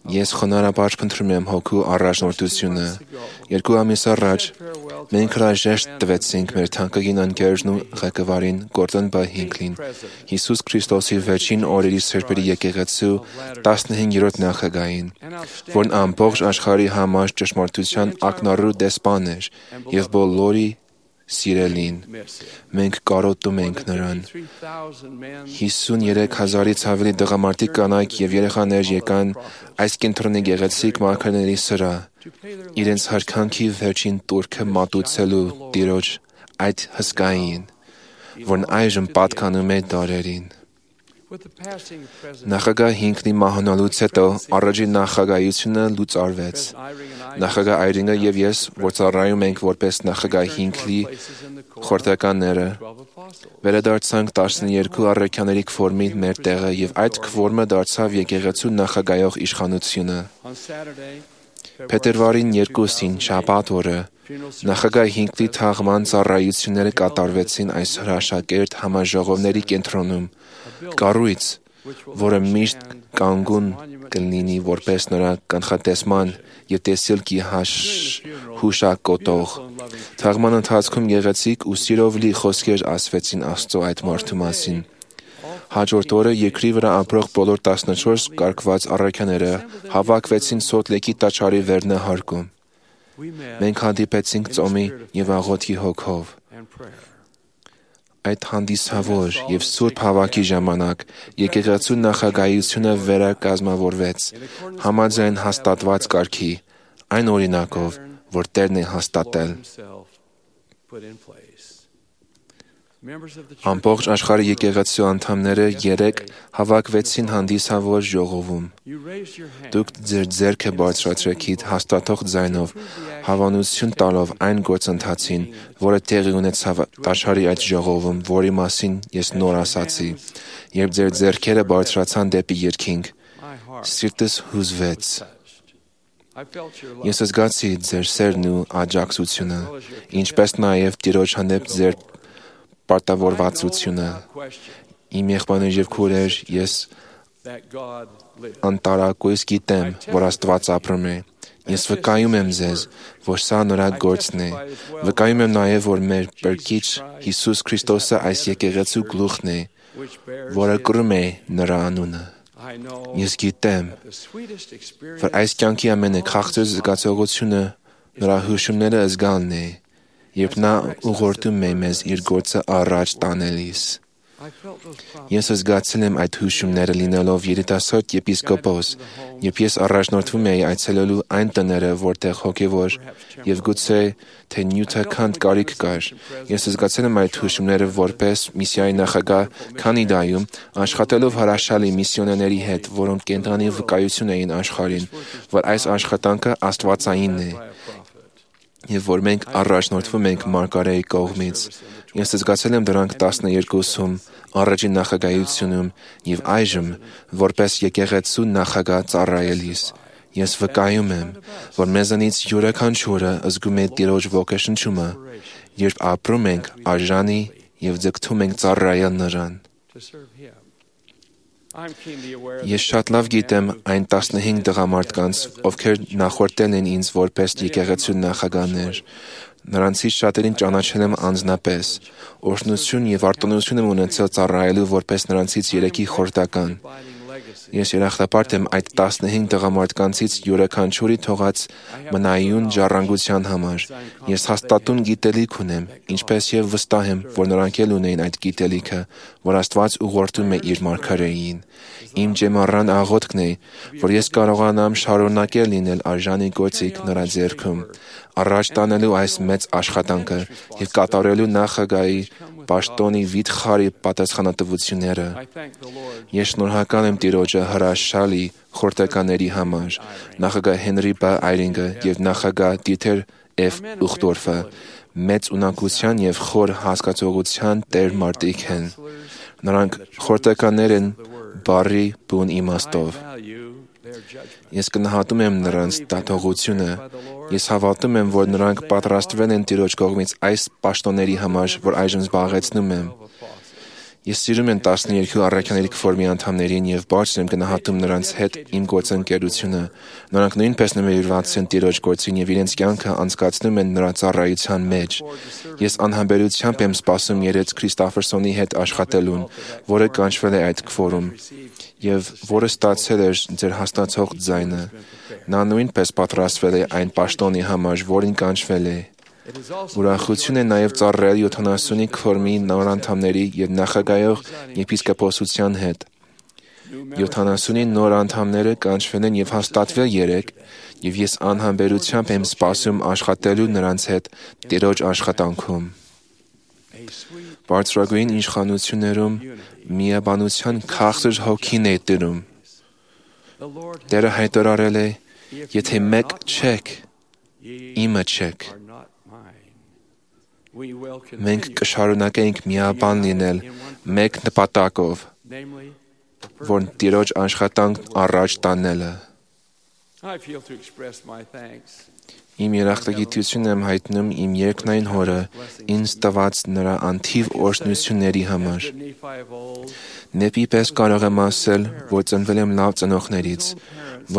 Speaker 2: ես խոնարհաբար փնտրում եմ հոգու առաջնորդությունը։ Երկու ամիս առաջ մենք հրաժեշտ տվեցինք մեր թանկագին ընկերն ու ղեկավարին Գորդոն Բ. Հինքլին, Հիսուս Քրիստոսի վերջին օրերի սրբերի եկեղեցու տասնհինգերորդ նախագահին, որն ամբողջ աշխարհի համար ճշմարտության ակնառու դեսպան էր եւ բոլորի սիրելին։ Մենք կարոտում ենք նրան։ հիսուներեք հազարից ավելի տղամարդիկ կանայք եւ երեխաներ եկան այս կենտրոնի գեղեցիկ մարգարեների սրա, իրենց հարկանքի վերջին տուրքը մատուցելու Տիրոջ այդ հսկային, որն այժմ պատկանում է դարերին։ Նախագահ Հինքլի մահանալուց հետո առաջին նախագահությունը լուծարվեց։ Նախագահ Այրինգը եւ ես, որ ծառայում ենք որպես նախագահ Հինքլի խորհրդականները, վերադարձանք տասներկու առաքյաների քվորմի մեր տեղը եւ այդ քվորմը դարձավ եկեղեցու նախագահող իշխանությունը։ Փետրվարին երկուսին շաբաթ օրը նախագահ Հինքլի թաղման ծառայությունները կատարվեցին այս հրաշագերտ համաժողովների կենտրոնում, կառույց, որը միշտ կանգուն կլինի որպես նրա կանխատեսման եւ տեսիլքի հուշակոտող։ Թաղման ընթացքում գեղեցիկ ու սիրով լի խոսքեր ասվեցին Աստծո այդ մարդու մասին։ Հաջորդ օրը երկրի վրա ապրող բոլոր տասնչորս կարգված առաքյաները հավաքվեցին Սոթ Լեյքի տաճարի վերնահարկում։ Մենք հանդիպեցինք ծոմի եւ աղոթքի հոգով։ Այդ հանդիսավոր եւ սուրբ հավաքի ժամանակ եկեղեցու նախագահությունը վերակազմավորվեց համաձայն հաստատված կարգի, այն օրինակով, որ Տերն է հաստատել։ Ամբողջ աշխարհի եկեղեցու անդամները երեք հավաքվեցին հանդիսավոր ժողովում։ Դուք ձեր ձեռքը բարձրացրեցիք հաստատող ձայնով, հավանություն տալով այն գործընթացին, որը տեղի ունեցավ տաճարի այդ ժողովում, որի մասին ես նոր ասացի, երբ ձեր ձեռքերը բարձրացան դեպի երկինք, սիրտս հուզվեց։ Ես զգացի ձեր սերն ու աջակցությունը, ինչպես նաև Տիրոջ հանդեպ ձեր պարտավորվածությունը։ Իմ եղբայրներ եւ քույրեր, ես անտարակույս գիտեմ, որ Աստված ապրում է։ Ես վկայում եմ ձեզ, որ սա նրա գործն է։ Վկայում եմ նաև, որ մեր Փրկիչ Հիսուս Քրիստոսը այս եկեղեցու գլուխն է, որը կրում է նրա անունը։ Ես գիտեմ, որ այս կյանքի ամենաքաղցր զգացողությունը նրա հուշումները զգալն է, երբ նա ուղղորդում է մեզ իր գործը առաջ տանելիս։ Ես զգացել եմ այդ հուշումները լինելով երիտասարդ եպիսկոպոս, երբ ես առաջնորդվում էի այցելելու այն տները, որտեղ հոգևոր եւ գուցե թե նյութական կարիք կար։ Ես զգացել եմ այդ հուշումները որպես միսիայի նախագահ Կանադայում, աշխատելով հրաշալի միսիոներների հետ, որոնք կենտրոնի վկայություն էին աշխարհին, որ այս աշխատանքը աստվածային է, եւ որ մենք առաջնորդվում ենք Մարգարեի կողմից։ Ես զգացել եմ դրանք տասներկուսում, առաջին նախագահությունում եւ այժմ, որպես եկեղեցու նախագահ ծառայելիս։ Ես վկայում եմ, որ մեզանից յուրաքանչյուրը զգում է Տիրոջ ոգեշնչումը, երբ ապրում ենք արժանի եւ ձգտում ենք ծառայել նրան։ Ես շատ լավ գիտեմ այն տասնհինգ տղամարդկանց, ովքեր նախորդել են ինձ որպես եկեղեցու նախագահներ։ Նրանցից շատերին ճանաչել եմ անձնապես, օրհնություն եւ արտոնություն եմ ունեցել ծառայելու որպես նրանցից երեքի խորհրդական։ Ես երախտապարտ եմ այդ տասնհինգ տղամարդկանցից յուրաքանչյուրի թողած մնայուն ժառանգության համար։ Ես հաստատուն գիտելիք ունեմ, ինչպես եւ վստահ եմ, որ նրանք էլ ունեն այդ գիտելիքը, որ Աստված ուղղորդում է իր մարգարեին։ Իմ ջեմառան աղոթքն է, որ ես կարողանամ շարունակել լինել արժանի գործիք նրա ձեռքում, առաջ տանելու այս մեծ աշխատանքը եւ կատարելու նախագահի պաշտոնի վիթխարի պատասխանատվությունները։ Ես շնորհակալ եմ Տիրոջը հրաշալի խորհրդականների համար, նախագահ Հենրի Բ. Այրինգը եւ նախագահ Դիթեր F. Ուխտորֆը, մեծ ունակության եւ խոր հասկացողության տեր մարդիկ են։ Նրանք խորհրդականներ են բառի բուն իմաստով։ Ես գնահատում եմ նրանց դատողությունը։ Ես հավատում եմ, որ նրանք պատրաստվել են Տիրոջ կողմից այս պաշտոնների համար, որ այժմ զբաղեցնում եմ։ Ես սիրում եմ տասներկու առաքյաների քֆորմի անդամներին եւ բարձր եմ գնահատում նրանց հետ իմ գործընկերությունը։ Նրանք նույնպես նվիրված են Տիրոջ գործին եւ իրենց կյանքը անցկացնում են նրա ծառայության մեջ։ Ես անհամբերությամբ եմ սպասում Երեց Քրիստոֆերսոնի հետ աշխատելուն, որը կանչվել է այդ քֆորում եւ որը ստացել էր ձեր հաստացող ձայնը։ Նա նույնպես պատրաստվել է այն պաշտոնի համար, որին կանչվել է։ Ուրախություն է նաև ծառայել յոթանասունի քֆորմի նոր անդամների եւ նախագահող եպիսկոպոսության հետ։ յոթանասունի նոր անդամները կանչվել են եւ հաստատվել երեք, եւ ես անհամբերությամբ եմ սպասում աշխատելու նրանց հետ Տիրոջ աշխատանքում։ Բարձրագույն իշխանություններում միաբանության քաղցր հոգին է տիրում։ Տերը հայտարարել է. եթե մեկ չեք, իմը չեք։ Մենք կշարունակենք միաբան լինել մեկ նպատակով, որ Տիրոջ աշխատանք առաջ տանելը։ Իմ երախտագիտությունն եմ հայտնում իմ երկնային Հորը ինձ տված նրա անթիվ օրհնությունների համար։ Նեպի պես կարող եմ ասել, որ ծնվել եմ լավ ծնողներից,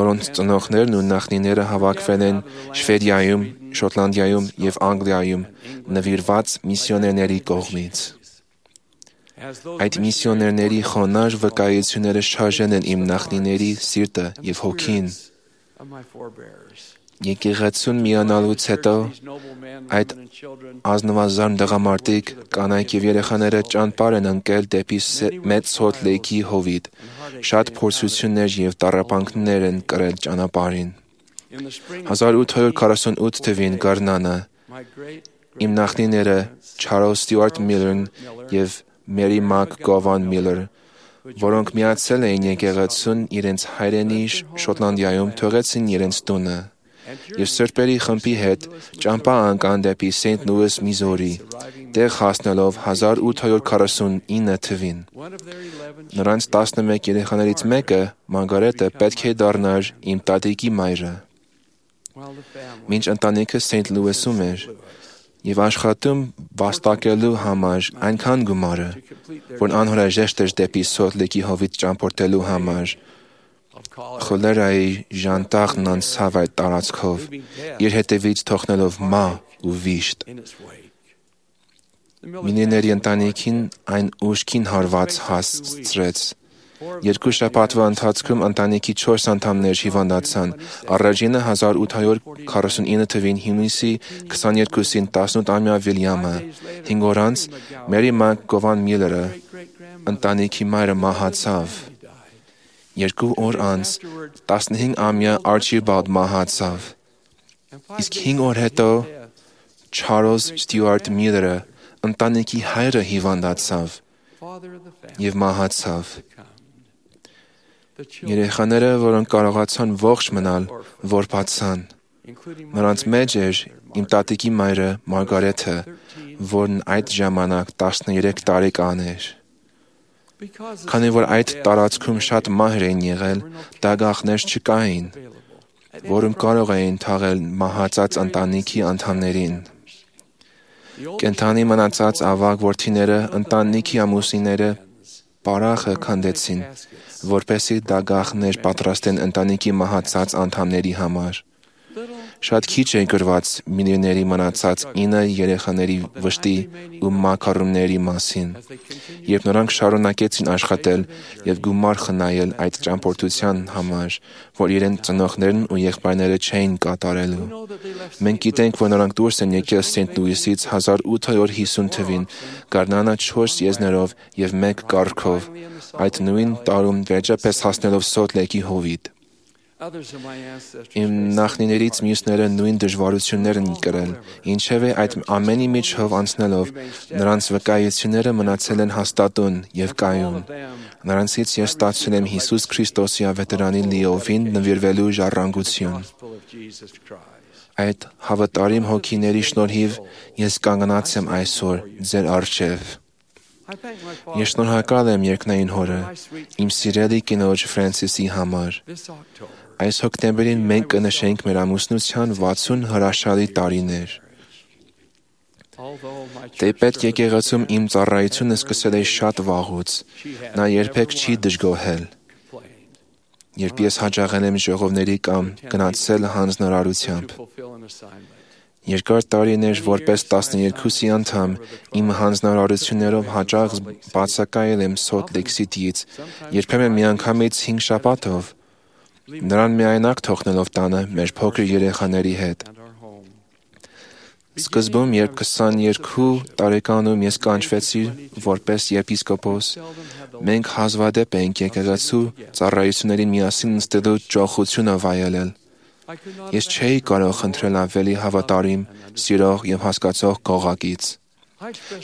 Speaker 2: որոնց ծնողներն ու նախնիները հավաքվել են Շվեդիայում, Շոտլանդիայում եւ Անգլիայում նվիրված միսիոներների կողմից։ Այդ միսիոներների խոնարհ վկայությունները շարժեն են իմ նախնիների սիրտը եւ հոգին։ Եկեղեցուն միանալուց հետո այդ ազնվազան տղամարդիկ, կանայք եւ երեխաները ճանապարհ են ընկել դեպի մեծ Սոլտ Լեյքի հովիտ։ Շատ փորձություններ եւ տառապանքներ են կրել ճանապարհին։ հազար ութ հարյուր քառասունութ թվին գարնանը իմ նախնիները Չարլզ Ստյուարտ Միլլերն եւ Մերի Մակ Գովան Միլլեր, որոնք միացել էին եկեղեցուն իրենց հայրենի Շոտլանդիայում, թողեցին իրենց տունը եւ սրբերի խմբի հետ ճամփա անցան դեպի Սենթ Լուիս, Միզուրի, տեղ հասնելով հազար ութ հարյուր քառասունինը թվին։ Նրանց տասնմեկ երեխաներից մեկը, Մարգարետը, պետք է դառնար իմ տատիկի մայրը։ Մինչ ընտանիքը Սենթ Լուիսում էր եւ աշխատում վաստակելու համար այնքան գումարը, որ անհրաժեշտ էր դեպի Սոլտ Լեյքի հովիտ ճամփորդելու համար, խոլերայի ժանտաղն անցավ այդ տարածքով, իր հետևից թողնելով մահ ու վիշտ։ Մինիների ընտանիքին այն ուժքին հարված հասցրեց։ Երկու շաբաթվա ընթացքում ընտանիքի չորս անդամներ հիվանդացան։ Առաջինը հազար ութ հարյուր քառասունինը թվին հունիսի քսաներկուսին տասնութամյա Վիլյամը, հինգ օր անց Մերի Մակ Գովան Միլլերը, ընտանիքի մայրը մահացավ։ Երկու օր անց տասնհինգամյա Արչիբալդ մահացավ։ Իսկ հինգ օր հետո Չարլզ Ստյուարտ Միլլերը, ընտանիքի հայրը, հիվանդացավ եւ մահացավ։ Երեխաները, որոնք կարողացան ողջ մնալ, որբացան։ Նրանց մեջ էր իմ տատիկի մայրը Մարգարեթը, որն այդ ժամանակ տասներեք տարեկան էր։ Քանի որ այդ տարածքում շատ մահեր էին եղել, դագաղներ չկային, որում կարող էին թաղել մահացած ընտանիքի անդամներին։ Կենդանի մնացած ավագ որդիները ընտանիքի ամուսինները պարախը քանդեցին, որպեսզի դագաղներ պատրաստեն ընտանիքի մահացած անդամների համար։ Շատ քիչ է գրված միլիոների մնացած ինը երեխաների վշտի ու մաքարումների մասին, երբ նրանք շարունակեցին աշխատել եւ գումար խնայել այդ ճամփորդության համար, որ իրենց ծնողներն ու եղբայրները չէին կատարելու։ Մենք գիտենք, որ նրանք դուրս են եկել Սենտ Լուիսից հազար ութ հարյուր հիսուն թվին, գարնանը չորս եզներով եւ մեկ կառքով, այդ նույն տարում վերջապես հասնելով Սոլտ Լեյքի հովիտ։ Իմ նախնիներից մյուսները նույն դժվարություններ են կրել, ինչևէ այդ ամենի միջով անցնելով, նրանց վկայությունները մնացել են հաստատուն եւ կայուն։ Նրանցից ես ստացել եմ Հիսուս Քրիստոսի ավետարանի լիովին նվիրվելու ժառանգություն։ Այդ հավատարիմ հոգիների շնորհիվ ես կանգնած եմ այսօր ձեր առջև։ Ես շնորհակալ եմ երկնային Հորը, իմ սիրելի կինոջ Ֆրանսիսի համար։ Այս հոկտեմբերին մենք կնշենք մեր ամուսնության վաթսուն հրաշալի տարիներ։ Թեպետ եկեղեցում իմ ծառայությունը սկսել է շատ վաղուց, նա երբեք չի դժգոհել։ Երբ ես հաճախել եմ ժողովների կամ գնացել հանձնարարությամբ։ Երկար տարիներ որպես տասներեքուսի անդամ իմ հանձնարարություններով հաճախ բացակայել եմ Սոլտ Լեյք Սիթիից, երբեմն միանգամից հինգ շաբաթով, նրան միայնակ թողնելով տանը մեր փոքր երեխաների հետ։ Սկզբում, երբ քսաներկու տարեկանում ես կանչվեցի որպես եպիսկոպոս, մենք հազվադեպ էինք եկեղեցու ծառայություններին միասին նստելու ճոխությունը վայելել։ Ես չէի կարող խնդրել ավելի հավատարիմ, սիրող եւ հասկացող կողակից։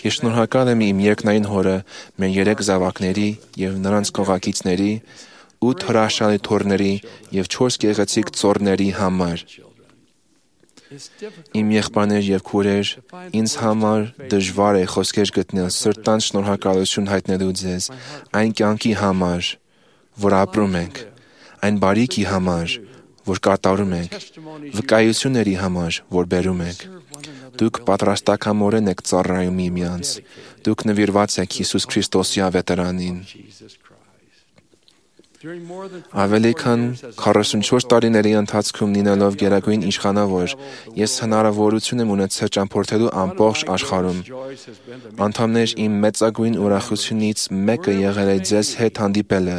Speaker 2: Ես շնորհակալ եմ իմ երկնային Հորը, մեր երեք զավակների եւ նրանց կողակիցների, ութ հրաշալի թոռների եւ չորս գեղեցիկ ծոռների համար։ Իմ եղբայրներ եւ քուրեր, ինձ համար դժվար է խոսքեր գտնել սրտանց շնորհակալություն հայտնելու ձեզ այն կյանքի համար, որ ապրում ենք, այն բարիքի համար, որ կատարում ենք, վկայությունների համար, որ բերում ենք։ Դուք պատրաստակամորեն եք ծառայում միմյանց։ Դուք նվիրված եք Հիսուս Քրիստոսի ավետարանին։ Ավելի քան քառասունչորս տարիների ընթացքում լինելով գերագույն իշխանավոր, ես հնարավորություն եմ ունեցել ճամփորդելու ամբողջ աշխարհում։ Անդամներ, իմ մեծագույն ուրախությունից մեկը եղել է ձեզ հետ հանդիպելը,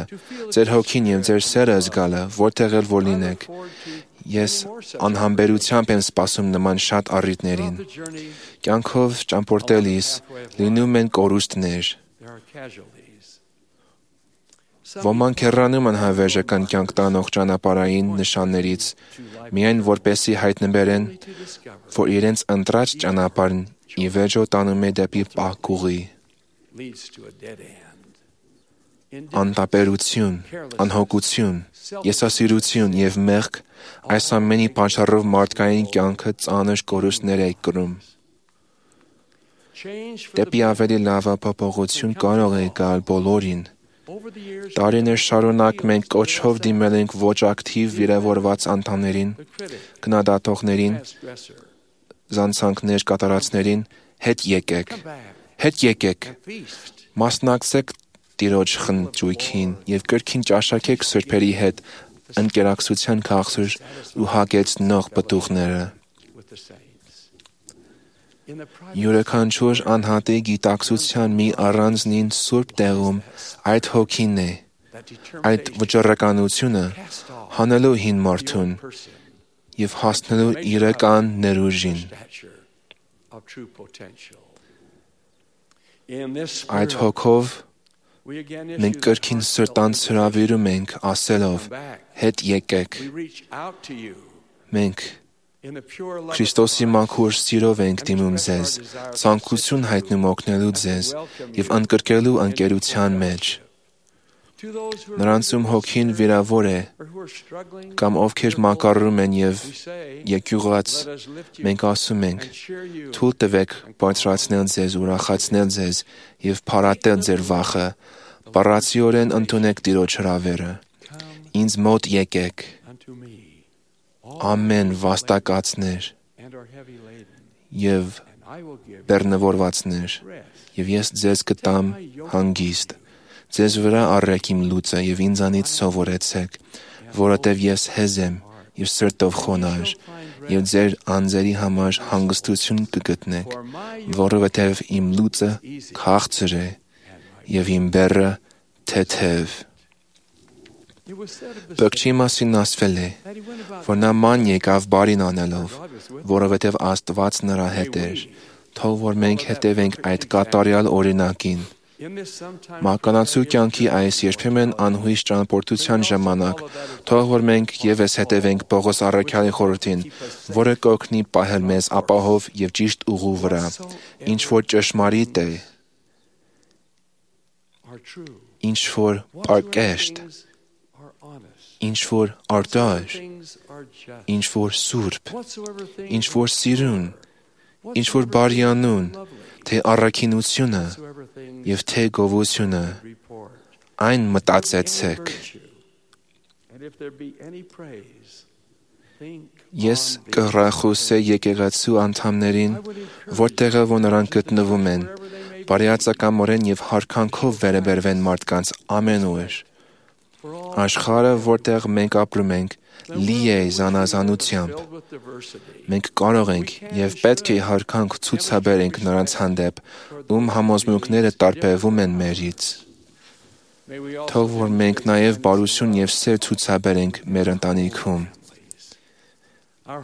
Speaker 2: ձեր հոգին եւ ձեր սերը զգալը, որտեղ էլ որ լինեք։ Ես անհամբերությամբ եմ սպասում նման շատ առիթներին։ Կյանքով ճամփորդելիս լինում են կորուստներ։ Ոմանք հեռանում են հավերժական կյանք տանող ճանապարհային նշաններից, միայն որպեսզի հայտնաբերեն, որ իրենց ընտրած ճանապարհն ի վերջո տանում է դեպի պահկուղի։ Անտարբերություն, անհոգություն, եսասիրություն եւ մեղք այս ամենի պատճառով մարդկային կյանքը ծանր կորուստներ է կրում։ Դեպի ավելի լավ փոփոխություն կարող է գալ բոլորին։ Տարիներ շարունակ մենք կոչով դիմել ենք ոչ ակտիվ վիրավորված անդամներին, քննադատողներին, զանցանքներ կատարածներին, հետ եկեք, հետ եկեք, մասնակցեք Տիրոջ խնջույքին եւ կրկին ճաշակեք սրբերի հետ ընկերակցության քաղցր ու հագեցնող պտուղները։ Յուրաքանչյուր անհատի գիտակցության մի առանձնին սուրբ տեղում այդ հոգին է, այդ վճռականությունը հանելու հին մարդուն եւ հասնելու իրական ներուժին։ Այդ հոգով Մենք կրկին սրտանց հրավիրում ենք ասելով. հետ եկեք։ Մենք Քրիստոսի մաքուր սիրով ենք դիմում ձեզ, ցանկություն հայտնում օգնելու ձեզ եւ ընդգրկելու ընկերության մեջ։ Նրանց ում հոգին վիրավոր է, կամ ովքեր մակարում են եւ եկյուղած, մենք ասում ենք. թույլ տվեք բարձրացնել ձեզ, ուրախացնել ձեզ եւ փառատել ձեր վախը, բառացիորեն ընդունեք Տիրոջ հրավերը։ Ինձ մոտ եկեք, ամեն վաստակածներ եւ բեռնավորվածներ, եւ ես ձեզ կտամ հանգիստ։ Ձեզ վրա առեք իմ լուծը եւ ինձանից սովորեցեք, որովհետեւ ես հեզ եմ եւ սրտով խոնարհ, եւ ձեր անձերի համար հանգստություն կգտնեք, որովհետեւ իմ լուծը քաղցր է եւ իմ բեռը թեթև։ Բկչի մասին ասվել է, որ նա ման եկավ բարին անելով, որովհետև Աստված նրա հետ էր, թող որ մենք հետևենք այդ կատարյալ օրինակին։ Մականացու կյանքի այս երբեմն անհույս ճանապարհորդության ժամանակ, թող որ մենք ևս հետևենք Պողոս առաքյալի խորհրդին, որը կօգնի պահել մեզ ապահով եւ ճիշտ ուղու վրա, ինչ որ ճշմարիտ է, ինչ որ պարկեշտ, ինչ որ արդար, ինչ որ սուրբ, ինչ որ սիրուն, ինչ որ բարյանուն, թե առաքինությունը եւ թե գովությունը, այն մտածեցեք։ Ես կհրախուսեի եկեղեցու անդամներին, որտեղը որ նրանք գտնվում են, բարիացակամորեն եւ հարկանքով վերաբերվեն մարդկանց ամենուր։ Աշխարհը, որտեղ մենք ապրում ենք, լի է զանազանությամբ։ Մենք կարող ենք եւ պետք է հարկանք ցուցաբերենք նրանց հանդեպ, ում համոզմունքները տարբերվում են մերից։ Թող որ մենք նաեւ բարություն եւ սեր ցուցաբերենք մեր ընտանիքում։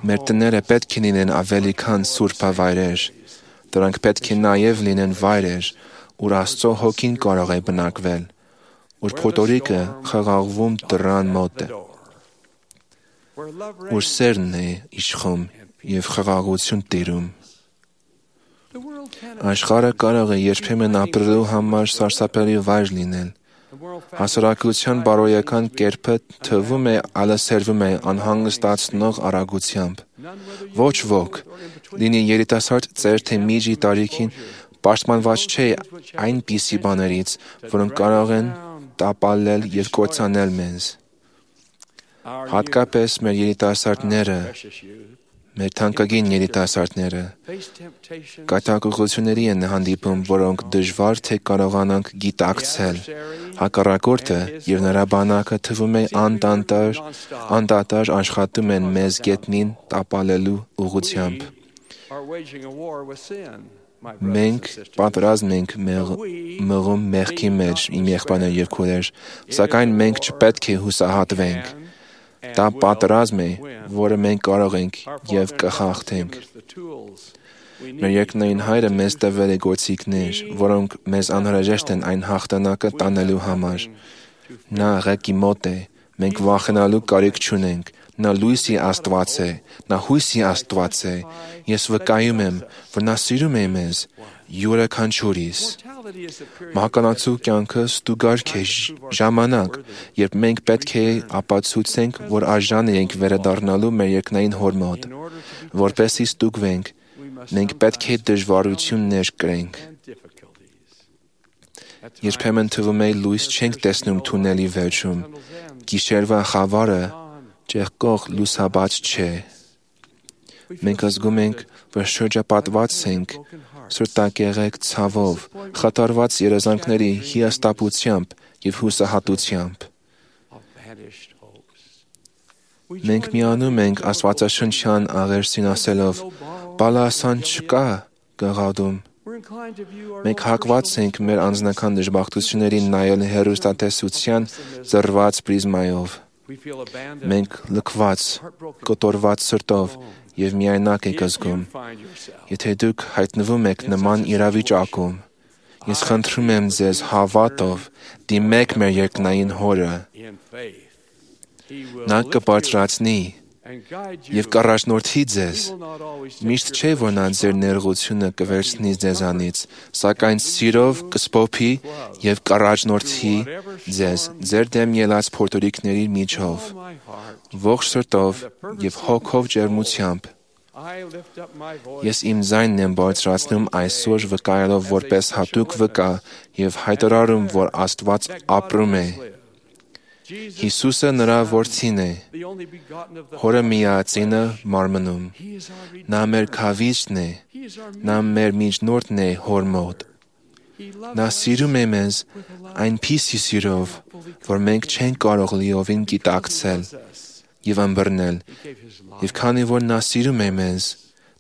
Speaker 2: Մեր տները պետք է լինեն ավելի քան սուրբավայրեր։ Դրանք պետք է նաեւ լինեն վայրեր, ուր Աստծո հոգին կարող է բնակվել, ուր փոթորիկը խաղաղվում դռան մոտ է, ուր սերն է իշխում եւ խաղաղություն տիրում։ Աշխարհը կարող է երբեմն ապրելու համար սարսափելի վայր լինել։ Հասարակության բարոյական կերպը թվում է ալսերվում է անհանգստացնող արագությամբ։ Ոչ ոք, լինի երիտասարդ ծեր թե միջի տարիքին, պաշտպանված չէ այնպիսի բաներից, որոնք կարող են տապալել եւ կործանել մեզ։ Հատկապես մեր երիտասարդները, մեր թանկագին երիտասարդները կատակողությունների են հանդիպում, որոնք դժվար թե կարողանանք գիտակցել։ Հակառակորդը եւ նրա բանակը թվում է անդանդար, անդադար աշխատում են մեզ գետնին տապալելու ուղղությամբ։ Մենք պատրաստ ենք մղում մեղքի մեջ, իմ եղբայրներ եւ քույրեր, սակայն մենք չպետք է հուսահատվենք։ Դա պատրաստ է, որը մենք կարող ենք եւ կխախտենք։ Մեր երկնային Հայրը մեզ տվել է գործիքներ, որոնք մեզ անհրաժեշտ են այն հաղթանակը տանելու համար։ Նա ղեկի մոտ է, մենք վախենալու կարիք չունենք։ Նա լույսի Աստված է, նա հույսի Աստված է։ Ես վկայում եմ, որ նա սիրում է մեզ, յուրաքանչյուրիս։ Մահկանացու կյանքը ստուգարք է ժամանակ, երբ մենք պետք է ապացուցենք, որ արժան ենք վերադառնալու մեր երկնային Հոր մոտ։ Որպեսզի ստուգվենք, մենք պետք է դժվարություններ կրենք։ Երբեմն թվում է լույս չենք տեսնում թունելի վերջում։ Գիշերվա խավարը ճեղքող լուսաբաց չէ։ Մենք զգում ենք, որ շրջապատված ենք սրտակեղեկ ցավով, խաթարված երազանքների հիասթափությամբ եւ հուսահատությամբ։ Մենք միանում ենք Աստվածաշնչյան աղերսին ասելով. «Բալասան չկա գաղադում»։ Մենք հակված ենք մեր անձնական դժբախտություններին նայել հեռուստատեսության ծռված պրիզմայով։ Մենք լքված, կոտորված սրտով եւ միայնակ եք զգում։ Եթե դուք հայտնվում եք նման իրավիճակում, Ես խնդրում եմ ձեզ հավատով դիմեք մեր երկնային Հորը։ Նա կբարձրացնի եւ կառաջնորդի ձեզ։ Միշտ չէ, որ նա ձեր ներողությունը կվերցնի ձեզանից, սակայն սիրով կսփոփի եւ կառաջնորդի ձեզ ձեր դեմ ելած փորձորիկների միջով, ողջ սրտով եւ հոգով ջերմությամբ։ Ես իմ ձայնն եմ բարձրացնում այսօր վկայելով որպես հատուկ վկա եւ հայտարարում, որ Աստված ապրում է։ Հիսուսը նրա որդին է, Հորը միածինը մարմնում։ Նա մեր քավիճն է, նա մեր միջնորդն է Հոր մոտ։ Նա սիրում է մեզ այնպիսի սիրով, որ մենք չենք կարող լիովին գիտակցել եւ ըմբռնել, եւ քանի որ նա սիրում է մեզ,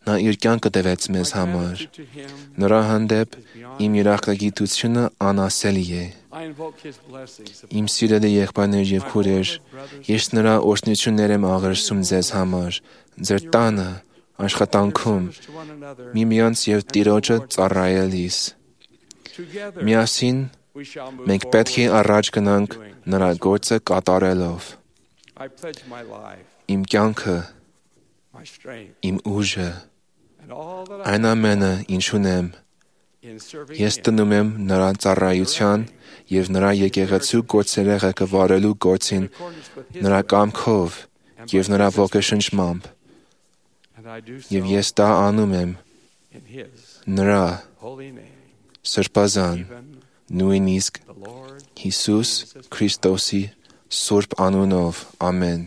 Speaker 2: նա իր կյանքը տվեց մեզ համար։ Նրա հանդեպ իմ երախտագիտությունը անասելի է։ Իմ սիրելի եղբայրներ եւ քույրեր, ես նրա օրհնություններ եմ աղերսում ձեզ համար, ձեր տանը, աշխատանքում, միմյանց եւ Տիրոջը ծառայելիս։ Միասին մենք պետք է առաջ գնանք նրա գործը կատարելով։ Իմ կյանքը, իմ ուժը, այն ամենը, ինչ ունեմ, ես տնում եմ նրա ծառայության եւ նրա եկեղեցու գործերը ղեկավարելու գործին նրա կամքով եւ նրա ոգեշնչմամբ։ Եվ ես դա անում եմ նրա սրբազան, նույնիսկ Հիսուս Քրիստոսի սուրբ անունով, ամեն։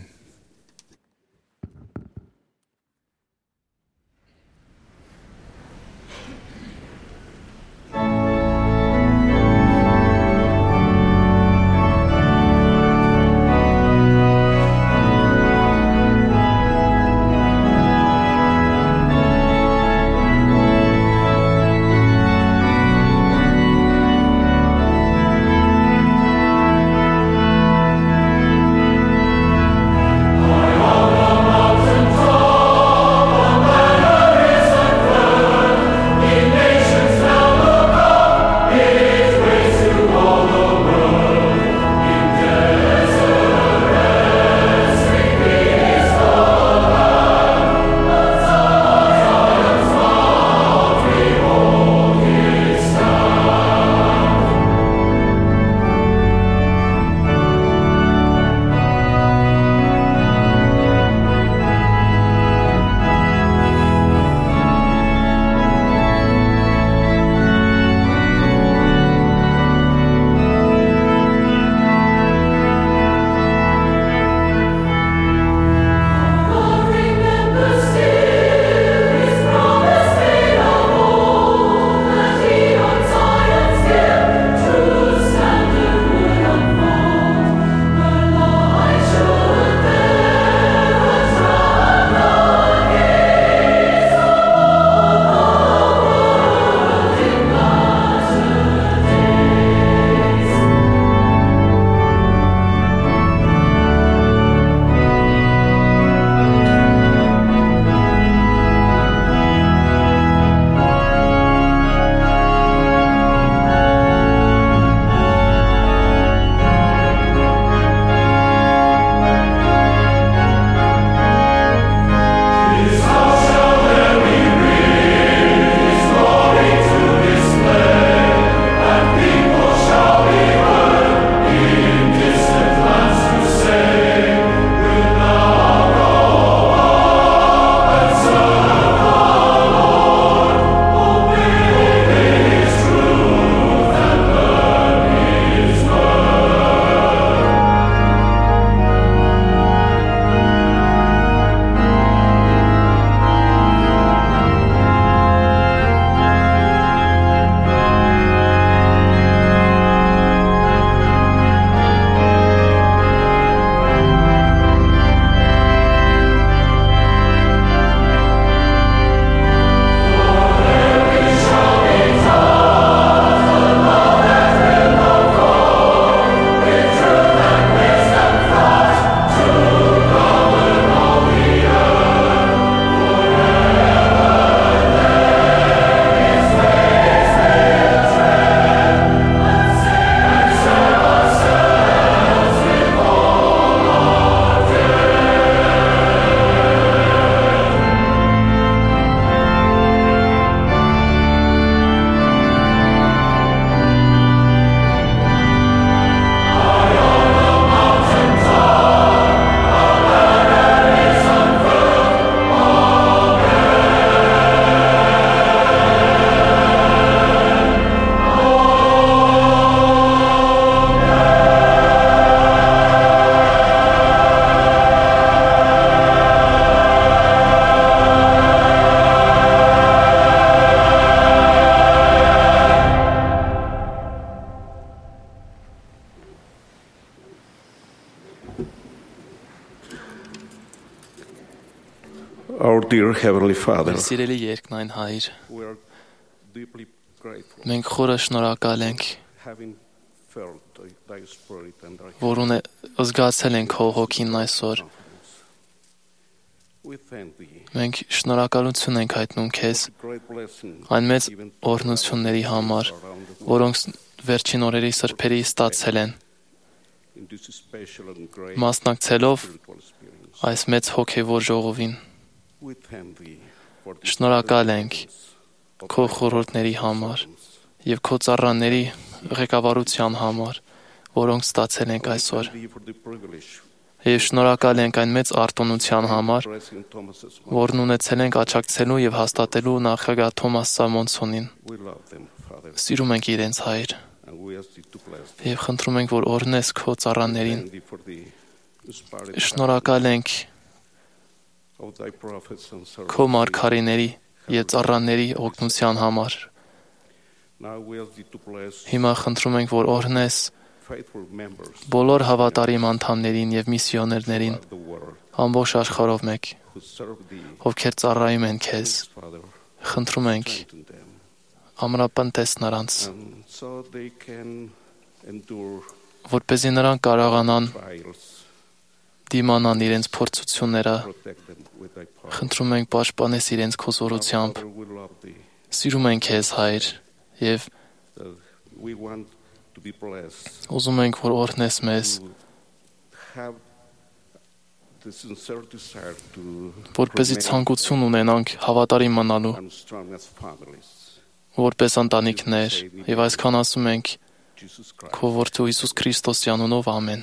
Speaker 6: our dear Heavenly Father,
Speaker 7: Սիրելի երկնային Հայր,
Speaker 6: we are deeply grateful
Speaker 7: մենք խորը շնորհակալ ենք,
Speaker 6: having felt thy, thy spirit and thy
Speaker 7: որ ունե զգացել ենք քո հոգին այսօր։
Speaker 6: We thank thee
Speaker 7: Մենք շնորհակալություն ենք հայտնում քեզ
Speaker 6: great blessing
Speaker 7: այն մեծ օրհնությունների համար, որոնք վերջին օրերի սրբերի ստացել են,
Speaker 6: in this special and great
Speaker 7: մասնակցելով
Speaker 6: spiritual experience.
Speaker 7: այս մեծ հոգևոր ժողովին։
Speaker 6: We thank thee for this
Speaker 7: Շնորհակալ ենք քո խորհուրդների համար եւ քո ծառաների ղեկավարության համար, որոնք ստացել ենք այսօր։
Speaker 6: thee for the privilege
Speaker 7: Եվ շնորհակալ ենք այն մեծ արտոնության համար,
Speaker 6: blessing Thomas's mom.
Speaker 7: որն ունեցել ենք աջակցելու եւ հաստատելու նախագահ Թոմաս Սամոնսոնին։
Speaker 6: We love them, Father,
Speaker 7: Սիրում ենք իրենց Հայր
Speaker 6: and we ask thee to bless them.
Speaker 7: եւ խնդրում ենք, որ օրհնես քո ծառաներին։
Speaker 6: Thank thee for the inspired
Speaker 7: Շնորհակալ ենք
Speaker 6: of thy prophets and servants.
Speaker 7: քո մարգարեների եւ ծառաների օգնության համար։
Speaker 6: Now we ask thee to bless
Speaker 7: Հիմա խնդրում ենք, որ օրհնես
Speaker 6: faithful members
Speaker 7: բոլոր հավատարիմ անդամներին եւ միսիոներներին
Speaker 6: of the world
Speaker 7: ամբողջ աշխարհով մեկ,
Speaker 6: who serve thee,
Speaker 7: ովքեր ծառայում են քեզ։
Speaker 6: Father,
Speaker 7: Խնդրում ենք
Speaker 6: strengthen them,
Speaker 7: ամրապնդես նրանց,
Speaker 6: and so they can endure
Speaker 7: որպեսզի նրանք կարողանան
Speaker 6: trials.
Speaker 7: դիմանան իրենց փորձությունները։
Speaker 6: Protect them with thy power.
Speaker 7: Խնդրում ենք պաշտպանես իրենց քո զորությամբ։
Speaker 6: Father, we love thee.
Speaker 7: Սիրում ենք քեզ, Հայր, եւ
Speaker 6: Uh, we want to be blessed.
Speaker 7: ուզում ենք, որ օրհնես մեզ,
Speaker 6: To have the sincere desire to
Speaker 7: որպեսզի
Speaker 6: remain
Speaker 7: ցանկություն ունենանք հավատարիմ մնալու,
Speaker 6: and strong as families.
Speaker 7: որպես ընտանիքներ, եւ այսքան ասում ենք
Speaker 6: Jesus Christ.
Speaker 7: քո որդու Հիսուս Քրիստոսի անունով ամեն։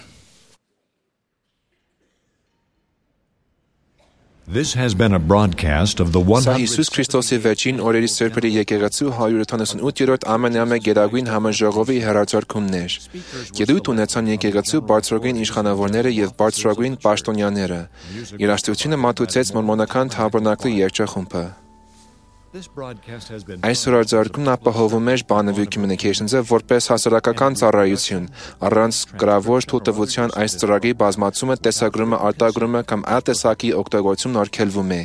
Speaker 1: This has been a broadcast of the
Speaker 2: Սա
Speaker 1: one
Speaker 2: Հիսուս Քրիստոսի վերջին օրերի սրբերի եկեղեցու հարյուր ութանասունութերորդ ամենամեկ գերագույն համաժողովի հեռարձակումն էր։ Ելույթ ունեցան եկեղեցու բարձրագույն իշխանավորները եւ բարձրագույն պաշտոնյաները։ Երաժշտությունը մատուցեց մորմոնական թաբերնակլի երգչախումբը։
Speaker 1: This broadcast has been
Speaker 2: Այս հրարձակումն ապահովում էր Bonneville Communications-ը որպես հասարակական ծառայություն, առանց գրավոր թույլտվության այս ծրագրի բազմացումը, տեսագրումը, արտագրումը կամ այլ տեսակի օգտագործումն արգելվում է։